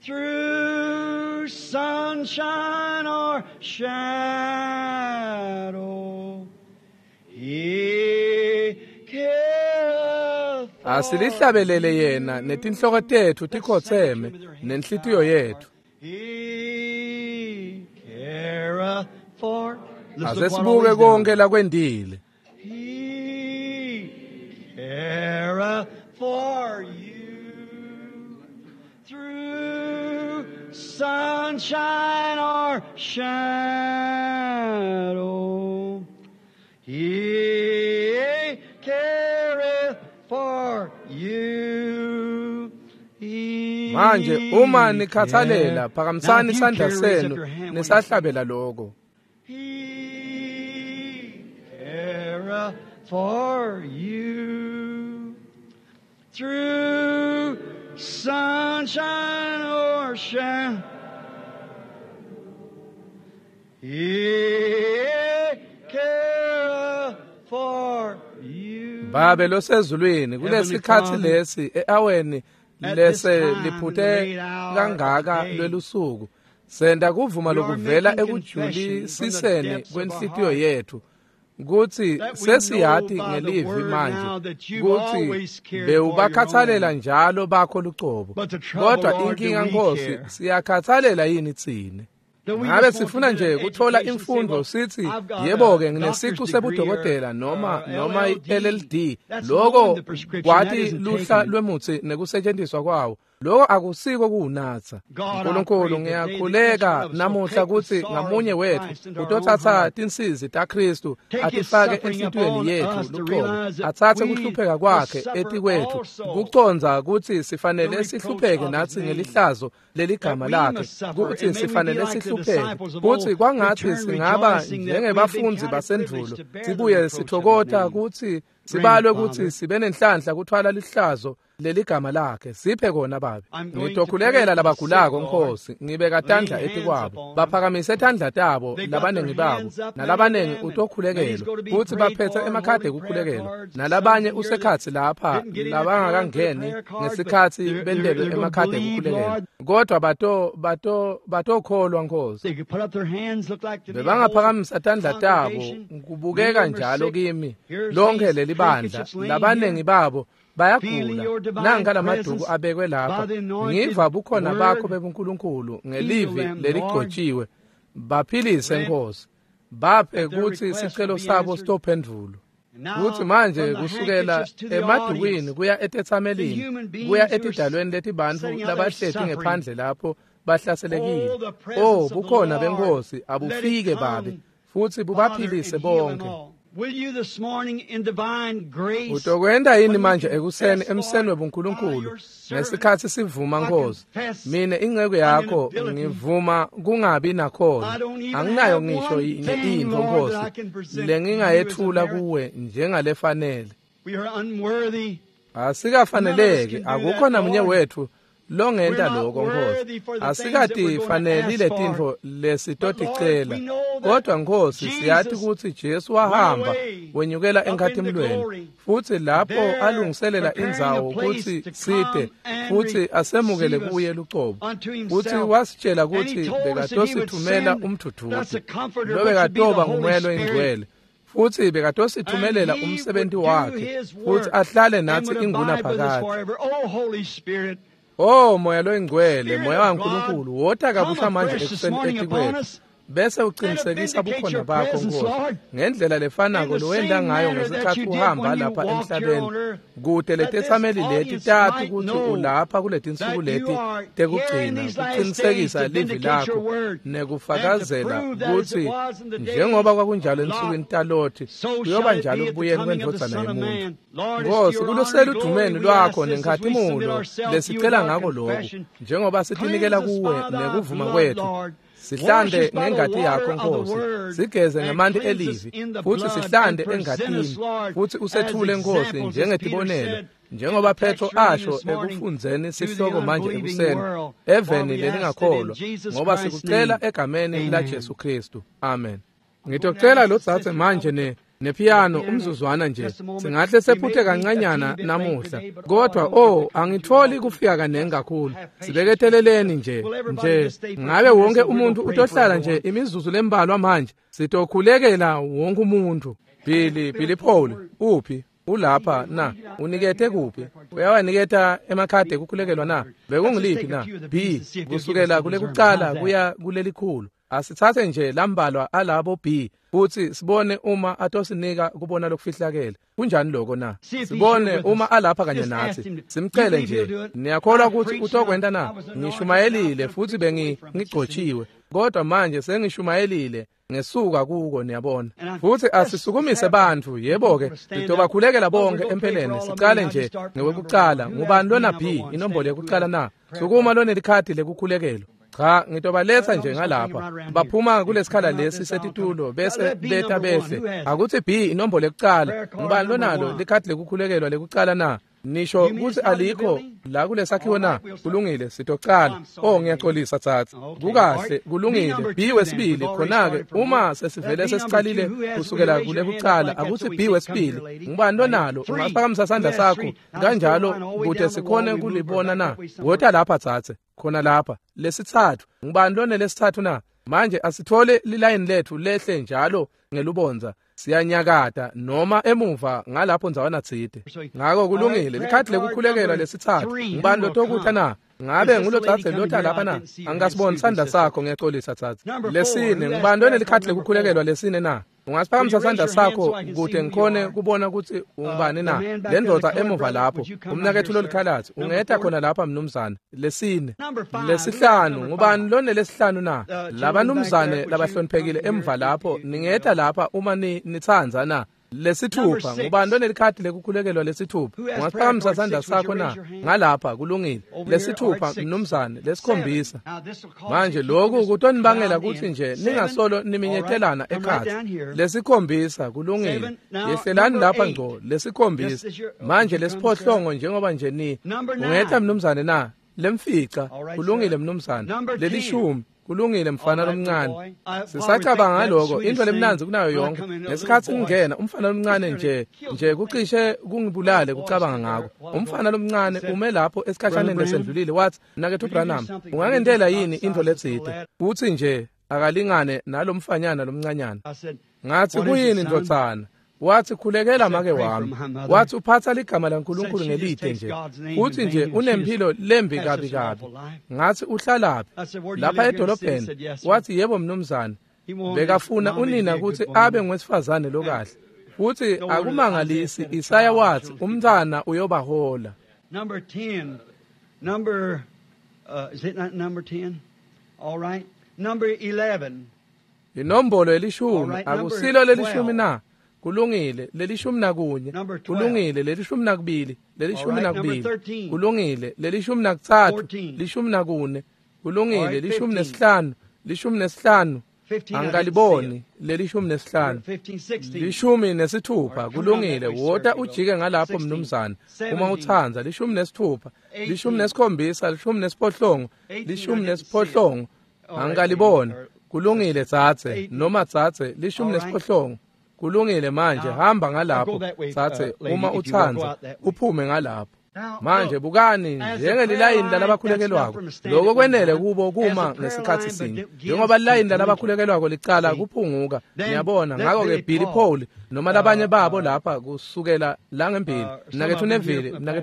Through sunshine or shadow, He careth for. Asilihlabelele yena netinhloko tethu tikhotseme nenhlitiyo yethu. He careth for. Ase sibuke konke lakwendile. He careth for you. Through sunshine or shadow, He careth for you. Manje uma nikhathalela, phakamisani isandla senu nisahlabela lokho. He careth for you. Through sunshine or shadow, He careth for you. Babe losezulwini, kulesikhatsi lesi eaweni lese liphute kangaka lwelusuku, senta kuvuma lokuvela ekujulisiseni kwenhlitiyo yethu kutsi sesiyati ngelivi manje kutsi bewubakhathalela njalo bakho lucobo. Kodwa inkinga Nkosi, siyakhathalela yini tsine? Ngabe sifuna nje kuthola imfundo sithi yebo-ke nginesicu sebudokotela noma i-LLD, loko kwati luhla lwemutsi nekusetshenziswa kwawo. Loko akusiko kuwunatsa. Nkulunkulu, ngiyakhuleka namuhla kutsi ngamunye wethu utothatha tinsizi taKristu atifake enhlitiyweni yethu lucobo, atsatse kuhlupheka kwakhe etikwethu, kucondza kutsi sifanele sihlupheke natsi ngelihlazo leligama lakhe, kutsi sifanele sihlupheke, kutsi kwangatsi singaba njengebafundzi basendvulo, sibuye sithokota kutsi sibalwe kutsi sibe nenhlanhla kuthwala lihlazo leligama lakhe. Siphe kona Babe. Ngitokhulekela labagulako Nkosi, ngibeka tandla etikwabo, baphakamise tandla tabo labanengi babo, nalabanengi utokhulekelwa kutsi baphethe emakhadi ekukhulekelwa, nalabanye usekhatsi lapha labangakangeni ngesikhatsi bentelwe emakhadi ekukhulekelwa, kodwa batokholwa Nkosi. Bebangaphakamisa tandla tabo, kubukeka njalo kimi lonke lelibandla, labanengi babo bayagula. Nanka lamaduku abekwe lapha, ngiva bukhona bakho bebuNkulunkulu ngelivi leligcotshiwe. Baphilise Nkosi, baphe kutsi sicelo sabo sitophendvulwa. Kutsi manje kusukela emadukwini kuya etetsamelini kuya etidalweni letibantfu labahleti ngephandle lapho bahlaselekile. Oh, bukhona beNkosi abufike Babe, futsi bubaphilise bonke. Utokwenta yini manje ekuseni emseni webuNkulunkulu ngesikhatsi sivuma Nkosi? Mine inceku yakho ngivuma kungabi nakhona. Anginayo ngisho yinye intfo Nkosi lengingayethula kuwe njengalefanele. Asikafaneleki, akukho namunye wethu longenta lokho Nkosi. Asikatifaneli letintfo lesitoticela, kodwa Nkosi siyati kutsi Jesu wahamba wenyukela enkhatimulweni, futsi lapho alungiselela indzawo kutsi site futsi asemukele kuye lucobo, futsi wasitshela kutsi bekatosithumela umdvudvuti lobekatoba nguMoya loyiNgcwele, futsi bekatosithumelela umsebenti wakhe futsi ahlale natsi ingunaphakadze. Oh Moya loyiNgcwele, Moya waNkulunkulu, wota kabusha manje ekuseni etikwetfu, bese uqinisekisa bukhona bakho Nkosi ngendlela lefanako lowenta ngayo ngesikhatsi uhamba lapha emhlabeni, kute letetsameli leti tati kutsi ulapha kuletinsuku leti tekugcina kuqinisekisa livi lakho nekufakazela kutsi njengoba kwakunjalo ensukwini taLothi kuyoba njalo ekubuyeni kwendvodzana yemuntfu. Nkosi, kuluseludumeni lwakho nenkhatimulo lesicela ngako lokhu, njengoba sitinikela kuwe nekuvuma kwethu. Sihlande ngengati yakho Nkosi, sigeze ngemanti elivi, futsi sihlande engatini, futsi usethule Nkosi njengetibonelo, njengoba Petro asho ekufundzeni sihloko manje ekuseni eveni lelingakholwa, ngoba sikucela egameni laJesu Kristu. Amen. Ngitocela lodzadze manje nepiano umzuzwana nje. Singahle sephuthe kancanyana namuhla, kodwa oh angitholi kufika kaningi kakhulu. Sibeketeleleni nje ngabe wonke umuntu utohlala nje imizuzu lembalwa manje. Sitokhulekela wonke umuntu. Billy Paul uphi? Ulapha na? Unikete kuphi? Uyawaniketa emakhadi ekukhulekelwa na? Bekungiliphi na? B kusukela kulekucala kuya kulelikhulu. Asithathe nje lambalwa alabo B futsi sibone uma atosinika kubona lokufihlakele. Kunjani lokho na? Sibone uma alapha kanye natsi. Simcele nje. Niyakholwa kutsi utokwenta na? Ngishumayelile futhi bengigcotshiwe, kodwa manje sengishumayelile ngesuka kuko, niyabona. Futsi asisukumise bantfu, yebo-ke, sitobakhulekela bonke empeleni. Sicale nje ngewekucala. Ngubani lona B inombolo yekucala na? Sukuma lonelikhadi lekukhulekelwa. Cha, ngitobaletsa nje ngalapha. Baphuma kulesikhala lesi setitulo bese beta behle. Akutsi B inombolo yekucala. Ngubani lonalo likhadi lekukhulekelwa lekucala na? Nisho kutsi alikho la kulesakhiwo na? Kulungile, sitocala. Oh, ngiyaxolisa tsatsi. Kukahle, kulungile. B wesibili khona-ke uma sesivele sesicalile kusukela kulekucala, akutsi B wesibili. Ngubani lonalo? Ungaphakamisa sandla sakho kanjalo kute sikhone kulibona na? Wota lapha tsatse, khona lapha. Lesitsatfu. Ngubani lone lesitsatfu na? Manje asithole lilayini lethu lehle njalo ngelubondza. Siyanyakata noma emuva ngalapho ndzawana tsite. Ngako kulungile, likhadi lekukhulekelwa lesitsatfu. Ngubani lotokutha na? Ngabe ngulotsatse lota lapha na? Angasiboni sandla sakho, ngiyaxolisa tsatse. Lesine, ngubani lonelikhadi lekukhulekelwa lesine na? Ungasiphakamisa sandla sakho kute ngikhone kubona kutsi ungubani na? Le ndvodza emuva lapho, umnaketfu lolikhalatsi, ungeta khona lapha mnumzane. Lesine. Lesihlanu, ngubani lonelesihlanu na? Labanumzane labahloniphekile emva lapho, ningeta lapha uma nitsandza na? Lesithupha, ngubani lonelikhadi lekukhulekelwa lesithupha? Ungaphakamisa sandla sakho na? Ngalapha, kulungile. Lesithupha mnumzane. Lesikhombisa. Manje lokhu kutonibangela kutsi nje ningasolo niminyetelana ekhatsi. Lesikhombisa, kulungile. Yehlelani lapha ngco. Lesikhombisa. Manje lesiphohlongo njengoba nje ni ungeta mnumzane na? Lemfica, kulungile mnumzane. Lelishumi. Kulungile mfana lomncane. Sisacabanga ngaloko, into lemnandzi kunayo yonke. Ngesikhatsi ngingena, umfana lomncane nje kucishe kungibulale kucabanga ngako. Umfana lomncane ume lapho esikhashaneni lesendlulile wathi, "Mnaketfu Branham, ungangentela yini into letsite?" Utsi nje akalingane nalomfanyana lomncanyana. Ngathi, "Kuyini ndvodzana?" Wathi, "Khulekela make wami." Wathi, "Uphatha ligama laNkulunkulu ngelide nje. Uthi nje unemphilo lembi kabi kabi." Ngathi, "Uhlalaphi?" Lapha edolobheni. Wathi, "Yebo mnumzane." Bekafuna unina kutsi abe ngwesifazane lokahle. Futhi akumangalisi Isaya wathi umntwana uyobahola. Number 10. Number is it not number 10? All right. Number 11. Inombolo elishumi, akusilo lelishumi na? Kulungile, leli-11. Kulungile, leli-12, leli-12. Kulungile, leli-13, 14. Kulungile, 15, 15. Angikaliboni leli-15. 16. Kulungile, wota ujike ngalapho mnumzane uma utsandza. 16, 17, 18, 18. Angikaliboni. Kulungile tsatse noma tsatse 18. Kulungile manje hamba ngalapho tsatse uma utsandza uphume ngalapho. Manje bukani njengelilayini lalabakhulekelwako, lokho kwenele kubo kuma ngesikhathi sinye. Njengoba lilayini lalabakhulekelwako licala kuphunguka, niyabona. Ngakho-ke Billy Paul noma labanye babo lapha kusukela la ngembili, mnaketfu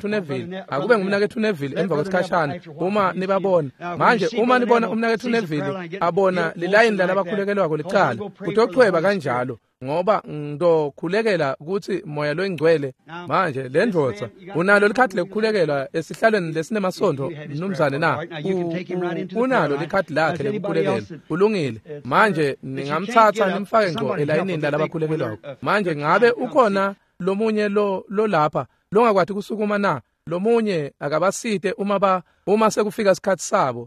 Neville, akube ngumnaketfu Neville emva kwesikhashana uma nibabona. Manje uma nibona umnaketfu Neville abona lilayini lalabakhulekelwako licala, kutochweba kanjalo, ngoba ngizokhulekela ukuthi moya loyingcwele. Manje le ndvodza unalo likhadi lekukhulekelwa esihlalweni lesinemasondvo mnumzane na? Unalo likhadi lakhe lekukhulekelwa. Kulungile. Manje ningamthatha nimfake ngco elayinini lalabakhulekelwako. Manje ngabe ukhona lomunye lo lapha longakwati kusukuma na? Lomunye akabasite uma sekufika isikhathi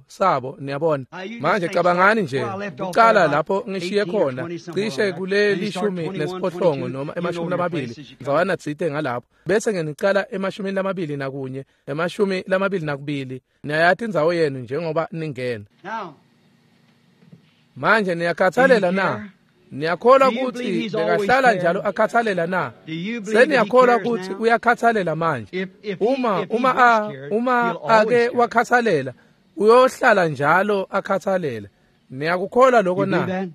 sabo niyabona. Manje cabangani nje kucala lapho ngishiye khona cishe kule 18 noma 20 ndzawana tsite ngalapho, bese ngenicala 21, 22. Niyayati indzawo yenu njengoba ningena. Manje niyakhathalela na? Niyakholwa ukuthi bekahlala njalo akhathalela na? Seniyakholwa ukuthi uyakhathalela manje? Uma ake wakhathalela, uyohlala njalo akhathalela. Niyakukholwa lokho na?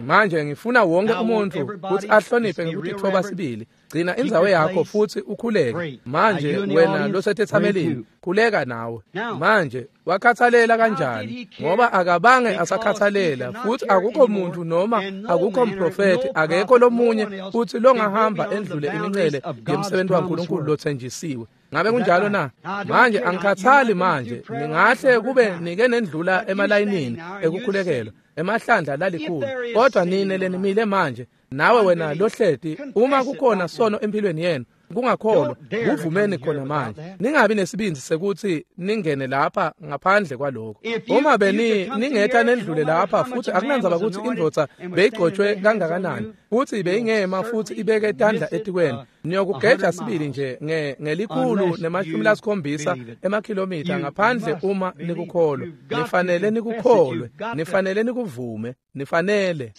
Manje ngifuna wonke umuntu ukuthi ahloniphe ngokutithoba sibili. Gcina indzawo yakho futhi ukhuleke. Manje wena losethethamelini, khuleka nawe. Manje wakhathalela kanjani? Ngoba akabange asakhathalela, futhi akukho muntu noma akukho mprofeti, akekho lomunye futhi longahamba endlule imincele yemsebenzi waNkulunkulu lothenjisiwe. Ngabe kunjalo na? Manje angikhathali manje, ningahle kube nike nendlula emalayinini ekukhulekelwa emahlandla lalikhulu, kodwa nine lenimile manje, nawe wena lohleti, uma kukhona sono empilweni yenu kungakholwa, kuvumeni khona manje. Ningabi nesibindi sekuthi ningene lapha ngaphandle kwalokho. Uma beni ningetha nendlule lapha, futhi akunandzaba ukuthi indvodza beyigcotshwe kangakanani, futhi beyingema futhi ibeke tandla etikweni, niyokugeja sibili nje nge-170 emakhilomitha ngaphandle uma nikukholwa. Nifanele nikukholwe, nifanele nikuvume, nifanele.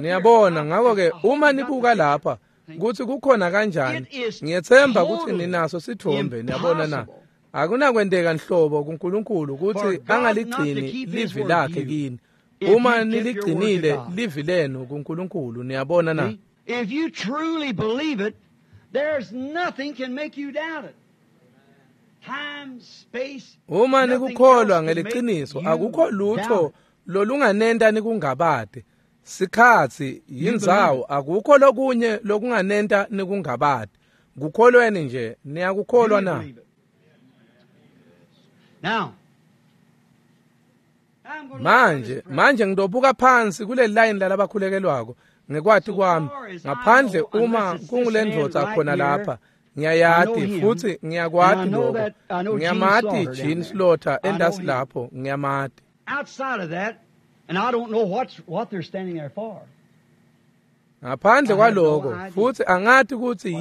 Niyabona, ngakho-ke uma nibuka lapha kuthi kukhona kanjani, ngiyethemba ukuthi ninaso sithombe. Niyabona na? Akunakwenteka nhlobo kuNkulunkulu ukuthi angaligcini livi lakhe kini uma niligcinile livi lenu kuNkulunkulu. Niyabona na? If you truly believe it, there's nothing can make you doubt it. Time, space, uma nikukholwa ngeliqiniso, akukho lutho lolunganenta nikungabade. Sikhathi, yindzawo, akukho lokunye lokunganenta nikungabade. Kukholweni nje, niyakukholwa na? Manje ngidobuka phansi kule line lalabakhulekelwako ngekwati kwami, ngaphandle uma kungulendvodza khona lapha. Ngiyayati futhi ngiyakwati lokho. Ngiyamati Jean Slaughter endasi lapho, ngiyamati. Outside of that, and I don't know what they're standing there for. Ngaphandle kwaloko, futhi angati ukuthi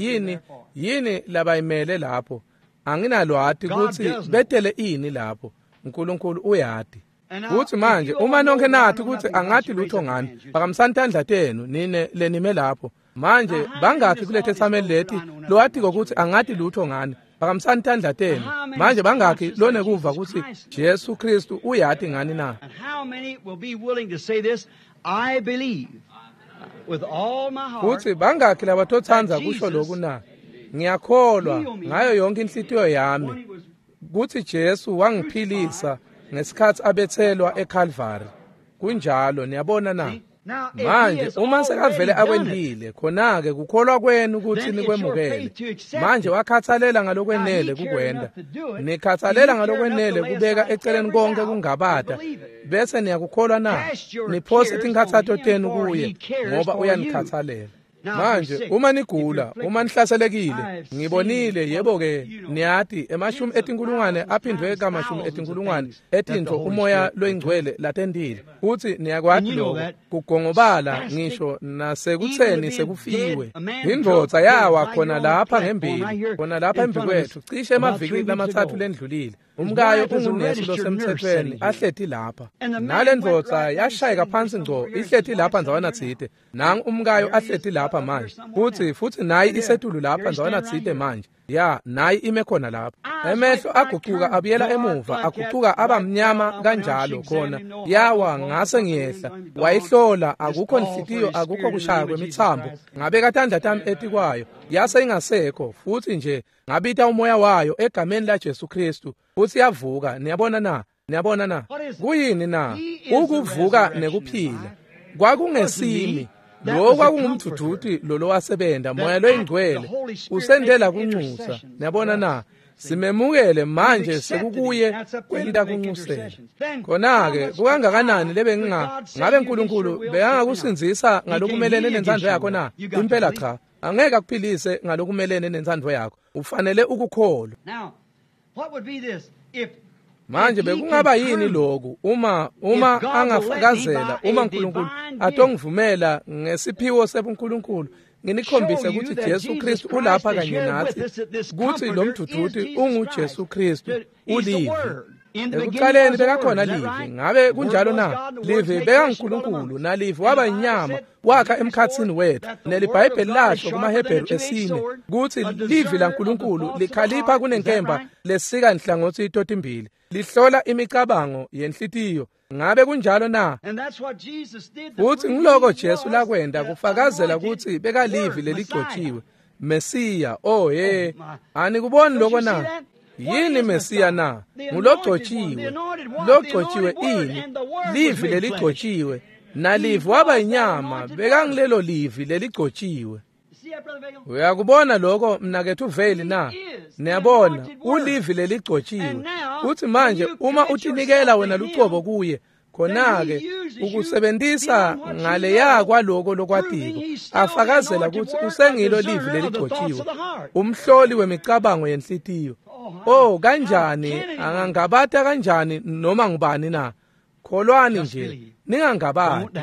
yini labayimele lapho. Anginalwati ukuthi betele ini lapho. uNkulunkulu uyati. Kuthi manje uma nonke nathi ukuthi angati lutho ngani, phakamisani tandla tenu nine lenime lapho. Manje bangakhi kulethe thameli leti lowatiko ukuthi angati lutho ngani? Phakamisani tandla tenu. Manje bangakhi lonekuva ukuthi Jesu Kristu uyati ngani na? And how many will be willing to say this? I believe with all my heart. Kuthi bangakhi labatotsanza kusho lokhu na? Ngiyakholwa ngayo yonke inhlitiyo yami kuthi Jesu wangiphilisa ngesikhathi abethelwa eCalvary. Kunjalo, niyabona na? Manje uma sekavele akwendile, khona-ke kukholwa kwenu ukuthi nikwemukele. Manje wakhathalela ngalokwenele kukwenda, nikhathalela ngalokwenele kubeka eceleni konke kungabada, bese niyakukholwa na? Niphose tinkhathato tenu kuye, ngoba uyanikhathalela. Manje uma nigula, uma nihlaselekile, ngibonile yebo-ke niyati emashumi etinkulungwane aphindwe kamashumi etinkulungwane etintfo umoya loyingcwele latentile. Futsi niyakwati lokho kugongobala ngisho nasekutseni sekufiwe. Indvodza yawa khona lapha ngembili, khona lapha embi kwethu, cishe emavikini lamatsatfu lendlulile. Umkayo ungunesi losemtsetfweni ahleti lapha. Nale ndvodza yashayeka phansi ngco ihleti lapha ndzawana tsite. Nangu umkayo ahleti lapha manje. Futsi nayi isetulu lapha ndzawana tsite manje. Ya, nayi ime khona lapha. Emehlo agucuka abuyela emuva, agucuka abamnyama kanjalo khona. Yawa ngase ngiyehla. Wayihlola, akukho nhliziyo, akukho kushaya kwemitsambo. Ngabeka tandla tami etikwayo. Yase ingasekho, futhi nje ngabita umoya wayo egameni la Jesu Kristu. Futhi yavuka. Niyabona na? Niyabona na? Kuyini na? Ukuvuka nekuphila. Kwakungesimi. Lo kwakungumdvudvuti lo lowasebenta moya loyingcwele usendela kunxusa. Niyabona na? Simemukele manje sekukuye kwenta kunxusela. Khona-ke kukangakanani lebenginga ngabe uNkulunkulu bekangakusindzisa ngalokumelene nentsandvo yakho na? Impela cha. Angeke akuphilise ngalokumelene nentsandvo yakho. Ufanele ukukholwa. Manje bekungaba yini lokhu uma angafakazela, uma uNkulunkulu atongivumela ngesiphiwo sebuNkulunkulu nginikhombise ukuthi Jesu Kristu ulapha kanye nathi, kuthi lo mdvudvuti unguJesu Kristu, uLivi. Ekuqaleni bekakhona Livi, ngabe kunjalo na? Livi bekanguNkulunkulu, naLivi waba inyama, wakha emkhatsini wethu. NeliBhayibheli lasho kumaHebheru esine kutsi Livi laNkulunkulu likhalipha kunenkemba lesika inhlangotsi totimbili, lihlola imicabango yenhlitiyo. Ngabe kunjalo na? Futsi ngiloko Jesu lakwenta kufakazela kutsi bekalivi leligcotshiwe, Mesiya. Oh he, anikuboni loko na? Yini Mesiya na? Ngulogcotshiwe. Logcotshiwe ini? Livi leligcotshiwe. Nalivi waba inyama, bekangilelo livi leligcotshiwe. Uyakubona lokho mnaketfu Veli na? Niyabona, ulivi leligcotshiwe. Futhi manje uma utinikela wena lucobo kuye, khona-ke ukusebentisa ngaleya kwaloko lokwatiko, afakazela kutsi usengilo livi leligcotshiwe, umhloli wemicabango yenhlitiyo. Oh, kanjani angangabata kanjani noma ngubani na? Kholwani nje, ningangabati.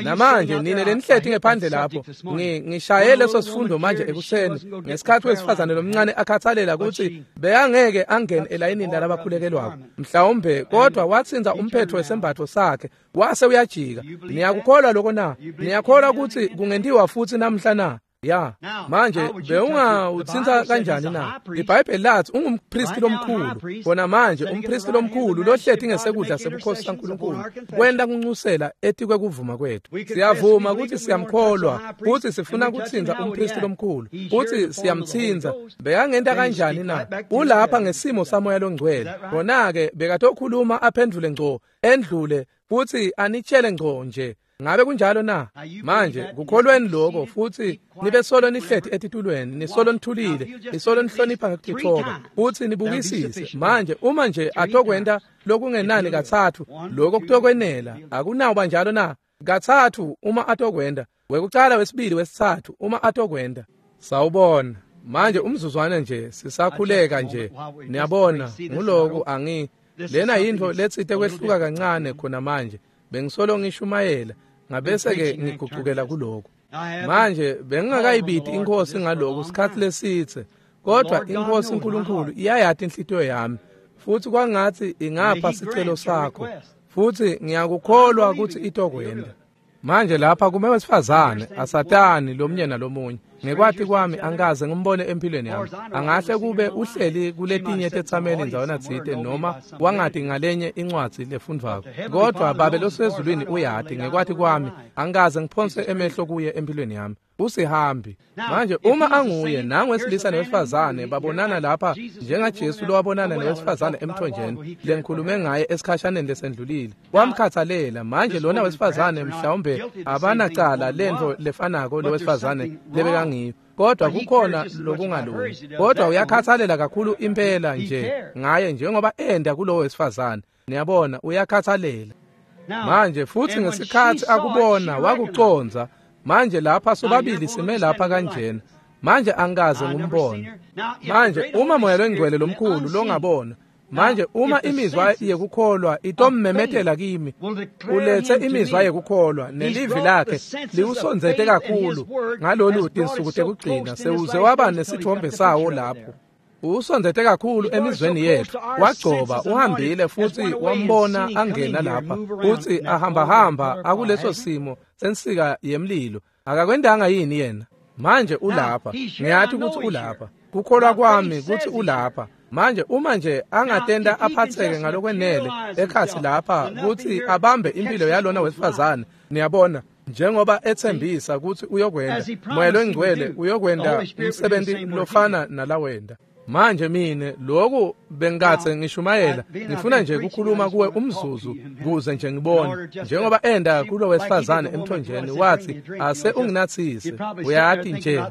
Namanje nine lenihleti ngephandle lapho, ngishaye leso sifundo manje ekuseni ngesikhathi wesifazane lomncane akhathalela ukuthi bekangeke angene elayinini lalabakhulekelwako mhlawumbe, kodwa watsinza umphetho wesembatho sakhe wase uyajika. Niyakukholwa lokho na? Niyakholwa ukuthi kungentiwa futhi namhla na? Ya, manje bewungawutsintsa kanjani na? IBhayibheli lathi ungumpristi lomkhulu. Khona manje umpristi lomkhulu lohleti ngesekudla sebukhosi saNkulunkulu kwenta kunxusela etikwe kuvuma kwethu. Siyavuma ukuthi siyamkholwa, futhi sifuna kutsinza umpristi lomkhulu, futhi siyamtsinza. Bekangenta kanjani na? Ulapha ngesimo samoya longcwele. Khona-ke bekatokhuluma aphendvule ngco, endlule futhi anitshele ngco nje. Ngabe kunjalo na? Manje kukholweni lokho, futhi nibe solo nihleti etitulweni, nisolo nithulile, nisolo nihlonipha ngekutithoba, futhi nibukisise. Manje uma nje atokwenta lokungenani katsatfu, lokho kutokwenela. Akunawuba njalo na? Katsatfu uma atokwenta, wekucala, wesibili, wesitsatfu uma atokwenta. Sawubona. Manje umzuzwana nje sisakhuleka nje. Niyabona, nguloku angi lena yintfo letsite kwehluka kancane khona manje. Bengisolo ngishumayela, ngabese-ke ngigucukela kuloko. Manje bengingakayibiti iNkhosi ngaloko sikhathi lesitse, kodwa iNkhosi uNkulunkulu iyayati inhlitiyo yami, futhi kwangathi ingapha sicelo sakho, futhi ngiyakukholwa ukuthi itokwenda. Manje lapha kume wesifazane asatani lomunye nalomunye. Ngekwati kwami angikaze ngimbone empilweni yami. Angahle kube uhleli kuletinye tetsameli ndzawana tsite noma wangati ngalenye incwadzi lefundvwako. Kodwa Babe losezulwini uyati ngekwati kwami angikaze ngiphonse emehlo kuye empilweni yami. Usihambi. Manje uma anguye nangu wesilisa nowesifazane babonana lapha njengaJesu lowabonana nowesifazane emthonjeni lengikhulume ngaye esikhashaneni lesendlulile. Wamkhathalela. Manje lona wesifazane mhlawumbe abanacala lento lefanako lowesifazane lebekangiyo, kodwa kukhona lokungalungi. Kodwa uyakhathalela kakhulu impela nje ngaye njengoba enda kulowo wesifazane. Niyabona, uyakhathalela. Manje futhi ngesikhathi akubona wakuconza. Manje lapha sobabili sime lapha kanjena. Manje angikaze ngimbone. Manje uma Moya loNgcwele lomkhulu longabona, manje uma imizwa yekukholwa itommemetela kimi, ulethe imizwa yekukholwa nelivi lakhe liwusondzete kakhulu ngalolu tinsuku tekugcina sewuze waba nesithombe sawo lapho. Usondzete kakhulu emizweni yethu, wagcoba uhambile futhi wambona angena lapha futhi ahambahamba akuleso simo sensika yemlilo. Akakwendanga yini yena? Manje ulapha, ngiyathi ukuthi ulapha. Kukholwa kwami kuthi ulapha. Manje uma nje angatenda aphatheke ngalokwenele ekhathi lapha ukuthi abambe impilo yalona wesifazane, niyabona, njengoba ethembisa ukuthi uyokwenda, Moya loNgcwele uyokwenda umsebenzi lofana nalawenda. Manje mine lokhu bengathe ngishumayela, ngifuna nje ukukhuluma kuwe umzuzu kuze nje ngibone njengoba enda kulo wesifazane emthonjeni wathi ase unginathise. Uyathi nje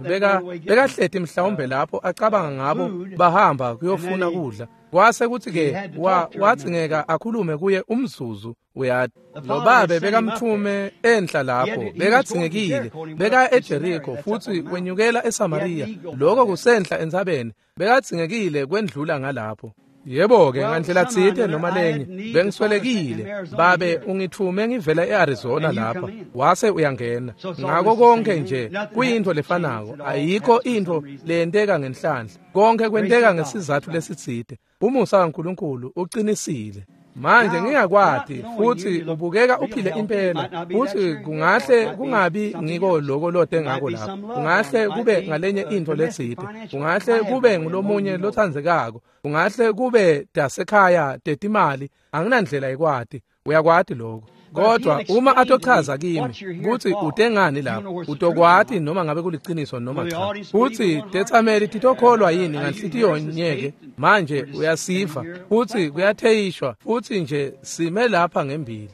bekahleti mhlawumbe lapho acabanga ngabo bahamba kuyofuna kudla. Kwase kuthi ke wathi ngeka akhulume kuye umzuzu. Uyathi lo babe bekamthume enhla lapho, bekathingekile, beka eJericho futhi wenyukela eSamaria, lokho kusenhla entsabeni, bekathingekile kwendlula ngalapho. Yebo ke ngandlela tsite noma lenye bengiswelekile, babe ungithume ngivela eArizona lapha, wase uyangena. Ngako konke nje kuyinto lefanako, ayikho into leyenteka ngenhlanhla, konke kwenteka ngesizathu lesitsite. Umusa kaNkulunkulu uqinisile. Manje ngingakwati futhi ubukeka uphile impela, futhi kungahle kungabi ngiko lokho lote ngako lapho, kungahle kube ngalenye into letsite, kungahle kube ngulomunye lothandzekako, kungahle kube dasekhaya tetimali, anginandlela yekwati. Uyakwati lokho. Kodwa uma atochaza kimi kutsi utengani lapho, utokwati noma ngabe kuliciniso noma cha. Futhi tetsameli titokholwa yini nganhlitiyo nyeke? Manje uyasiva futhi kuyatheyishwa futhi nje sime lapha ngembili.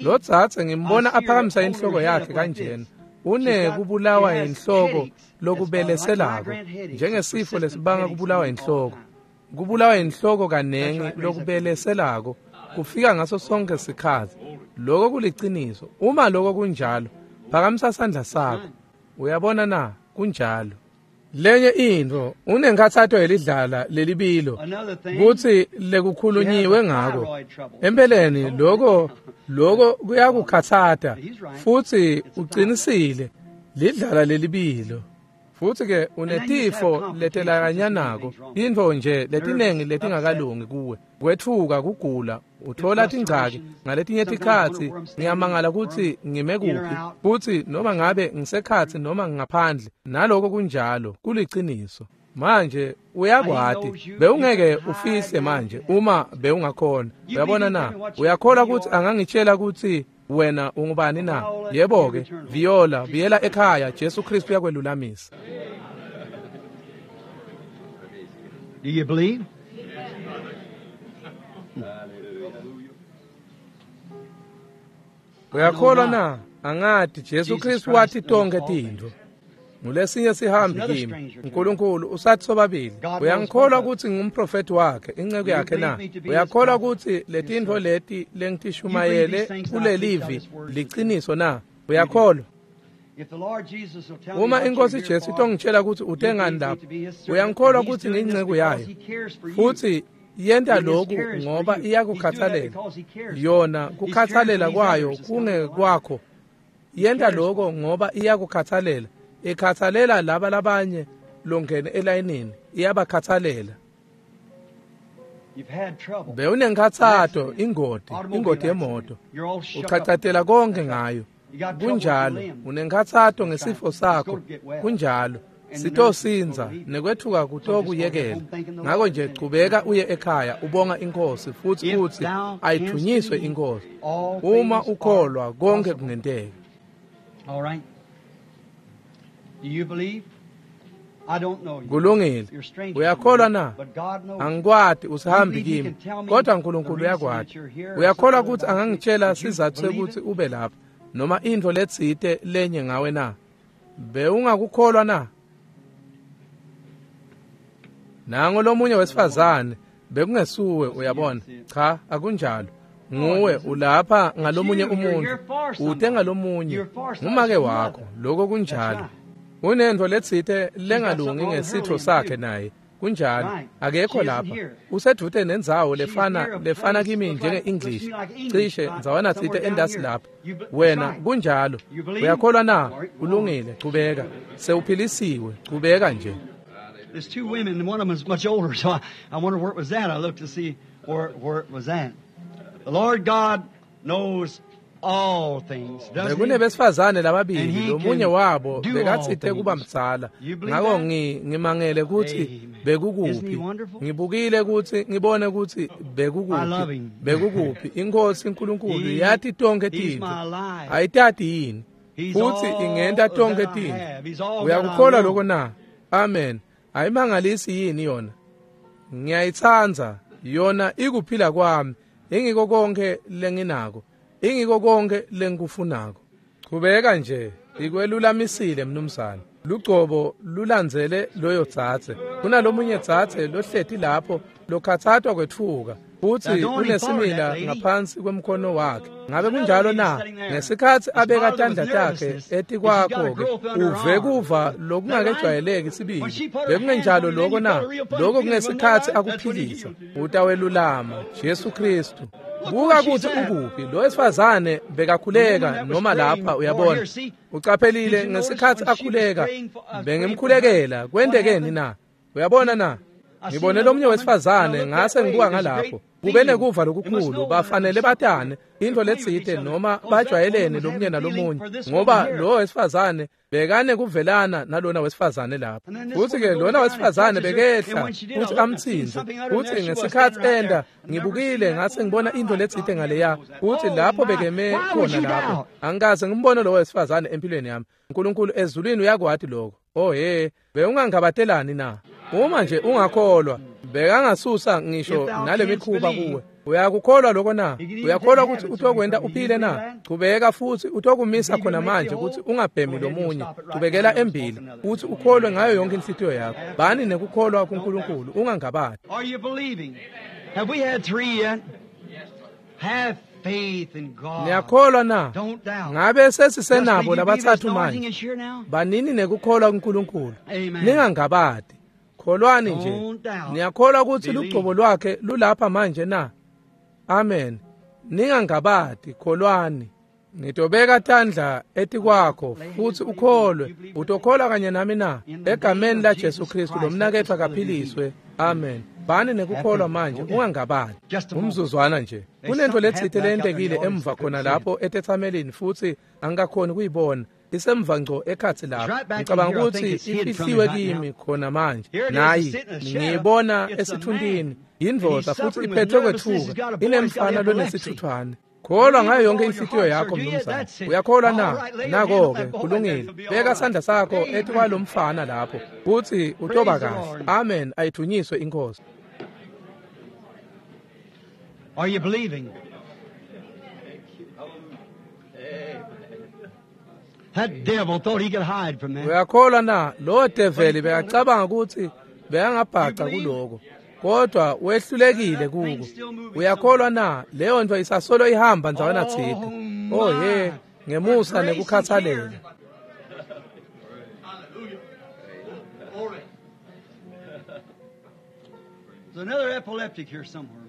Lo dzadze ngimbona aphakamisa inhloko yakhe kanjena. Unekubulawa inhloko lokubeleselako, njengesifo lesibanga kubulawa inhloko. Kubulawa inhloko kanengi lokubeleselako kufika ngaso sonke sikhathi. Lokho kuliciniso. Uma lokho kunjalo, phakamisa sandla sakho. Uyabona na? Kunjalo. Lenye intfo, unenkhatsato yelidlala lelibilo kutsi lekukhulunyiwe ngako. Empeleni lokho kuyakukhatsata futhi uqinisile, lidlala lelibilo. Futhi ke unetifo letelakanyanako, intfo nje letinengi letingakalungi kuwe, kwetfuka, kugula, uthola tingcaki ngaletinye tikhatsi. Ngiyamangala kutsi ngime kuphi futhi noma ngabe ngisekhatsi noma ngaphandle, naloko kunjalo, kuliciniso. Manje uyakwati, bewungeke ufihle manje uma bewungakhona. Uyabona na? Uyakholwa kutsi angangitshela kutsi wena ungubani na? Yebo ke, Viola, buyela ekhaya, Jesu Kristu uyakwelulamisa. Do you believe? Uyakholwa na? Angati Jesu Kristu wathi tonke tintfo. Ngulesinye sihambi kimi. uNkulunkulu usathi sobabili. Uyangikholwa kutsi ngumprofeti wakhe, inceku yakhe na? Uyakholwa kutsi letintfo leti lengitishumayele kulelivi liciniso na? Uyakholwa? Uma inkosi Jesu itongitshela kutsi utengani lapho, uyangikholwa kutsi ngiyinceku yayo futhi yenta lokhu ngoba iyakukhathalela. Yona kukhathalela kwayo kungekwakho. Yenta lokho ngoba iyakukhathalela. Ikhathalela laba labanye longene elayinini, iyabakhathalela. Bewunenkhatsato, ingoti yemoto, uchachatela konke ngayo. Kunjalo, unenkhatsato ngesifo sakho. Kunjalo, sitosinza nekwethuka kutokuyekela. Ngako nje chubeka uye ekhaya ubonga inkosi futhi uthi ayithunyiswe inkosi. Uma ukholwa konke kungenteka. All right. Do you believe? I don't know you. Kulungile. Uyakholwa na? Angikwati, usihambi kimi, kodwa uNkulunkulu uyakwati. Uyakholwa ukuthi angangitshela sizathu sekuthi ube lapha noma intfo letsite lenye ngawe na? Bewungakukholwa na? Nango lomunye wesifazane, bekungesuwe, uyabona. Cha, akunjalo. Nguwe ulapha ngalomunye umuntu, ute ngalomunye, ngumake wakho, lokho kunjalo. Unento letsite lengalungi ngesitho sakhe naye. Kunjalo, akekho lapha. Usedvute nendzawo lefana kimi njenge-English. Cishe ndzawana tsite endasi lapha. Wena kunjalo. Uyakholwa na? Kulungile, chubeka. Sewuphilisiwe, chubeka nje. There's two women, and one of them is much older, so I wonder where it was at. I looked to see where it was at. The Lord God knows all things. Bekunebesifazane lababili, lomunye wabo bekatsite kuba mdzala. Ngako ngimangele kutsi bekukuphi. Ngibukile kutsi ngibone kutsi bekukuphi. Bekukuphi. Inkosi uNkulunkulu yati tonkhe tintfo. Ayitati yini? Futsi ingenta tonkhe tintfo. Uyakukholwa lokho na? Amen. Ayimangalisi yini yona? Ngiyayitsandza yona, ikuphila kwami. Ingiko konke lenginako. Ingiko konke lengikufunako. Chubeka nje, ikwelulamisile mnumzane. Lugcobo lulandzele loyo dzadze. Kunalomunye dzadze lohleti lapho lokhatsatwa kwetfuka, futsi unesimila ngaphansi kwemkhono wakhe. Ngabe kunjalo na? Ngesikhatsi abeka tandla takhe etikwakho-ke, uve kuva lokungakejwayeleki sibili. Bekungenjalo lokho na? Lokho kungesikhatsi akuphilisa. Utawelulama, Jesu Kristu. Buka kutsi ukuphi. Lo wesifazane bekakhuleka noma lapha, uyabona. Ucaphelile ngesikhatsi akhuleka, bengimkhulekela. Kwentekeni na? Uyabona na? Ngibone lomunye wesifazane ngase ngibuka ngalapho. Kube nekuva lokukhulu, bafanele batane into letsite noma bajwayelene lomunye nalomunye, ngoba lo wesifazane bekane kuvelana nalona wesifazane lapho. Futhi-ke lona wesifazane bekehla futhi amthinze. Futhi ngesikhatsi enda ngibukile ngase ngibona into letsite ngaleya, futhi lapho bekeme khona lapho. Angikaze ngimbone lo wesifazane empilweni yami. uNkulunkulu ezulwini uyakwati lokho. Oh he, bewungangabatelani na? Uma nje ungakholwa, bekangasusa ngisho nale mikhuba kuwe. Uyakukholwa lokho na? Uyakholwa ukuthi utokwenta uphile na? Chubeka futhi utokumisa khona manje ukuthi ungabhemi lomunye. Chubekela embili futhi ukholwe ngayo yonke inhlitiyo yakho. Bani nekukholwa kuNkulunkulu, ungangabati. Are you believing? Have we had three yet? Have faith in God. Niyakholwa na? Ngabe sesisenabo labathathu manje? Banini nekukholwa kuNkulunkulu. Ningangabati. Kholwani nje. Niyakholwa ukuthi lugcobo lwakhe lulapha manje na? Amen. Ningangabati, kholwani. Ngitobeka tandla etikwakho futhi ukholwe. Utokholwa kanye nami na? Egameni la Jesu Kristu lo mnaketfu akaphiliswe. Amen. Bani nekukholwa manje, ungangabati. Umzuzwana nje. Kunento letsite leyentekile emva khona lapho etethamelini futhi angikakhoni kuyibona. Isemva ngco ekhatsi lapho. Ngicabanga ukuthi ifihliwe kimi khona manje. Nayi ngiyibona esithuntini. Yindvodza futhi iphethwe kwethuka. Inemfana lonesithuthwane. Kholwa ngayo yonke inhlitiyo yakho mnumzane. Uyakholwa na? Nako-ke, kulungile. Beka sandla sakho etikwalomfana lapho, futhi utoba kahle. Amen. Ayithunyiswe inkosi. Are you believing? That devil thought he could hide from that. Uyakholwa na? Lo develi bekacabanga ukuthi bekangabhaca kuloko, kodwa wehlulekile kuko. Uyakholwa na? Leyo nto isasolo ihamba ndzawana tsite. Oh ye, ngemusa nekukhathalela. There's another epileptic here somewhere.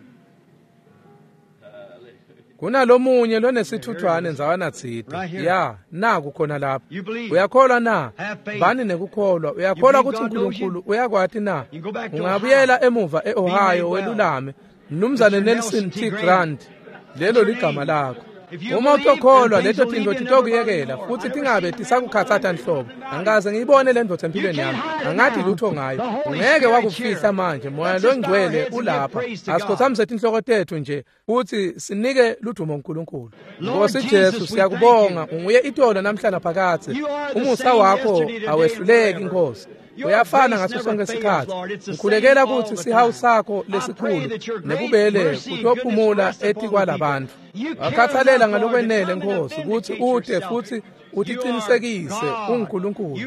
Kunalomunye lonesithuthwane ndzawana tsite. Ya, naku khona lapha. Uyakholwa na? Bani nekukholwa. Uyakholwa ukuthi uNkulunkulu uyakwati na? Ungabuyela emuva eOhio welulame. Mnumzane Nelson T. Grant, lelo ligama lakho. Uma utokholwa leto tintfo titokuyekela futhi tingabe tisakukhatsata nhlobo. Angikaze ngiyibone le ndvodza empilweni yami. Angathi lutho ngayo. Ungeke wakufihla manje. Moya longcwele ulapha. Asikhothamise tinhloko tetfu nje futhi sinike ludumo uNkulunkulu. Nkosi Jesu, siyakubonga. Unguye itolo namhla naphakadze. Umusa wakho awehluleki Nkosi. Uyafana ngaso sonke isikhathi. Ngikhulekela ukuthi sihawu sakho lesikhulu nebubele kutophumula etikwalabantu. Wakhathalela ngalokwenele Nkosi ukuthi ute futhi uticinisekise unguNkulunkulu.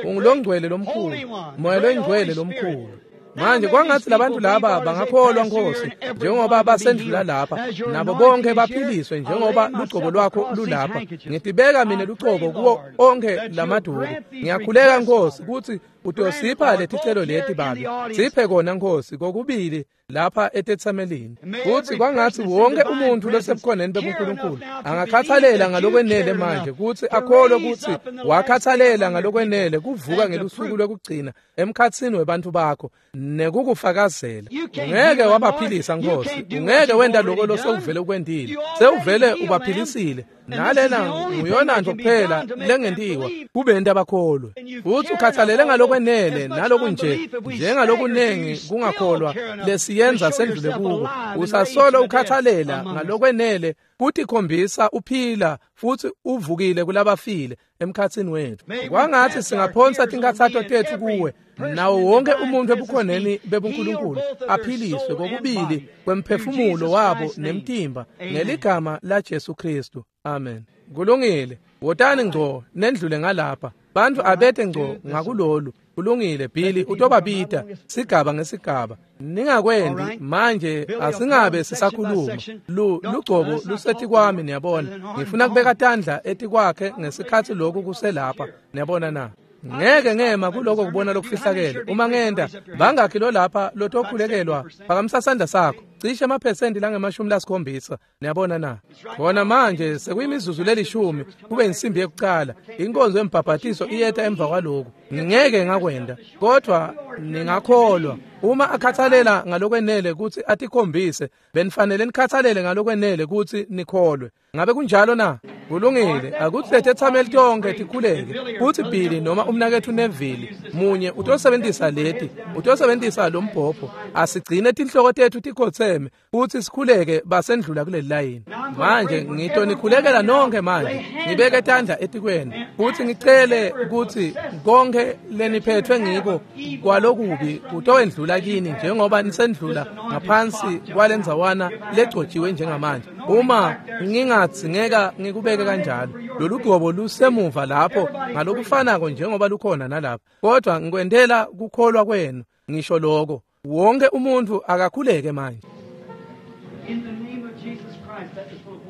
Ungulongcwele lomkhulu, Moya longcwele lomkhulu. Manje kwangathi labantu laba bangakholwa Nkosi, njengoba basendlula lapha, nabo bonke baphiliswe njengoba lugcobo lwakho lulapha. Ngitibeka mina lugcobo kuwo onke lamaduku. Ngiyakhuleka Nkosi ukuthi utosipha leticelo leti Babe. Siphe kona Nkosi kokubili lapha etetsamelini. Futhi kwangathi wonke umuntu losebukhoneni bebuNkulunkulu angakhathalela ngalokwenele manje ukuthi akholwe ukuthi wakhathalela ngalokwenele kuvuka ngelusuku lwekugcina emkhatsini webantu bakho nekukufakazela. Ungeke wabaphilisa Nkosi, ungeke wenda lokho losewuvele ukwendile, sewuvele ubaphilisile. Nalena nguyona nto kuphela lengentiwa kubenta abakholwe. Futhi ukhathalele ngalokwenele nalokunje njengalokunengi kungakholwa lesiyenza sendlule kuko. Usasolo ukhathalela ngalokwenele kutikhombisa uphila futhi uvukile kulabafile emkhatsini wethu. Kwangathi singaphonsa tinkathato tethu kuwe, nawo wonke umuntu ebukhoneni bebuNkulunkulu aphiliswe kokubili kwemphefumulo wabo nemtimba ngeligama la Jesu Kristu. Amen. Kulungile. Wotani ngco nendlule ngalapha. Bantu abete ngco ngakulolu. Kulungile Billy utobabita sigaba ngesigaba. Ningakwendi manje, asingabe sisakhuluma. Lugcobo lusethi kwami, niyabona. Ngifuna kubeka tandla etikwakhe ngesikhathi lokhu kuselapha, niyabona na. Ngeke ngema kuloko kubona lokufihlakele. Uma ngenda bangakhi lo lapha lotokhulekelwa, phakamisa sandla sakho. Cishe amaphesenti langama-70, niyabona na. Khona manje sekuyimizuzu lelishumi kube insimbi yekucala. Inkonzo yembhabhatiso iyeta emva kwaloku. Ngingeke ngakwenda, kodwa ningakholwa. Uma akhathalela ngalokwenele ukuthi atikhombise, benifanele nikhathalele ngalokwenele ukuthi nikholwe. Ngabe kunjalo na? Kulungile. Akuthi lethethameli tonke tikhuleke. Kuthi Billy noma umnakethu Neville munye utosebenzisa leti, utosebenzisa lo mbhobho. Asigcine tinhloko tethu tikhotheme futhi sikhuleke basendlula kuleli layini. Manje ngitonikhulekela nonke manje. Ngibeke tandla etikweni futhi ngicele ukuthi konke leniphethwe ngiko kwalokubi kutowendlula kini njengoba nisendlula ngaphansi kwalendzawana legcotshiwe njengamanje. Uma ngingadzingeka ngikubeke kanjalo, lolu gcobo lusemuva lapho ngalokufanako njengoba lukhona nalapha, kodwa ngikwendela kukholwa kwenu. Ngisho lokho, wonke umuntu akakhuleke manje.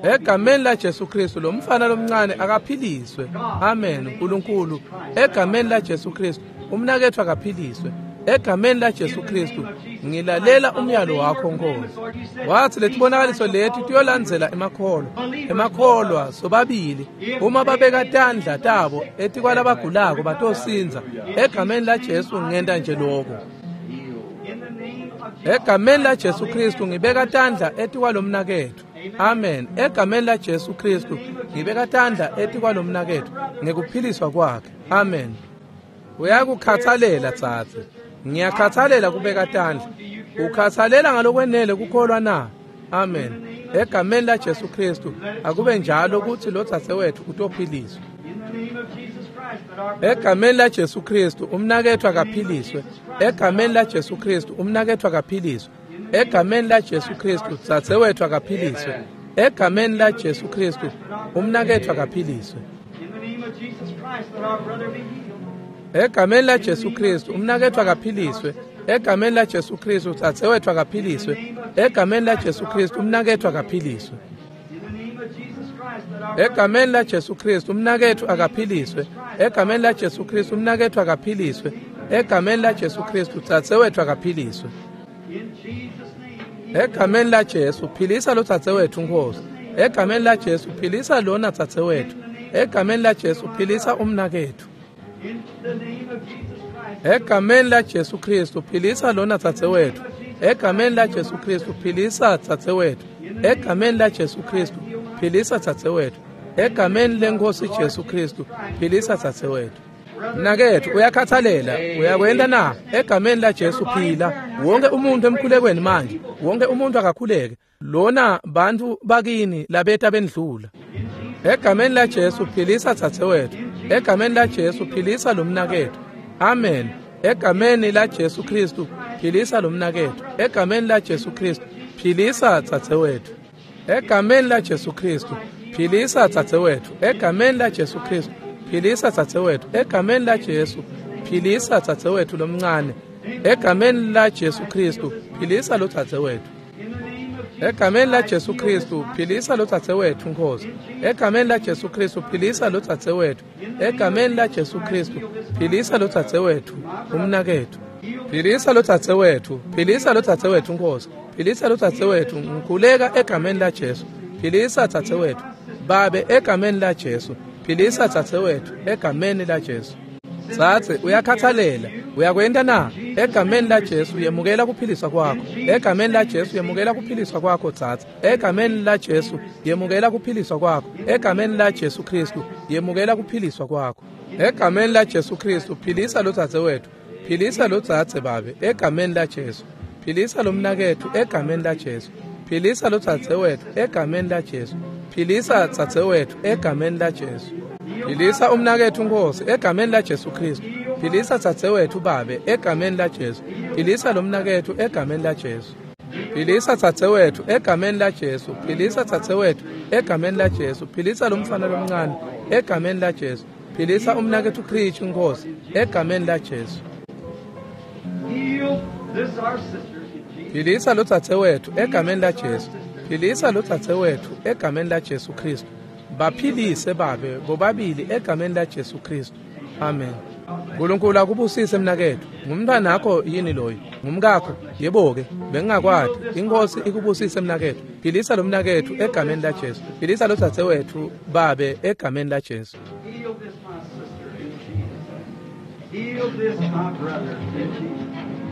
Egameni la Jesu Kristu lo mfana lomncane akaphiliswe. Amen. uNkulunkulu, egameni la Jesu Kristu umnakethu akaphiliswe. Egameni la Jesu Kristu ngilalela umyalo wakho Nkosi. Wathi letibonakaliso lethu tiyolandzela emakholwa. Emakholwa sobabili uma babeka tandla tabo etikwalabagulako batosinza. Egameni la Jesu ngenta nje lokho. Egameni la Jesu Kristu ngibeka tandla etikwalomnakethu. Amen. Egameni la Jesu Kristu ngibeka tandla etikwalomnakethu ngekuphiliswa kwakhe. Amen. Uyakukhathalela tsatsi. Ngiyakhathalela kubeka tandla. Ukhathalela ngalokwenele kukholwa na? Amen. Egameni la Jesu Kristu akube njalo ukuthi lo dzadzewethu utophiliswa. Egameni la Jesu Kristu umnakethu akaphiliswe. Egameni la Jesu Kristu umnakethu akaphiliswe. Egameni la Jesu Kristu dzadzewethu akaphiliswe. Egameni la Jesu Kristu umnakethu akaphiliswe. Egameni la Jesu Kristu umnakethu akaphiliswe. Egameni la Jesu Kristu dzadzewethu akaphiliswe. Egameni la Jesu Kristu umnakethu akaphiliswe. Egameni la Jesu Kristu umnakethu akaphiliswe. Egameni la Jesu Kristu umnakethu akaphiliswe. Egameni la Jesu Kristu dzadzewethu akaphiliswe. Egameni la Jesu philisa lo dzadzewethu Nkosi. Egameni la Jesu philisa lona dzadzewethu. Egameni la Jesu philisa umnakethu. Egameni la Jesu Kristu philisa lona dzadzewethu. Egameni la Jesu Kristu philisa dzadzewethu. Egameni la Jesu Kristu philisa dzadzewethu. Egameni lenkosi Jesu Kristu philisa dzadzewethu. Mnakethu uyakhathalela, uyakwenda na? Egameni la Jesu phila. Wonke umuntu emkhulekweni manje, wonke umuntu akakhuleke. Lona bantu bakini labeta bendlula. Egameni la Jesu philisa dzadzewethu. Egameni la Jesu philisa lo mnakethu. Amen. Egameni la Jesu Kristu philisa lo mnakethu. Egameni la Jesu Kristu philisa dzadzewethu. Egameni la Jesu Kristu philisa dzadzewethu. Egameni la Jesu Kristu philisa dzadzewethu. Egameni la Jesu philisa dzadzewethu lomncane. Egameni la Jesu Kristu, philisa lo dzadzewethu. Egameni la Jesu Kristu, philisa lo dzadzewethu Nkosi. Egameni la Jesu Kristu, philisa lo dzadzewethu. Egameni la Jesu Kristu, philisa lo dzadzewethu, umnakethu. Philisa lo dzadzewethu, philisa lo dzadzewethu Nkosi. Philisa lo dzadzewethu, ngikhuleka egameni la Jesu. Philisa dzadzewethu, Babe egameni la Jesu. Philisa dzadzewethu egameni la Jesu. Dzadze uyakhathalela, uyakwenta na? Egameni la Jesu yemukela kuphiliswa kwakho. Egameni la Jesu yemukela kuphiliswa kwakho dzadze. Egameni la Jesu yemukela kuphiliswa kwakho. Egameni la Jesu Kristu yemukela kuphiliswa kwakho. Egameni la Jesu Kristu philisa lo dzadzewethu. Philisa lo dzadze Babe egameni la Jesu. Philisa lo mnaketfu egameni la Jesu. Philisa lo dzadzewethu egameni la Jesu. Philisa dzadzewethu egameni la Jesu. Philisa umnaketfu Nkosi egameni la Jesu Kristu. Philisa dzadzewethu Babe egameni la Jesu. Philisa lo mnaketfu egameni la Jesu. Philisa dzadzewethu egameni la Jesu. Philisa dzadzewethu egameni la Jesu. Philisa lo mfana lomncane egameni la Jesu. Philisa umnaketfu Kristu Nkosi egameni la Jesu. Philisa lo dzadzewethu egameni la Jesu. Philisa lo dzadzewethu egameni la Jesu Kristu. Baphilise Babe bobabili egameni la Jesu Kristu. Amen. Nkulunkulu akubusise mnaketfu. Ngumntwanakho yini loyo? Ngumkakho? Yebo-ke, bengingakwati. Inkosi ikubusise mnaketfu. Philisa lo mnaketfu egameni la Jesu. Philisa lo dzadzewetfu Babe egameni la Jesu.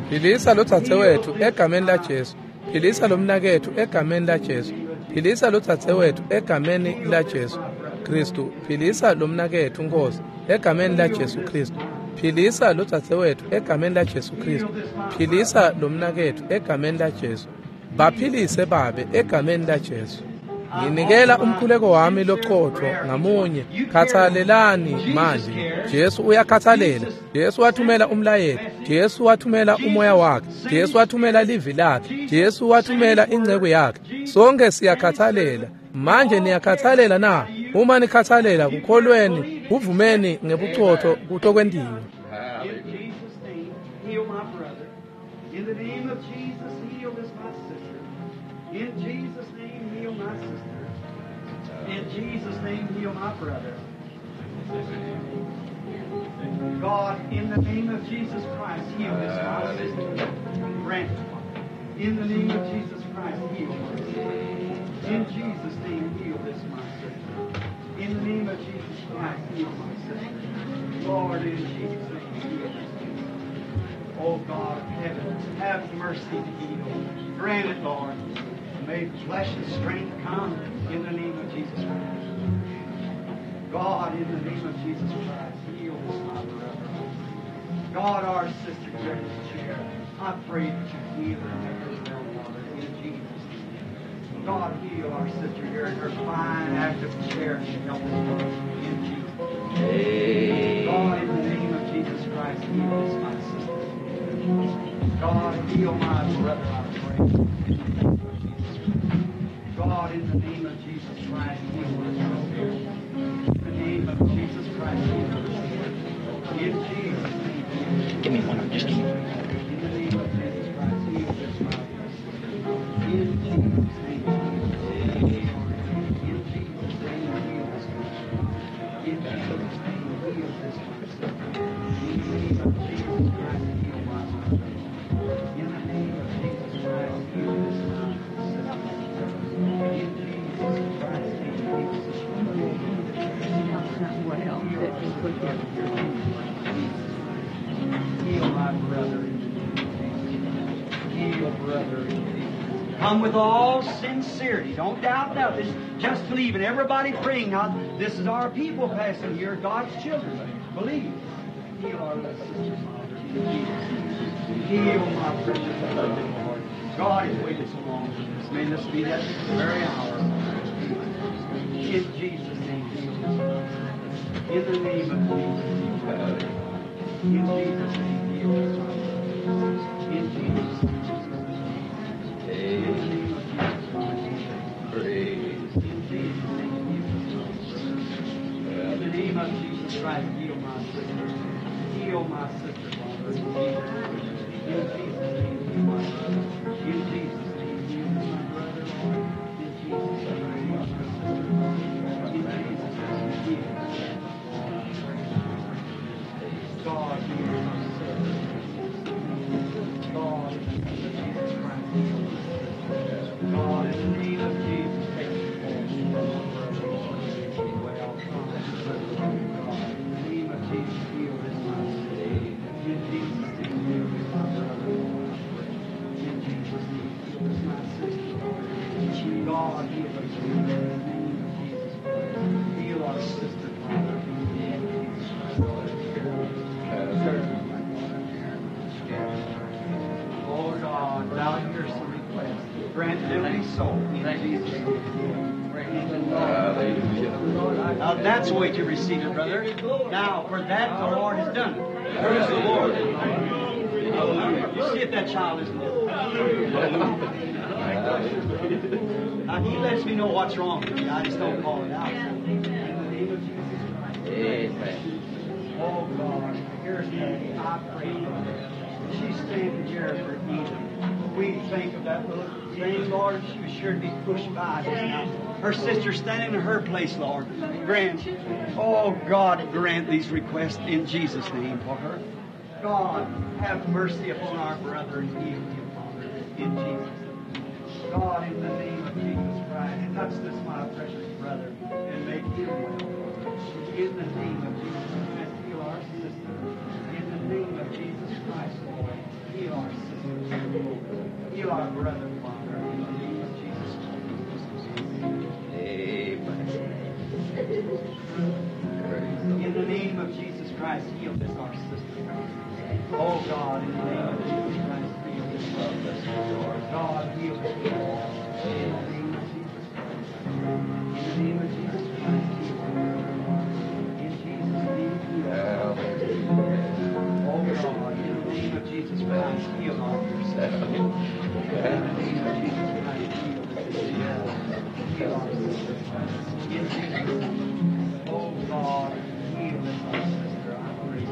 Philisa lo dzadzewetfu egameni la Jesu. Philisa lo mnaketfu egameni la Jesu. Philisa lo dzadzewetfu egameni la Jesu Kristu. Philisa lo mnaketfu Nkosi egameni la Jesu Kristu. Philisa lo dzadzewetfu egameni la Jesu Kristu. Philisa lo mnaketfu egameni la Jesu. Baphilise Babe egameni la Jesu. Nginikela umkhuleko wami loqotho ngamunye. Khathalelani manje. Jesu uyakhathalela. Jesu wathumela umlayeto. Jesu wathumela umoya wakhe. Jesu wathumela livi lakhe. Jesu wathumela inceku yakhe. Sonke siyakhathalela. Manje niyakhathalela na? Uma nikhathalela kukholweni, kuvumeni ngebuqotho kutokwentiwa. In the name of Jesus, heal this my sister. In Jesus' name, heal my sister. In Jesus' name, heal my brother. God, in the name of Jesus Christ, heal this my sister. Grant it. In the name of Jesus Christ, heal my sister. In Jesus' name, heal this my sister. In the name of Jesus Christ, heal my sister. Lord, in Jesus' name, heal this. Oh God of heaven, have mercy to heal. Grant it, Lord. May flesh and strength come in the name of Jesus Christ. God, in the name of Jesus Christ, heal this my brother. God, our sister here in this chair, I pray that you heal her and make her well, Father, in Jesus' name. God, heal our sister here in her fine, active chair and help us, Lord, in Jesus' name. God, in the name of Jesus Christ, heal this my sister. God, heal my brother, I pray. In the name of Jesus Christ. God, in the name of Jesus Christ, heal my sister. In the name of Jesus Christ, heal my sister. In Jesus' name. Give me one. Just give me one. In the name of Jesus Christ, heal this my sister. In Jesus' name. In Jesus' name, heal this my sister. In Jesus' name, heal this my sister. In the name of Jesus Christ, heal my sister. In the name of Jesus Christ, heal this my sister. In Jesus Christ's name, heal this my Well, that we put here. Heal my brother in Jesus. Heal brother in Jesus. Come with all sincerity. Don't doubt nothing. Just believe. And everybody praying now. This is our people passing here, God's children. Believe. Heal our little sister, Father. Jesus. Heal my precious brother, Lord. God has waited so long for this. May this be that very hour. In Jesus' name, heal this. In the name of Jesus. In Jesus' name, heal this. In Jesus' name. In the name of Jesus Christ. In Jesus' name, heal this. In the name of Jesus Christ, heal my sister. Heal my sister, Father. In Jesus' name. God, here's the request. Grant it to be so in Jesus' name. Hallelujah. Now that's the way to receive it, brother. Now, for that the Lord has done it. Praise the Lord. Hallelujah. You see if that child isn't it. Now, he lets me know what's wrong with me. I just don't call it out. In the name of Jesus Christ. Amen. Oh, God, here's Patty. I pray for her. She's standing here for healing. We think of that little thing, Lord. She was sure to be pushed by just now. Her sister standing in her place, Lord. Grant, oh, God, grant these requests in Jesus' name for her. God, have mercy upon our brother and heal him, Father, in Jesus' name. God, in the name of Jesus Christ, touch this, my precious brother, and make him well. In the name of Jesus Christ, heal our sister. In the name of Jesus Christ, Lord, heal our sister. Heal our brother, Father, in the name of Jesus Christ. Amen. In the name of Jesus Christ, heal this, our sister. Oh, God, in the name of Jesus Christ, heal this, our sister. God, heal this. In the name of Jesus Christ. In the name of Jesus Christ, heal her. In Jesus' name, heal her. Oh, God, in the name of Jesus Christ, heal our dear sister. In the name of Jesus Christ, heal this. Heal our sister. In Jesus' name. Oh, God, heal this, our sister. I pray in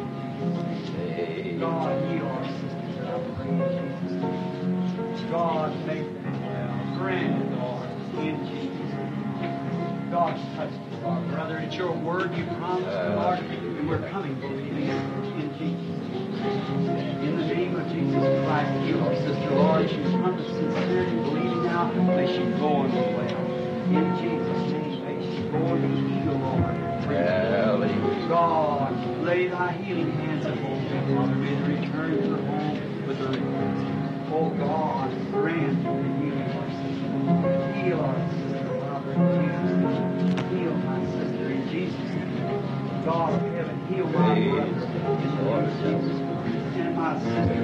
Jesus' name. God, heal our sister. I pray in Jesus' name. God, make them well. Grant it, Lord, in Jesus' name. God, touch us, our brother. It's your word you promised, Lord, and we're coming believing it in Jesus' name. In the name of Jesus Christ, heal our sister, Lord. She's come to sincerely believing now. May she go and be well. In Jesus' name, may she go and be healed, Lord. Hallelujah. God, lay thy healing hands upon them, Father. May they return to their home with their request. Oh God, grant the healing of our sister. Heal our sister, Father, in Jesus' name. Heal my sister in Jesus' name. God of heaven, heal my brother in the name of Jesus Christ. And my sister,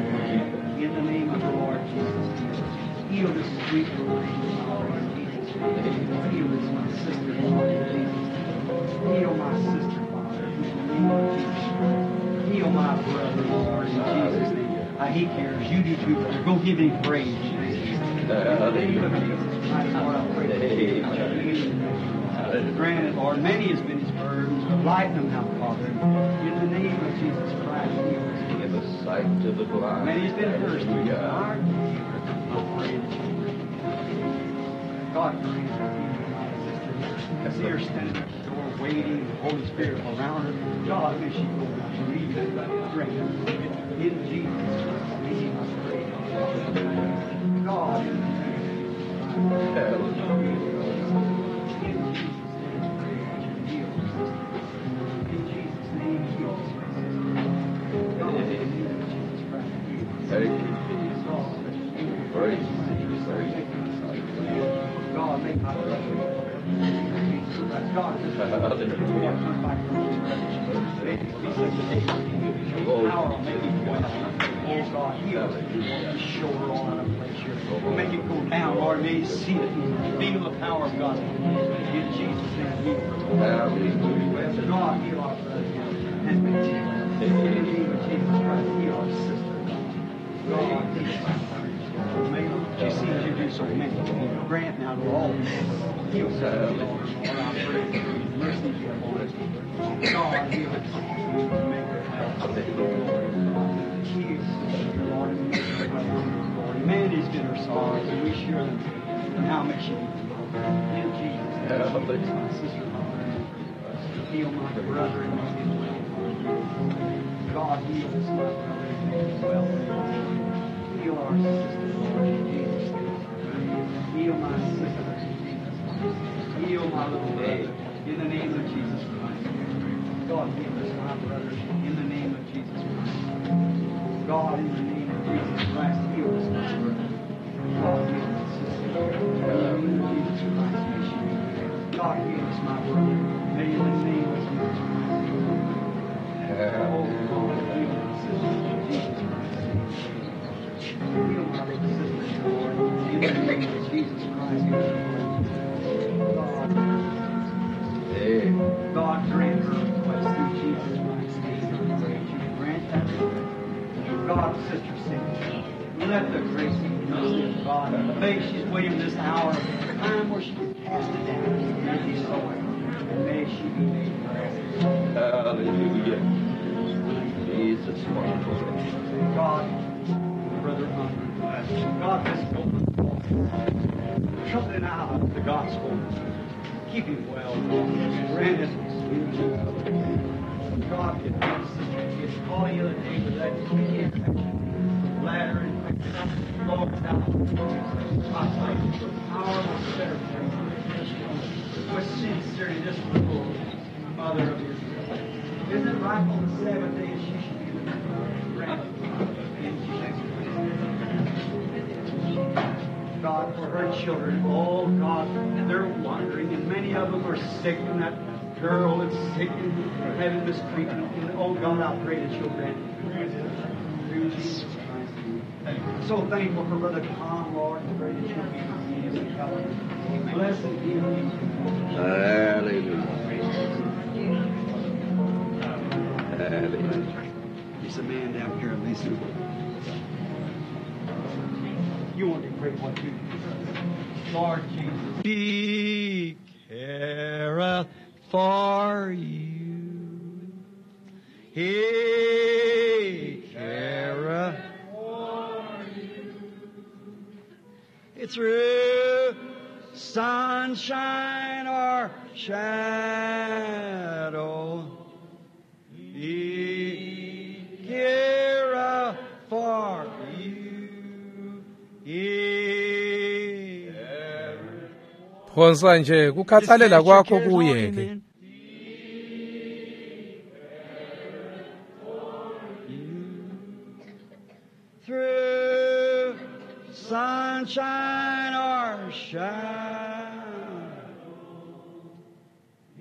in the name of the Lord Jesus Christ. Heal this sweet little thing, Father, in Jesus' name. Heal this, my sister, Lord, in Jesus' name. Heal my sister, Father, in the name of Jesus Christ. Heal my brother, Lord, in Jesus' name. He cares. You do too, brother. Go give him praise. In the name of Jesus Christ, Lord, I pray that you heal. Grant it, Lord. Many has been his burdens, but lighten them now, Father. In the name of Jesus Christ, heal us. Give us sight to the blind. Many has been thirsty. Hallelujah. I pray that you God grant it, my sister. See her standing at the door waiting, the Holy Spirit around her. God, may she go and believe it. Grant it. In Jesus' name, I pray. God, in the name of Jesus. In Jesus' name, I pray that you heal her sister. In Jesus' name, heal her sister. God, in the name of Jesus Christ, heal her. Thank you, Jesus. Praise Jesus. God, make my brother. God, just Hallelujah. May this be such a day. Your power will make it well. Oh God, heal us. Show her all out of place here. Make it go down, Lord. May you see it and feel the power of God. In Jesus' name, heal her. Hallelujah. God, heal our brother. And make it well. In the name of Jesus Christ, heal our sister. God, heal our sister. May she sees you do so many. Grant now to all people. Heal sister, Lord. Lord, I pray for your mercy be upon us. God, heal us. Make her well. Heal sister, Lord, and make her well. Lord, man has been her sorrows, and we share them. Now may she be healed. In Jesus' name, my sister, Lord. Heal my brother and make him well. God, heal this my brother and make him well. Heal our sister, Lord, in Jesus' name. Heal my sister in Jesus' name. Heal my little brother in the name of Jesus Christ. God, heal this my brother in the name of Jesus Christ. God, in the name of Jesus Christ, heal this my brother. God, heal my sister. In the name of Jesus Christ, may she be healed. God, heal this my brother. May in the name of Jesus Christ. Oh, God, heal my sister in Jesus Christ. Heal my little sister, Lord. Let the grace and mercy of God. May she's waiting this hour, time where she can cast it down and be so. And may she be made well. Hallelujah. Jesus, wonderful. God, Brother Unger, God, this open trumpeting out the gospel. Keep him well. Grant it. God, if sister gets caught the other day with that infection, bladder infection, Lord, now, I pray for the power of the with sincerity, this little mother of Israel. Isn't it right on the Sabbath day she should be granted in Jesus' name? God, for her children, oh God, they're wandering, and many of them are sick, and that girl is sick and having mistreatment. And oh God, I pray that you'll grant it through Jesus Christ. So thankful for Brother Tom, Lord, and pray that you'll be with him and help him. Blessed be him. Hallelujah. Hallelujah. There's a man down here, Lisa. You want to pray what you do. Lord Jesus. He careth for you. He careth for you. It's through sunshine or shadow. He careth for you. He Phonsa nje kukhathalela kwakho kuye ke. Through sunshine or shadow,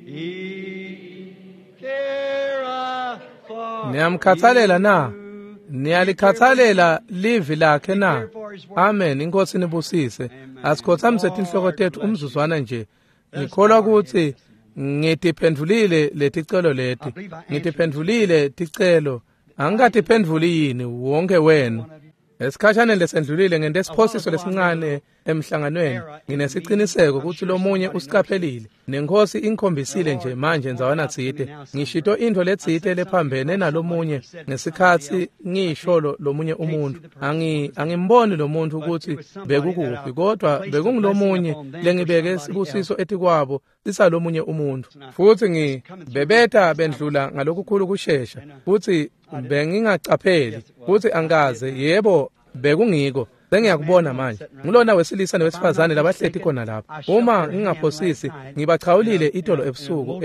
He careth for Niyamkhathalela na? you. Niyalikhathalela livi lakhe na? Amen. Inkosi nibusise. Asikhothamise tinhloko tethu umzuzwana nje. Ngikholwa ukuthi ngitiphendvulile leticelo leti. Ngitiphendvulile ticelo. Angikatiphendvuli yini wonke wenu? Esikhashaneni lesendlulile ngente isiphosiso lesincane emhlanganweni. Nginesiciniseko ukuthi lomunye usiqaphelile. Nenkosi inkhombisile nje manje ndzawana tsite. Ngishito intfo letsite lephambene nalomunye ngesikhatsi ngisho lomunye umuntu. Angimboni lo muntu ukuthi bekukuphi, kodwa bekungulomunye lengibeke sibusiso etikwabo sisalomunye umuntu. Futhi ngibebetha bendlula ngalokukhulu kushesha. Futhi bengingacapheli futhi angikaze, yebo bekungiko. Sengiyakubona manje. Ngilona wesilisa nowesifazane labahleti khona lapha. Uma ngingaphosisi ngibachawulile itolo ebusuku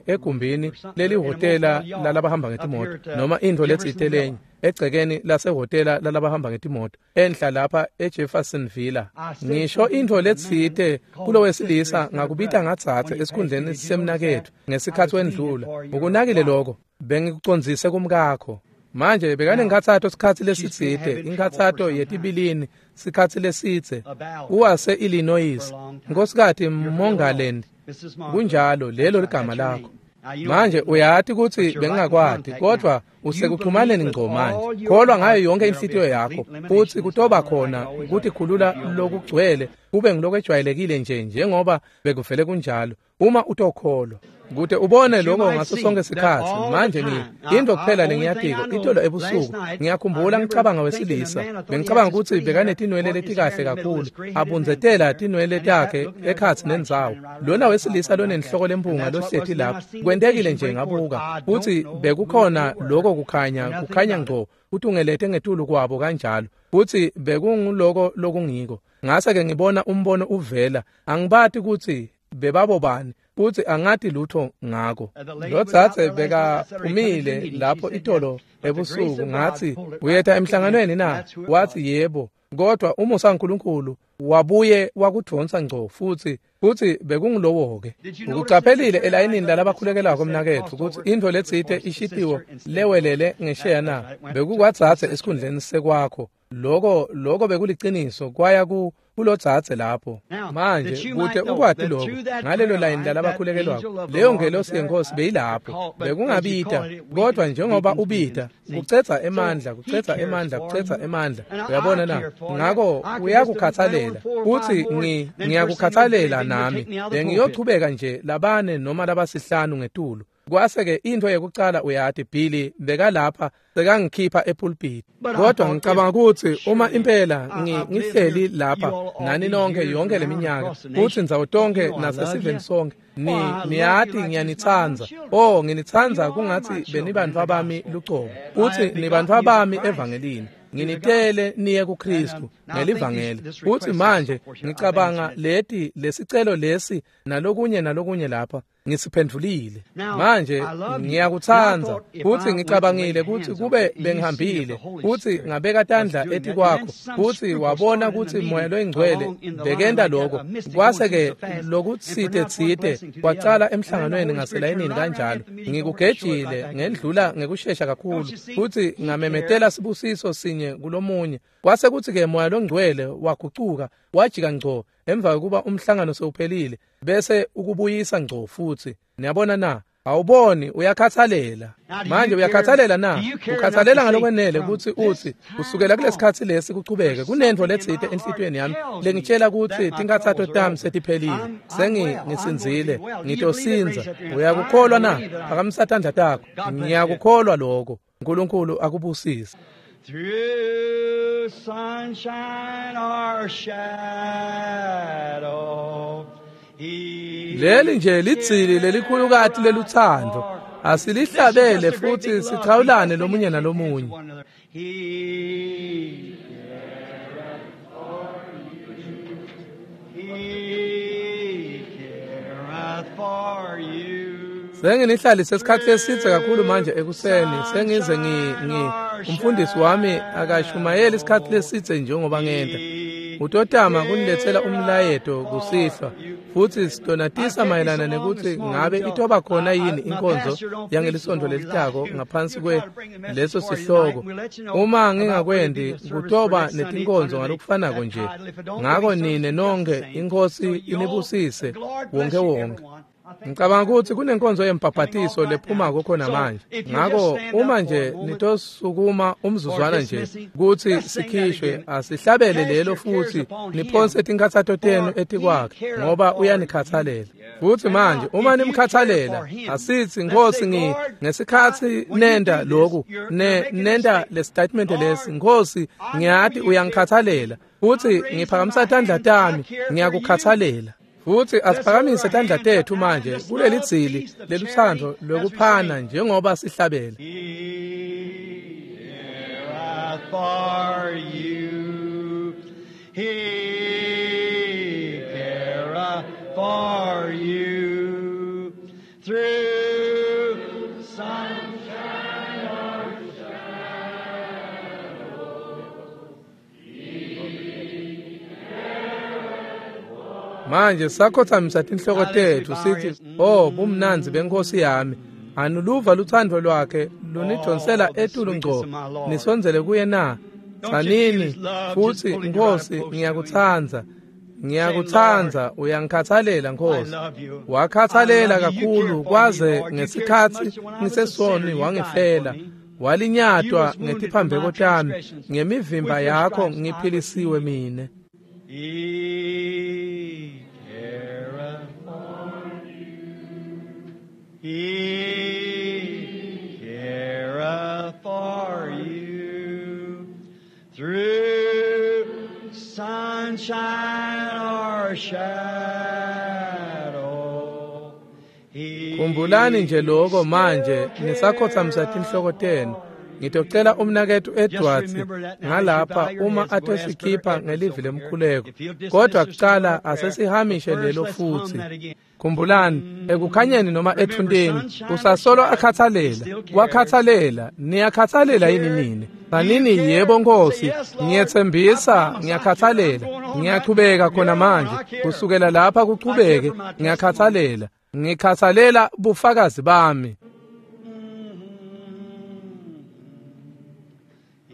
egumbini lelihhotela lalabahamba ngetimoto noma intfo letsite lenye egcekeni lasehhotela lalabahamba ngetimoto enhla lapha eJeffersonville. Ngisho intfo letsite kulowesilisa ngakubita ngatsatse esikhundleni semnaketfu ngesikhatsi wendlula. Ukunakile lokho bengikucondzise kumkakho. Manje bekanenkhatsato sikhatsi lesitsite, inkhatsato yetibilini sikhatsi lesitse. Uwase Illinois, Nkosikazi Mongaland. Kunjalo lelo ligama lakho. Manje uyati kutsi bengingakwati, kodwa usekuxhumaneni ngco manje. Kholwa ngayo yonke inhlitiyo yakho, futsi kutoba khona kutikhulula lokugcwele kube ngilokwejwayelekile nje njengoba bekuvele kunjalo. Uma utokholwa kute ubone lokho ngaso sonke sikhatsi. Manje into kuphela lengiyatiko itolo ebusuku ngiyakhumbula ngicabanga wesilisa bengicabanga ukuthi bekanetinwele letikahle kakhulu abunzetela tinwele takhe ekhatsi nendzawo. Lona wesilisa lonenhloko lempunga lohleti lapho kwentekile nje ngabuka futhi bekukhona lokho kukhanya ngco kutungelete ngetulu kwabo kanjalo futhi bekunguloko lokungiko. Ngase ke ngibona umbono uvela, angibati ukuthi bebabobani futhi angati lutho ngako. Lotsatse bekaphumile lapho itolo ebusuku ngathi uyeta emhlanganweni na? Wathi yebo, kodwa umusa kaNkulunkulu wabuye wakudvonsa ngco futhi bekungulowo-ke. Ukucaphelile elayinini lalabakhulekelako mnaketfu ukuthi intfo letsite ishitiwo lewelele ngesheya na? Bekukwatsatse esikhundleni sekwakho. Lokho bekuliciniso kwaya ku kulodzadze lapho. Manje kute ukwati lokho ngalelo layini lalabakhulekelwako, leyo ngelosi yenkosi beyilapho. Bekungabita, kodwa njengoba ubita, kucedza emandla, kucedza emandla, kucedza emandla. Uyabona na? Ngako uyakukhathalela. Uthi ngiyakukhathalela nami. Bengiyochubeka nje labane noma labasihlanu ngetulu. Kwase-ke into yekucala uyati Billy bekalapha sekangikhipha epulpit. Kodwa ngicabanga ukuthi uma impela ngihleli lapha nani nonke yonke leminyaka futhi ndzawo tonke nasesiveni sonke niyati ngiyanitsandza. Oh, nginitsandza kungathi benibantfu abami lucobo. Uthi nibantfu abami evangelini. Nginitele niye kuKristu ngelivangeli. Uthi manje ngicabanga leti lesicelo lesi nalokunye nalokunye lapha ngisiphendvulile. Manje ngiyakutsandza. Uthi ngicabangile ukuthi kube bengihambile uthi ngabeka tandla etikwakho uthi wabona ukuthi moya loyingcwele bekenda lokho. Kwase-ke lokutsite tsite kwacala emhlanganweni ngaselayinini kanjalo. Ngikugejile ngendlula ngekushesha kakhulu futhi ngamemetela sibusiso sinye kulomunye. Kwase kuthi-ke moya longcwele wagucuka wajika ngco emva kokuba umhlangano sewuphelile bese ukubuyisa ngco futhi. Niyabona na? Awuboni uyakhathalela. Manje uyakhathalela na? Ukhathalela ngalokwenele ukuthi uthi kusukela kulesikhathi lesi kuchubeke kunento letsite enhlitiyweni yami lengitshela ukuthi tinkhathato tami setiphelile. Sengingisinzile, ngitosinza. Uyakukholwa na? Phakamisa tandla takho. Ngiyakukholwa lokho. uNkulunkulu akubusise. Through sunshine or shadow, leli nje lidzili lelikhulukati leluthando. Asilihlabele futhi sichawulane lomunye nalomunye. He careth for you. Senginihlalise isikhathi esithe kakhulu manje ekuseni. Sengize umfundisi wami akashumayeli isikhathi lesithe njengoba ngenta. Utotama kunilethela umlayeto kusihlwa futhi sitonatisa mayelana nekuthi ngabe itoba khona yini inkonzo yangelisonto lelitako ngaphansi kwe leso sihloko. Uma ngingakwendi kutoba netinkonzo ngalokufanako nje. Ngako nine nonke inkosi inibusise wonke wonke. Ngicabanga ukuthi kunenkonzo yembhabhatiso lephumako khona manje. Ngako uma nje nitosukuma umzuzwana nje kuthi sikhishwe, asihlabele lelo futhi niphonse tinkhathato tenu etikwakhe ngoba uyanikhathalela. Futhi manje uma nimkhathalela, asithi Nkosi ngesikhathi nenda lokhu nenda le statement lesi, Nkosi ngiyati uyangikhathalela futhi ngiphakamisa tandla tami ngiyakukhathalela. Futhi asiphakamise tandla tethu manje kuleli dzili leluthando lokuphana njengoba sihlabela. He careth for you. He careth for you. Through sunshine or Manje sakhothamisa tinhloko tethu sithi, oh bumnandzi benkosi yami. Anuluva luthando lwakhe lunidonsela etulu ngco nisondzele kuye na? Tsanini futhi Nkosi ngiyakutsandza. Ngiyakutsandza, uyangikhathalela Nkosi. Wakhathalela kakhulu kwaze ngesikhathi ngisesoni wangifela. Walinyatwa ngetiphambeko tami, ngemivimba yakho ngiphilisiwe mine. He careth for you. He careth for you. Through sunshine or shadow. Khumbulani nje lokho manje nisakhothamisa tinhloko tenu. Ngitocela umnakethu Edwards ngalapha uma atosikhipha ngelivi lemkhuleko. Kodwa kucala asesihamishe lelo futhi. Khumbulani ekukhanyeni noma ethunteni usasolo akhathalela. Wakhathalela, niyakhathalela yini nini? Sanini yebo Nkosi, ngiyethembisa ngiyakhathalela. Ngiyachubeka khona manje kusukela lapha kuchubeke ngiyakhathalela. Ngikhathalela bufakazi bami.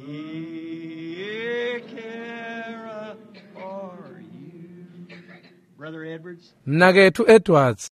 He careth for Mnaketfu Edwards.